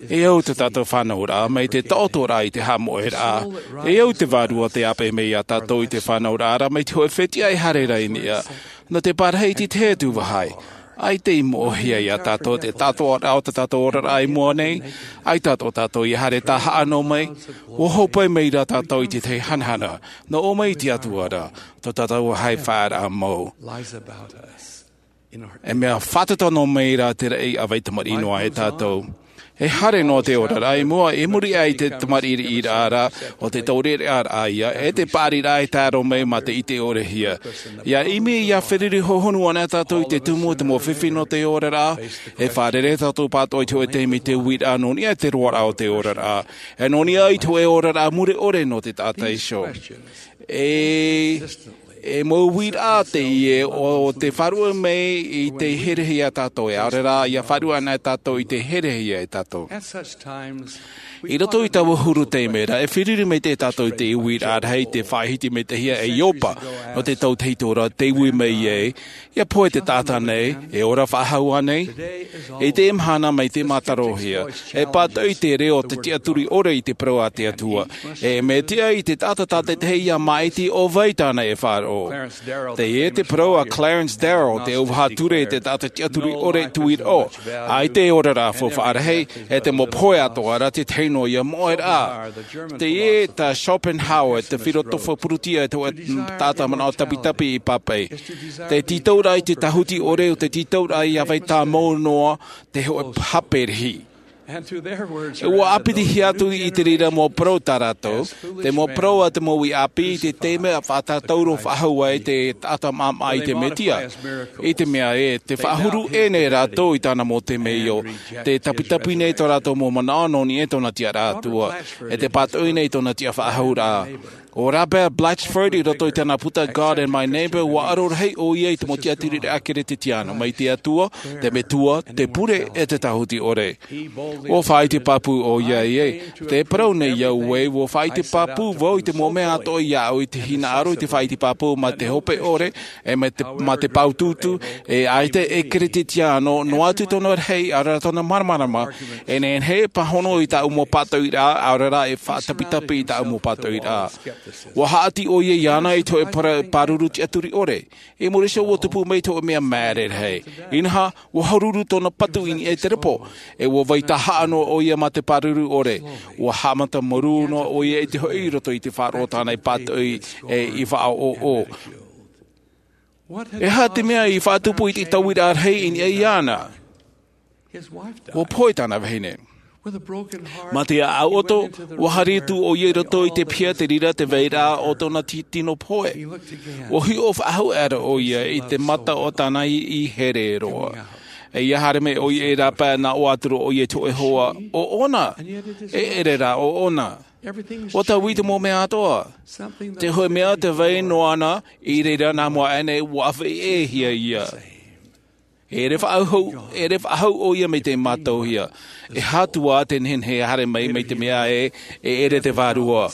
E au tō tātou fānauraʻa, mai te taʻotoraʻa i te haʻamoʻeraʻa. E au te Vārua tē ʻāpeʻe mai iā tātou i te fānauraʻa ra, mai te hōʻē fetiʻa e haere ra i niʻa. Nō te parahi i te tahi atu vāhi. ʻAita i moʻehia iā tātou te taʻatoʻaraʻa o tō tātou oraraʻa i mua nei, ʻaita tō tātou ʻia haere tāhaʻa noa mai, ʻua hōpoi mai rā tātou i te tahi hanahana, nō ʻō mai i te Atua ra, tō tātou vāhi faʻaearaʻa mau. E mea fātata noa mai rā te raʻi ʻa vai tamariʻi noa e tātou. E haere noa te oraraʻa i mua, i muri aʻe i te tamariʻi riʻiraʻa ra, ʻo te taureʻareʻa ra ïa, e te paʻariraʻa e tae roa mai mā te ʻite ʻorehia. ʻIa ʻimi, ʻia feruri hohonu ana tātou i te tumu o te mau fifi nō te oraraʻa, e fārerei tātou pātoʻi i te hōʻē taime i te uiraʻa nō niʻa i te roaraʻa o te oraraʻa. E nō niʻa i te hōʻē oraraʻa mure ʻore nō te taʻata iho. E, e mau uiraʻa teie ʻo tē faʻaruʻe mai i te herehia iā tātou, e ʻaore rā, ʻia faʻaruʻe ana tātou i te herehia e tātou. I roto i taua huru taime ra, e feruri maitaʻi tātou i te uiraʻa rahi, tē faʻahiti maitaʻihia e Ioba, nō te tau tahito ra, tē ui mai ai, ʻia pohe te taʻata nei, e ora faʻahou ānei? I teie mahana mai te mātarohia, e pātoʻi te reo o te tiʻaturi ʻore i te parau a te Atua. E mea tiʻa i te taʻata tātaʻitahi ʻia māʻiti ʻo vai tāna e faʻaroʻo. Teie te parau a Clarence Darrow, te auvaha ture, te taʻata tiʻaturi ʻore tuiroʻo. ʻAita e ora rā faufaʻa rahi, e te mau pohe atoʻa ra te tahi noa ïa moʻeraʻa. Teie tā Schopenhauer, te filotofo Pūrutia, te taʻata manaʻo tapitapi i Pape. Te tītauraʻa i te tāhuti ʻore ʻo te tītauraʻa ʻia vai tāmau noa te hōʻē hape rahi. E ʻua ʻāpitihia atu i te reira mau parau tā rātou, te mau parau a te mau uʻi ʻāpī i te taime ʻa faʻatātauro faʻahou ai te taʻata māʻamaʻa i te Mesia. I te mea ē, tē faʻahuru ʻē nei rātou i tāna mau temeio, tē tapitapi nei tō rātou mau manaʻo nō niʻa i tōna tiʻaraʻa Atua, e tē pātoʻi nei i tōna tiʻafaʻahouraʻa. ʻO Robert Blatchford i roto i tāna puta God and My Neighbor, ʻua aro rahi ʻoia i te mau tiʻaturiraʻa Kerisetiano, mai te Atua, te Metua, te Pure, e te Tāhuti ʻore. ʻUa faʻaʻite pāpū ʻoia ē, tē parau nei au ē, ʻua faʻaʻite pāpū vau i te mau mea atoʻa iāʻu i te hinaʻaro i te faʻaʻite pāpū mā te hope ʻore, e mā te, mā te pāutuutu, e ʻaita e Kerisetiano, noa atu tōna rahi, ʻaore rā tōna māramarama, e nehenehe e pāhono i tāʻu mau pātoʻiraʻa, ʻaore rā e faʻatapitapi i tāʻu mau pātoʻiraʻa. ʻUa haʻati ʻoia iāna i te hōʻē pāruru tiʻaturi ʻore. I muri iho ʻua tupu mai te hōʻē mea māere rahi. Inaha, ʻua hauruuru tōna patu i niʻa i te repo, e ʻua vai tāhaʻa noa ʻoia mā te pāruru ʻore. ʻUa haʻamata māuruuru noa ʻoia i te hoʻi i roto i te faʻaroʻo tāna i pātoʻi e i faʻaʻoʻo. E aha te mea i faʻatupu i te tauiraʻa rahi i niʻa iāna? ʻUa pohe tāna vahine. Mā te ʻāʻau ʻoto, ʻua haere atu ʻoia i roto i te piha, te reira te vairaʻa o tōna ti-, tino pohe. ʻUa hiʻo faʻahou ʻera ʻoia i te mata o tāna iʻi here roa. E ʻia haere mai ʻoia i rāpae, nā ʻō atu ra ʻoia i te hōʻē hoa, ʻoʻona. E ʻere rā ʻoʻona. ʻUa taui te mau mea atoʻa. Te hōʻē mea tē vai noa na, i reira nā mua aʻe nei ʻua ʻāfaʻi ʻē hia ïa. E ʻere faʻahou, e ʻere faʻahou ʻo ia mai te mātauhia. E hātua te nehenehe e haere mai, mai te mea ē, e ʻere te vārua.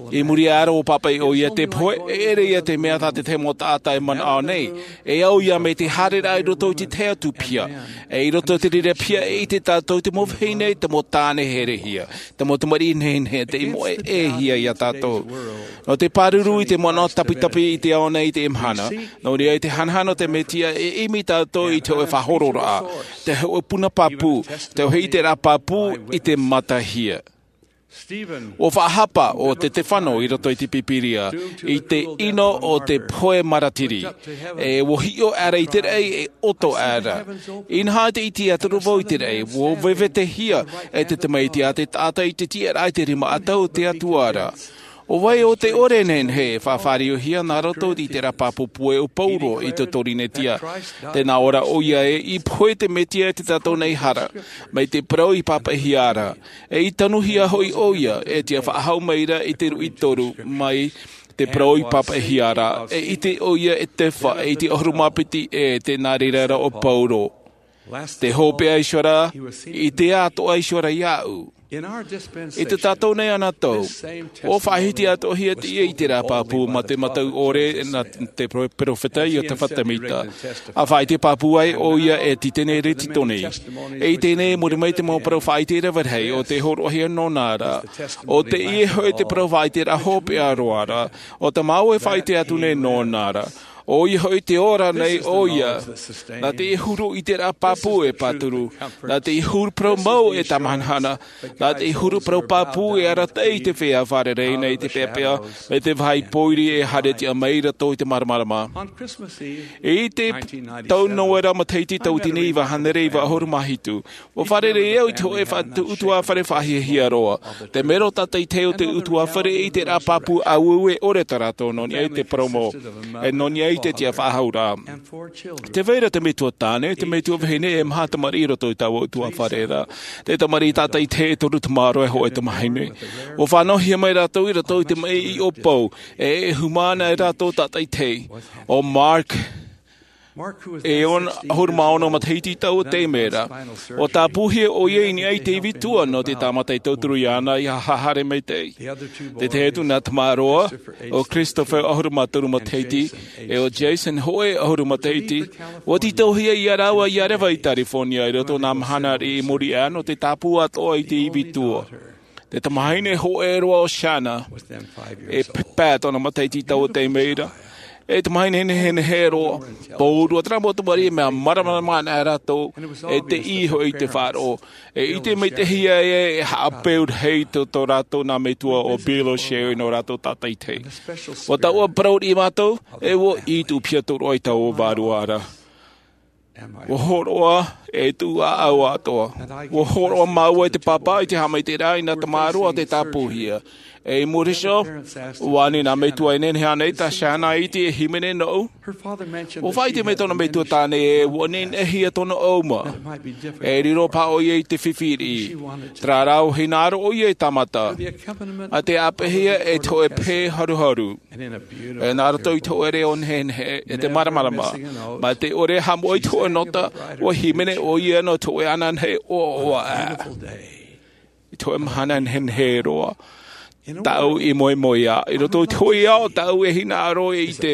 I muri iho ʻo pāpaʻi ʻo ia te pohe, e ʻere ia te mea tā te tahi mau taʻata e manaʻo nei. E au ia mai te haereraʻa i roto i te tahi atu piha. E i roto i te reira piha e ʻite tātou te mau vahine, te mau tāne herehia. Te mau tamariʻi nehenehe, tei moʻehia ia tātou. Nō te pāruru i te manaʻo tapitapi i te ao nei i te mahana. Nō reira i te hanahana o te Mesia e ʻimi tātou i te hōʻē faʻahororaʻa, te hōʻē puna pāpū, te hōʻē ʻiteraʻa pāpū i te matahia. ʻUa faʻahapa ʻo Setefano i roto i te Pīpīria, i te ʻino o te pohe maratiri. E ʻua hiʻo aʻera i te raʻi e ʻoto aʻera. Inaha te iti a toru vau i te raʻi, ʻua vevetehia e te Tamaiti a te taʻata i te tiʻaraʻa i te rima ʻatau o te Atua ra. ʻO vai ʻo te ʻore nehenehe e faʻafāriohia nā roto i te ʻiteraʻa pāpū puʻe o Paulo i te Torinetia. Tē nā ʻō ra ʻo ia ē, i pohe te Mesia i tā tātou nei hara, mai te parau i pāpaʻihia ra. E i tanuhia hoʻi ʻo ia, e tiʻa faʻahou mai ra i te ruʻi toru, mai te parau i pāpaʻihia ra, e ʻite ʻo ia e te fa, e i te ʻahuru mā piti e te nā reira ra ʻo Paulo. Te hopeʻa iho ra, i te atoʻa iho ra iāʻu. I tā tātou nei anotau, ʻua faʻahiti atoʻahia te ʻiteraʻa pāpū mā te mataʻu ʻore nā te pro-, perofeta Iotefa Temita. ʻA faʻaʻite pāpū ai ʻo ia e Tītene Rītitoni. E i teie nei, i muri mai te mau parau faʻaʻite rave rahi, ʻo tē hōroʻahia nōna ra. ʻO teie hoʻi te parau faʻaʻiteraʻa hopeʻa roa ra, ʻo tā māua e faʻaʻite atu nei nōna ra. ʻO ia hoʻi tē ora nei ʻo ia, nā te huru ʻiteraʻa pāpū e pāturu, nā te huru parau mau e tāmahanahana, nā te huru parau pāpū e arataʻi i te feiā fārerei nei i te peʻapeʻa, mai te vāhi pōiri e haere tiʻa mai rātou i te māramarama. I te tau Noera matahiti tauatini iva hānere iva ʻahuru mā hitu, ʻua fārerei au i te hōʻē faʻa-, ʻutuāfare faʻahiahia roa. Te mero tātaʻitahi o te ʻutuāfare i te ʻiteraʻa pāpū ʻāueue ʻore tā rātou nō niʻa i te parau mau. E nō niʻa i te tiʻa faʻahou ra. Tē vai ra te metua tāne, te metua vahine e maha tamariʻi i roto i taua ʻutuāfare ra. Te tamariʻi tātaʻitahi e toru tamaroa e hōʻē tamahine. ʻUa fānauhia mai rātou i roto i te maʻi ʻōpou, e e hūmā ana e rātou tātaʻitahi. ʻO Mark, e ono, ʻahuru mā ono matahiti taua taime ra. ʻUa tāpūhia ʻo ia i niʻa i te ivi tua nō te tāmata e tauturu iāna ʻia haere maitaʻi. Te tahi atu nā tamaroa, ʻo Christopher ʻahuru mā toru matahiti, e ʻo Jason hoʻi ʻahuru matahiti, ʻua tītauhia ia rāua ʻia reva i California i roto i nā mahana riʻi i muri aʻe nō te tāpū atoʻa i te ivi tua. Te tamahine hōʻē roa ʻo Shanna, e p-, pae tōna matahiti taua taime ra. E tamahine nehenehe roa, pōrua terā mau tamariʻi mea māramarama ana rātou, e teie hoʻi te faʻaroʻo. E ʻite maitaʻi ia e haʻapeu rahi tō, tō rātou nā metua ʻo Bill ʻo Sherry nō rātou tātaʻitahi. ʻUa taua parau riʻi mātou, e ʻua ʻī tuʻu piha tō roa i taua vārua ra. ʻUa hōroʻa e tuʻu ʻāʻau atoʻa. ʻUa hōroʻa māua i te pāpā i te haʻamaitaʻiraʻa i nā tamaroa tē tāpūhia. E i muri iho, ʻua ani nā metua e nehenehe ānei tā Shanna e ʻite e hīmene nōʻu? ʻUa faʻaʻite mai tōna metua tāne ē, ʻua nehenehe ia tōna ʻauma. E riro paha ʻo ia i te fifi riʻi. Terā rā ʻua hinaʻaro ʻo ia e tāmata. ʻA te ʻāpeʻehia e te hōʻē pē haruharu. E nā roto i te hōʻē reo nehenehe, e te māramarama. Mai te ʻore haʻamoʻe i te hōʻē nota, ʻua hīmene ʻo ia nō te hōʻē ananahi ʻoaʻoa. I te hōʻē mahana nehenehe roa. Tāʻu i moemoeā. I roto i te hōʻē ao, tāʻu e hinaʻaro e ʻite.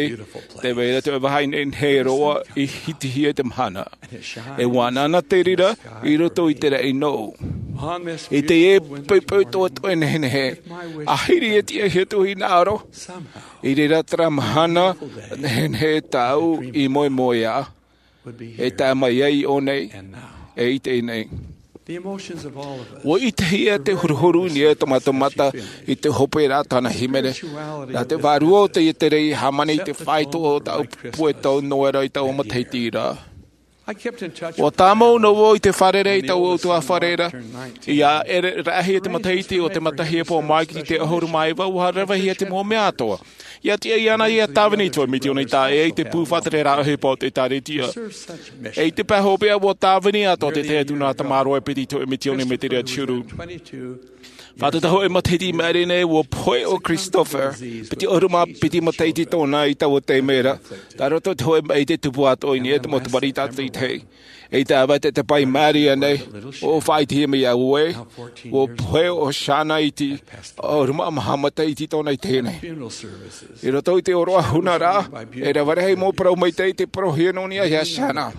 Tē vai ra te hōʻē vāhi nehenehe roa i hitihia i te mahana. E ʻua anaana te reira, i roto i te raʻi nōʻu. I teie poʻipoʻi toʻetoʻe nehenehe. ʻA hiri e tiʻa hia tōʻu hinaʻaro. I reira terā mahana nehenehe tāʻu i moemoeā. E tae mai ai i ʻō nei, e i teie nei. ʻUa ʻitehia te huruhuru i niʻa i tō mātou mata i te hope ra tāna hīmene. Nā te vārua o teie tere i hāmani i te faito o tāʻu pupu e tau Noera i taua matahiti ra. ʻUa tāmau noa vau i te fārerei i taua ʻutuāfare ra. ʻIa ʻere rahi te matahiti o te matahiti pō mai i te ʻahuru mā iva, ʻua revehia te mau mea atoʻa. ʻIa tiʻa iāna ʻia tāvini i te hōʻē mitioni tāʻē i te pū faʻatere rāʻau ʻohipa o te ʻĒkālesia. E i te pae hopeʻa ʻua tāvini atoʻa te tahi atu nā tamaroa e piti i te hōʻē mitioni mai te reira te huru. Fātata hoʻi matahiti i maʻiri nei, ua pohe ʻo Christopher, piti ʻahuru mā piti matahiti tōna i taua taime ra. Tā roto i te hōʻē maʻi i te tupu atoʻa i niʻa i te mau tamariʻi tātaʻi tahi. I te ʻāvae te pae i maʻiri aʻenei, ʻua faʻaʻitehia mai iā ʻoe, ua pohe ʻo Shana i te ʻahuru mā maha matahiti tōna i teie nei. I roto i te ʻōroʻa huna ra, e rave rahi mau parau maitaʻi tei parauhia nō niʻa iā Shana.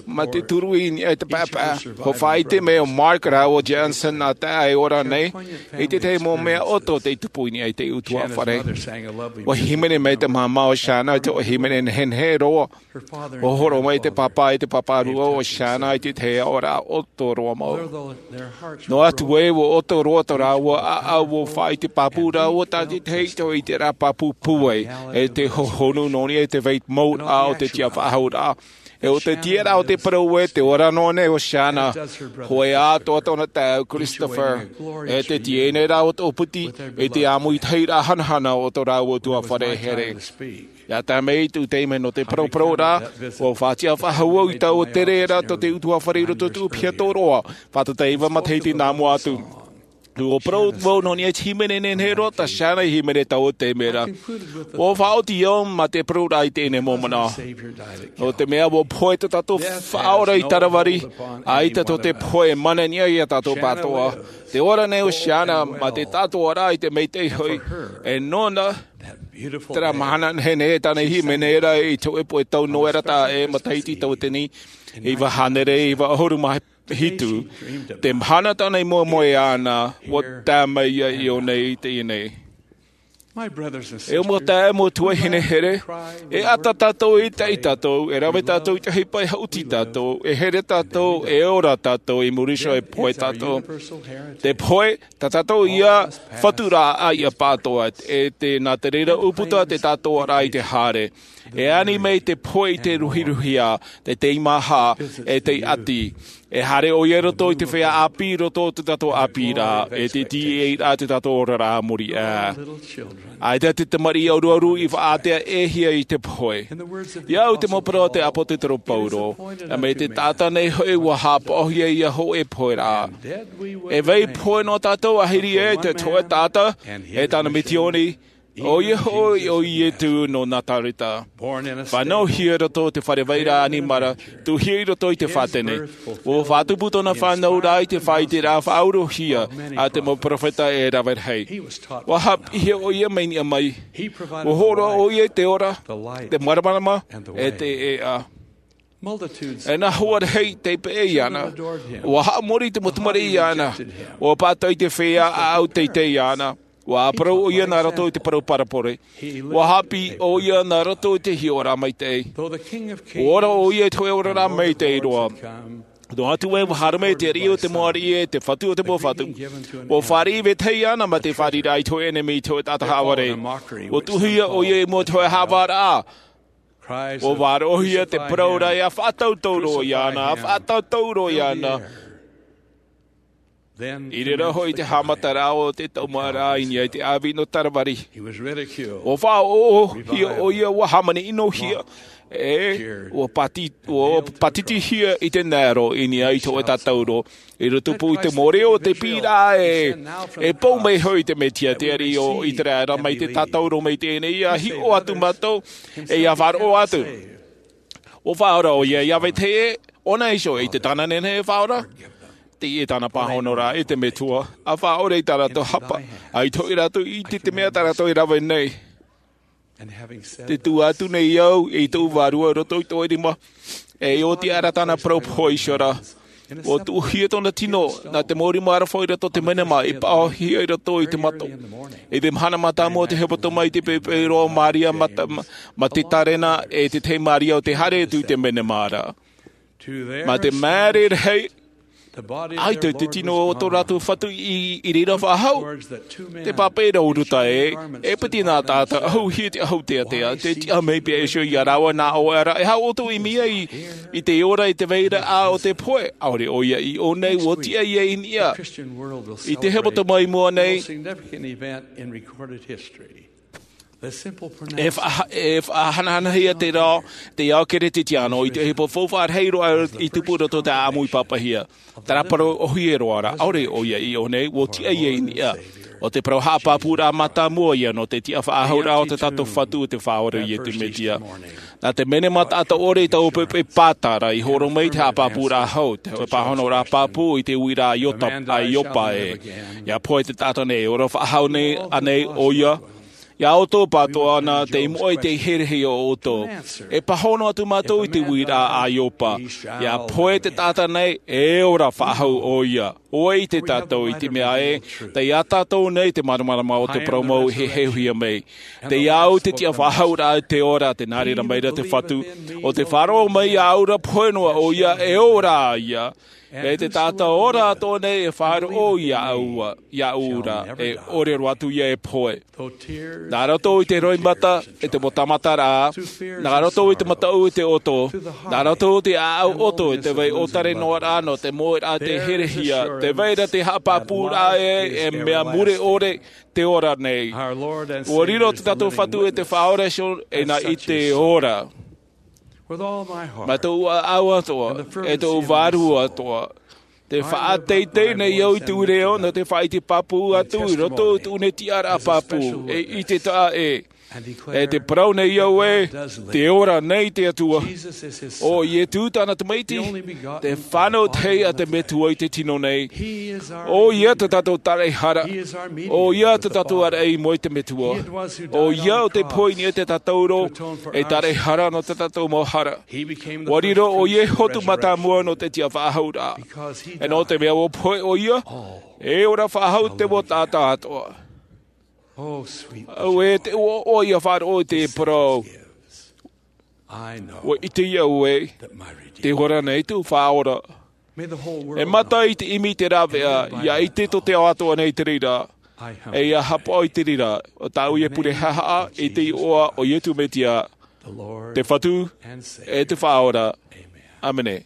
Mā te turu i niʻa i te paepae, ʻua faʻaʻite mai ʻo Mark rāua ʻo Johnson nā taeaʻe e ora nei, i te tahi mau mea ʻoto tei tupu i niʻa i te ʻutuāfare. ʻUa hīmene mai te māmā o Shana i te hōʻē hīmene nehenehe roa. ʻUa hōroʻa mai te pāpā e te pāpārua o Shana i te tahi aʻoraʻa ʻoto roa mau. Noa atu ē, ʻua ʻoto roa tō rāua ʻāʻau, ʻua faʻaʻite pāpū rāua tātaʻitahi i te hōʻē ʻiteraʻa pāpū pūai, e te hohonu nō niʻa i te vape mode o te tiʻafaʻahouraʻa. E ʻo te tiʻaraʻa o te parau ē, tē ora noa nei ʻo Shana, hōʻē atoʻa tōna taeaʻe ʻo Christopher, e te tiʻa nei rā o tō piti, i te āmuitahiraʻa hanahana o tō rāua ʻutuāfare here. ʻIa tae mai i tō taime nō te paraparau ra, ʻua faʻatiʻafaʻahou i taua tere ra tō te ʻutuāfare i roto i tō Upiha Toroa, fātata iva matahiti nā mua atu. ʻUa parau vau nō niʻa i te hīmene nehenehe roa tā Shana i hīmene i taua taime ra. ʻUa faʻaoti au mā te parau ra i teie nei momona. Nō te mea ʻua pohe tō tātou Faʻaora i Tāravari, ʻaita tō te pohe e mana niʻa iā tātou pātoʻa. Tē ora nei ʻo Shana mā te tātoʻaraʻa i te maitaʻi hoʻi, e nōna, terā mahana nehenehe tāna i hīmene ra i te hōʻē pohe tau noera taʻa ʻē matahiti tauatini iva hānere iva ʻahuru mā hitu, te mahana tāna i moemoeā na, ʻua tae mai ia i ʻō nei i teie nei. E ʻo mau taeaʻe, mau tuahine here, e ʻata tātou, e ʻita tātou, e rave tātou i te ʻohipa, e haʻuti tātou, e here tātou, e ora tātou, i muri iho e pohe tātou. Te pohe, tā tātou ia fatu ra ʻaita pātoʻa, e te, nā te reira ʻūputa te tātoʻaraʻa i te haere. E ani mai te pohe i te ruhiruhia, te teimaha, e te ʻati. E haere ʻoia i roto i te feiā ʻāpī, i roto i tō tātou ʻāpī ra, e te tīaʻiraʻa i tō tātou oraraʻa muri aʻe. ʻAita te tamariʻi ʻaruʻaru i faʻaātea-ʻē-hia i te pohe. I au i te mau parau a te ʻāpōsetolo Paulo, mai te taʻata nei hoʻi ʻua haʻapaʻohia ia hōʻē pohe ra. E vai pohe noa tātou, ʻahiri ē, te hōʻē taʻata, e tāna misiōni, ʻoia hoʻi ʻo Iesu nō Nazareta. Fānauhia i roto i te fare vairaʻa ʻanimara, tuʻuhia i roto i te fātene. ʻUa faʻatupu tōna fānauraʻa i te faʻaiteraʻa faʻauruhia a te mau perofeta e rave rahi. ʻUa haʻapiʻihia ʻoia mai niʻa mai. ʻUa hōroʻa ʻoia i te ora, te māramarama, e te ʻēʻa. E nā hua rahi tei peʻe iāna. ʻUa haʻamori te mau tamariʻi iāna. ʻUa pātō i te feiā ʻāʻau teitei iāna. ʻUa parau ʻoia nā roto i te parau parabole. ʻUa haʻapiʻi ʻoia nā roto i te hiʻoraʻa maitaʻi. ʻUa ora ʻoia i te hōʻē oraraʻa maitaʻi roa. Noa atu ē, ʻua haere mai te ariʻi o te mau ariʻi, e te fatu o te mau fatu. ʻUa fāriʻi vetahi iāna mā te fāriʻiraʻa i te hōʻē ʻenemi, i te hōʻē taʻata haʻavare. ʻUa tuʻuhia ʻoia i mua i te hōʻē haʻavāraʻa. ʻUa vārauhia te parau ra, ʻia faʻatautau roa iāna, ʻia faʻatautau roa iāna. I reira hoʻi te haʻamataraʻa o te taumaraʻa i niʻa i te ʻāvi nō Tāravari. ʻUa faʻaʻoʻohia ʻoia, ʻua hāmani ʻinohia. E, ʻua pāti-, ʻua pātitihia i te nero i niʻa i te hōʻē tātauro. I roto pū i te mau reo o te piʻiraʻa ē, e pou mai hoʻi te Mesia, te ariʻi o ʻĪteraʻera, mai te tātauro mai teie nei, ʻia hiʻo atu mātou, e ʻia faʻaroʻo atu. ʻUa faʻaora ʻoia ia vetahi ē, ʻōna iho i te tāna nehenehe e faʻaora. Teie tāna pāhonoraʻa, e te Metua, ʻa faʻaora i tā rātou hapa, ʻaita hoʻi rātou i ʻite i te mea tā rātou e rave nei. Tē tuʻu atu nei au i tōʻu vārua i roto i tōʻu rima, e ʻoti aʻe ra tāna parau pohe iho ra. ʻUa tuʻuhia tōna tino, nā te mau rima aroha i roto i te menema, i paʻohia i roto i te mato. I te mahana mātāmua o te hepetoma i te poipoi roa o Maria Mata-, Ma-, Matatarena, e te tahi Maria ʻo tē haere atu i te menema ra. Mā te mea rahi, ʻaita te tino o tō rātou fatu i, i reira faʻahou. Tē pāpaʻi ra ʻo Ruta ē, e piti nā taʻata ʻahuhia i te ʻahu teatea, tē tiʻa mai paʻi iho ia rāua nā ʻoe ra, e haʻaʻoutou i mea i, i te ora, i te vairaʻa o te pohe, ʻaore ʻoia i ʻō nei, ʻua tiʻa ia i niʻa. I te hepetoma i mua nei, E faʻaha- e faʻahanahanahia te reo te ao keretiano i te ʻohipa faufaʻa rahi roa i tupu roto te ʻāʻamu i papahia. Taraparau ʻohie roa ra ʻaore ʻo ia i ʻō nei ua tiʻa ia i niʻa. O te parau haʻapāpūraʻa mātāmua ia nō te tiʻafaʻahouraʻa o te tātou fatu o te faʻaora o iesu mesia. Nā te mene mataʻata ʻore i taua pepe pātara i horo mai te haʻapāpūraʻa hau te pāhonoraʻa pāpū i te uiraʻa a iopa e ia pohe te taʻata nei e ora faʻahou nei anei ʻo ia. Ia ʻoutou pātoʻa ana te imoʻa i te herehia o ʻoutou. E pāhono atu mātou i te uiraʻa a iopa. Ia pohe te taʻata nei e ora faʻahou ʻo ia. Ua ʻite tātou i te mea ē, tei iā tātou nei te māramarama o te parau mau i heheuhia mai. Tei au te tiʻafaʻahouraʻa te ora te nā reira mai ra te fatu. O te faʻaroʻo mai iā ʻaura pohe noa ʻo ia e ora ia. E te taʻata ora atoʻa nei e faʻaroʻo iā ʻaua iā ʻaura e ʻore roa atu ia e pohe. Nā roto i te roimata e te motamataraʻa, nā roto i te mataʻu i te ʻoto, nā roto i te ʻāʻau ʻoto e te vai ʻōtare noa rā nō te moeraʻa te herehia te vai ra te haʻapāpūraʻa e e mea mure ʻore te ora nei. Ua riro te tātou fatu e te faʻaora e nā i te ora. Mā tōʻu ʻāʻau atoʻa e tōʻu vārua atoʻa. Te faʻateitei nei au i tū reo nō te faʻaʻite pāpū atu i roto i tū nei tiʻaraʻa pāpū e i te taʻa e e te parau nei au e te ora nei te atua. O iesu tāna tamaiti te fānau tahi a te metua i te tino nei. O ia te tātou taraʻehara. O ia te tātou araʻi i mua i te metua. O ia o te poini e te tātauro e taraʻehara nō te tātou mau hara. Ua riro o ia e hotu mātāmua nō te tiʻafaʻahouraʻa. E nō te mea ua pohe o ia e ora faʻahou te mau taʻata atoʻa. Au e te ua o ia faʻaroʻo i te parau. Ua ʻite ia au e te ora nei tōʻu faʻaora. E mata i te ʻimi i te rāveʻa ia ʻite tō te ao atoʻa nei te reira. E ia hapaʻo i te reira o tāʻu ia pure haʻahaʻa i te iʻoa o iesu mesia te fatu e te faʻaora. ʻĀmene.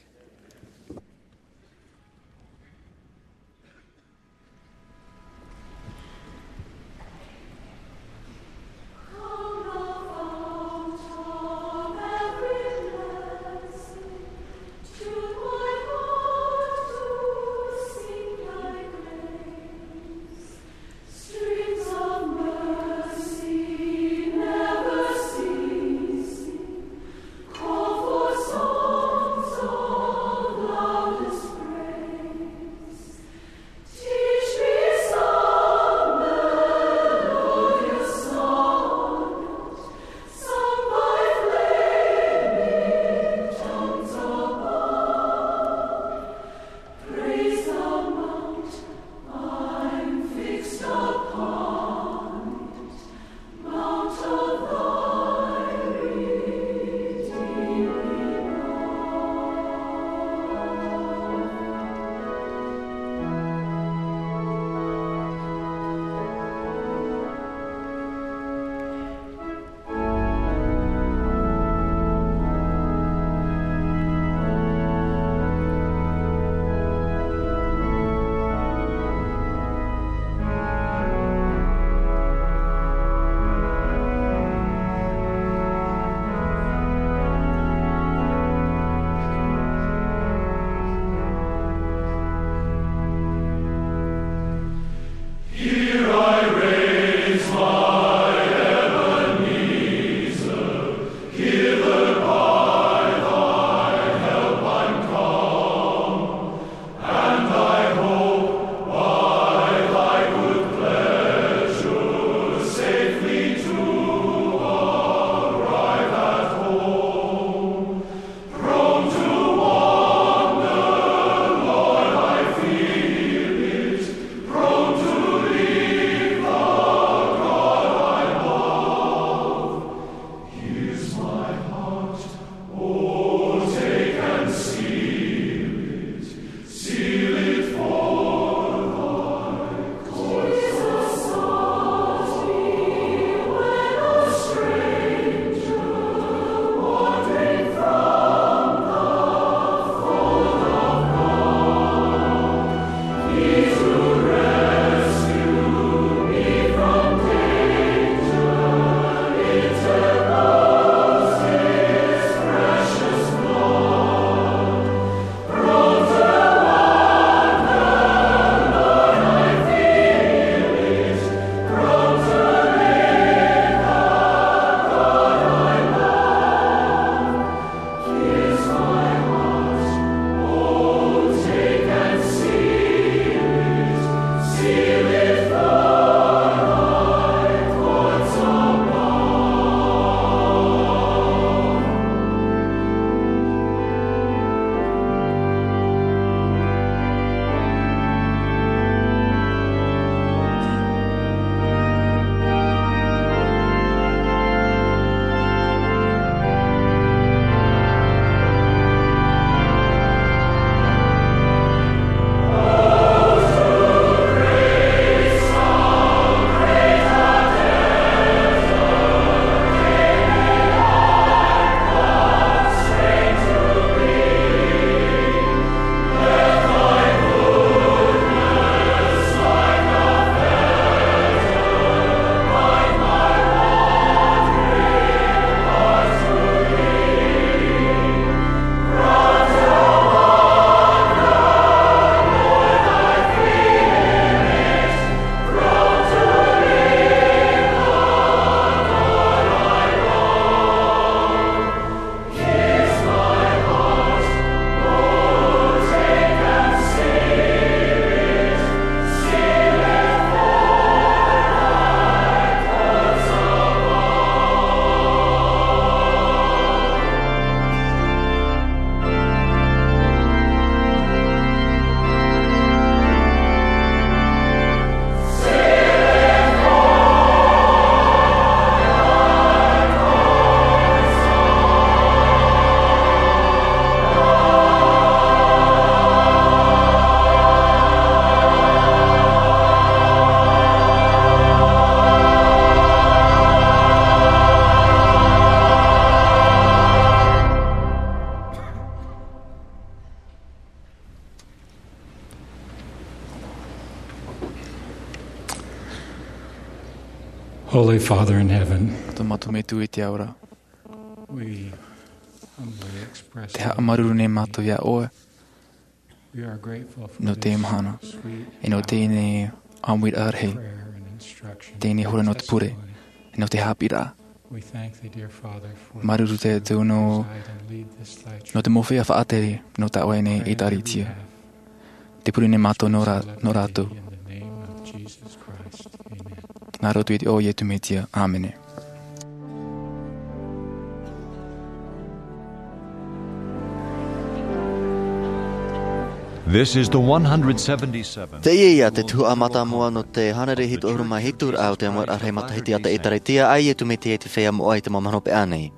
Holy Father in heaven, tō mātou Metua i te ao ra, we humbly express te haʻamāuruuru nei mātou iā ʻoe. We are grateful for nō te this mahana, sweet e nō teie nei ʻāmuiraʻa rahi, prayer and instruction, teie nei hora nō te pure, testimony, e nō te haʻapiʻiraʻa. We thank thee, dear Father, for māuruuru te Atua nō, guide and lead this thy nō te mau feiā faʻatere nō tā ʻoe nei ʻēkālesia. Te pure nei mātou nō rā-, nō rātou. In the name of Jesus Christ. Amen. Nā roto i te iʻoa o Iesu Mesia. ʻĀmene. This is the one hundred seventy-seventh. Teie ia te tuhaʻa mātāmua nō te hānere hitu ʻahuru mā hitu raʻa o te ʻāmuiraʻa rahi matahiti a te ʻĒtārētia a Iesu Mesia i te feiā moʻa i te mau mahana hopeʻa nei.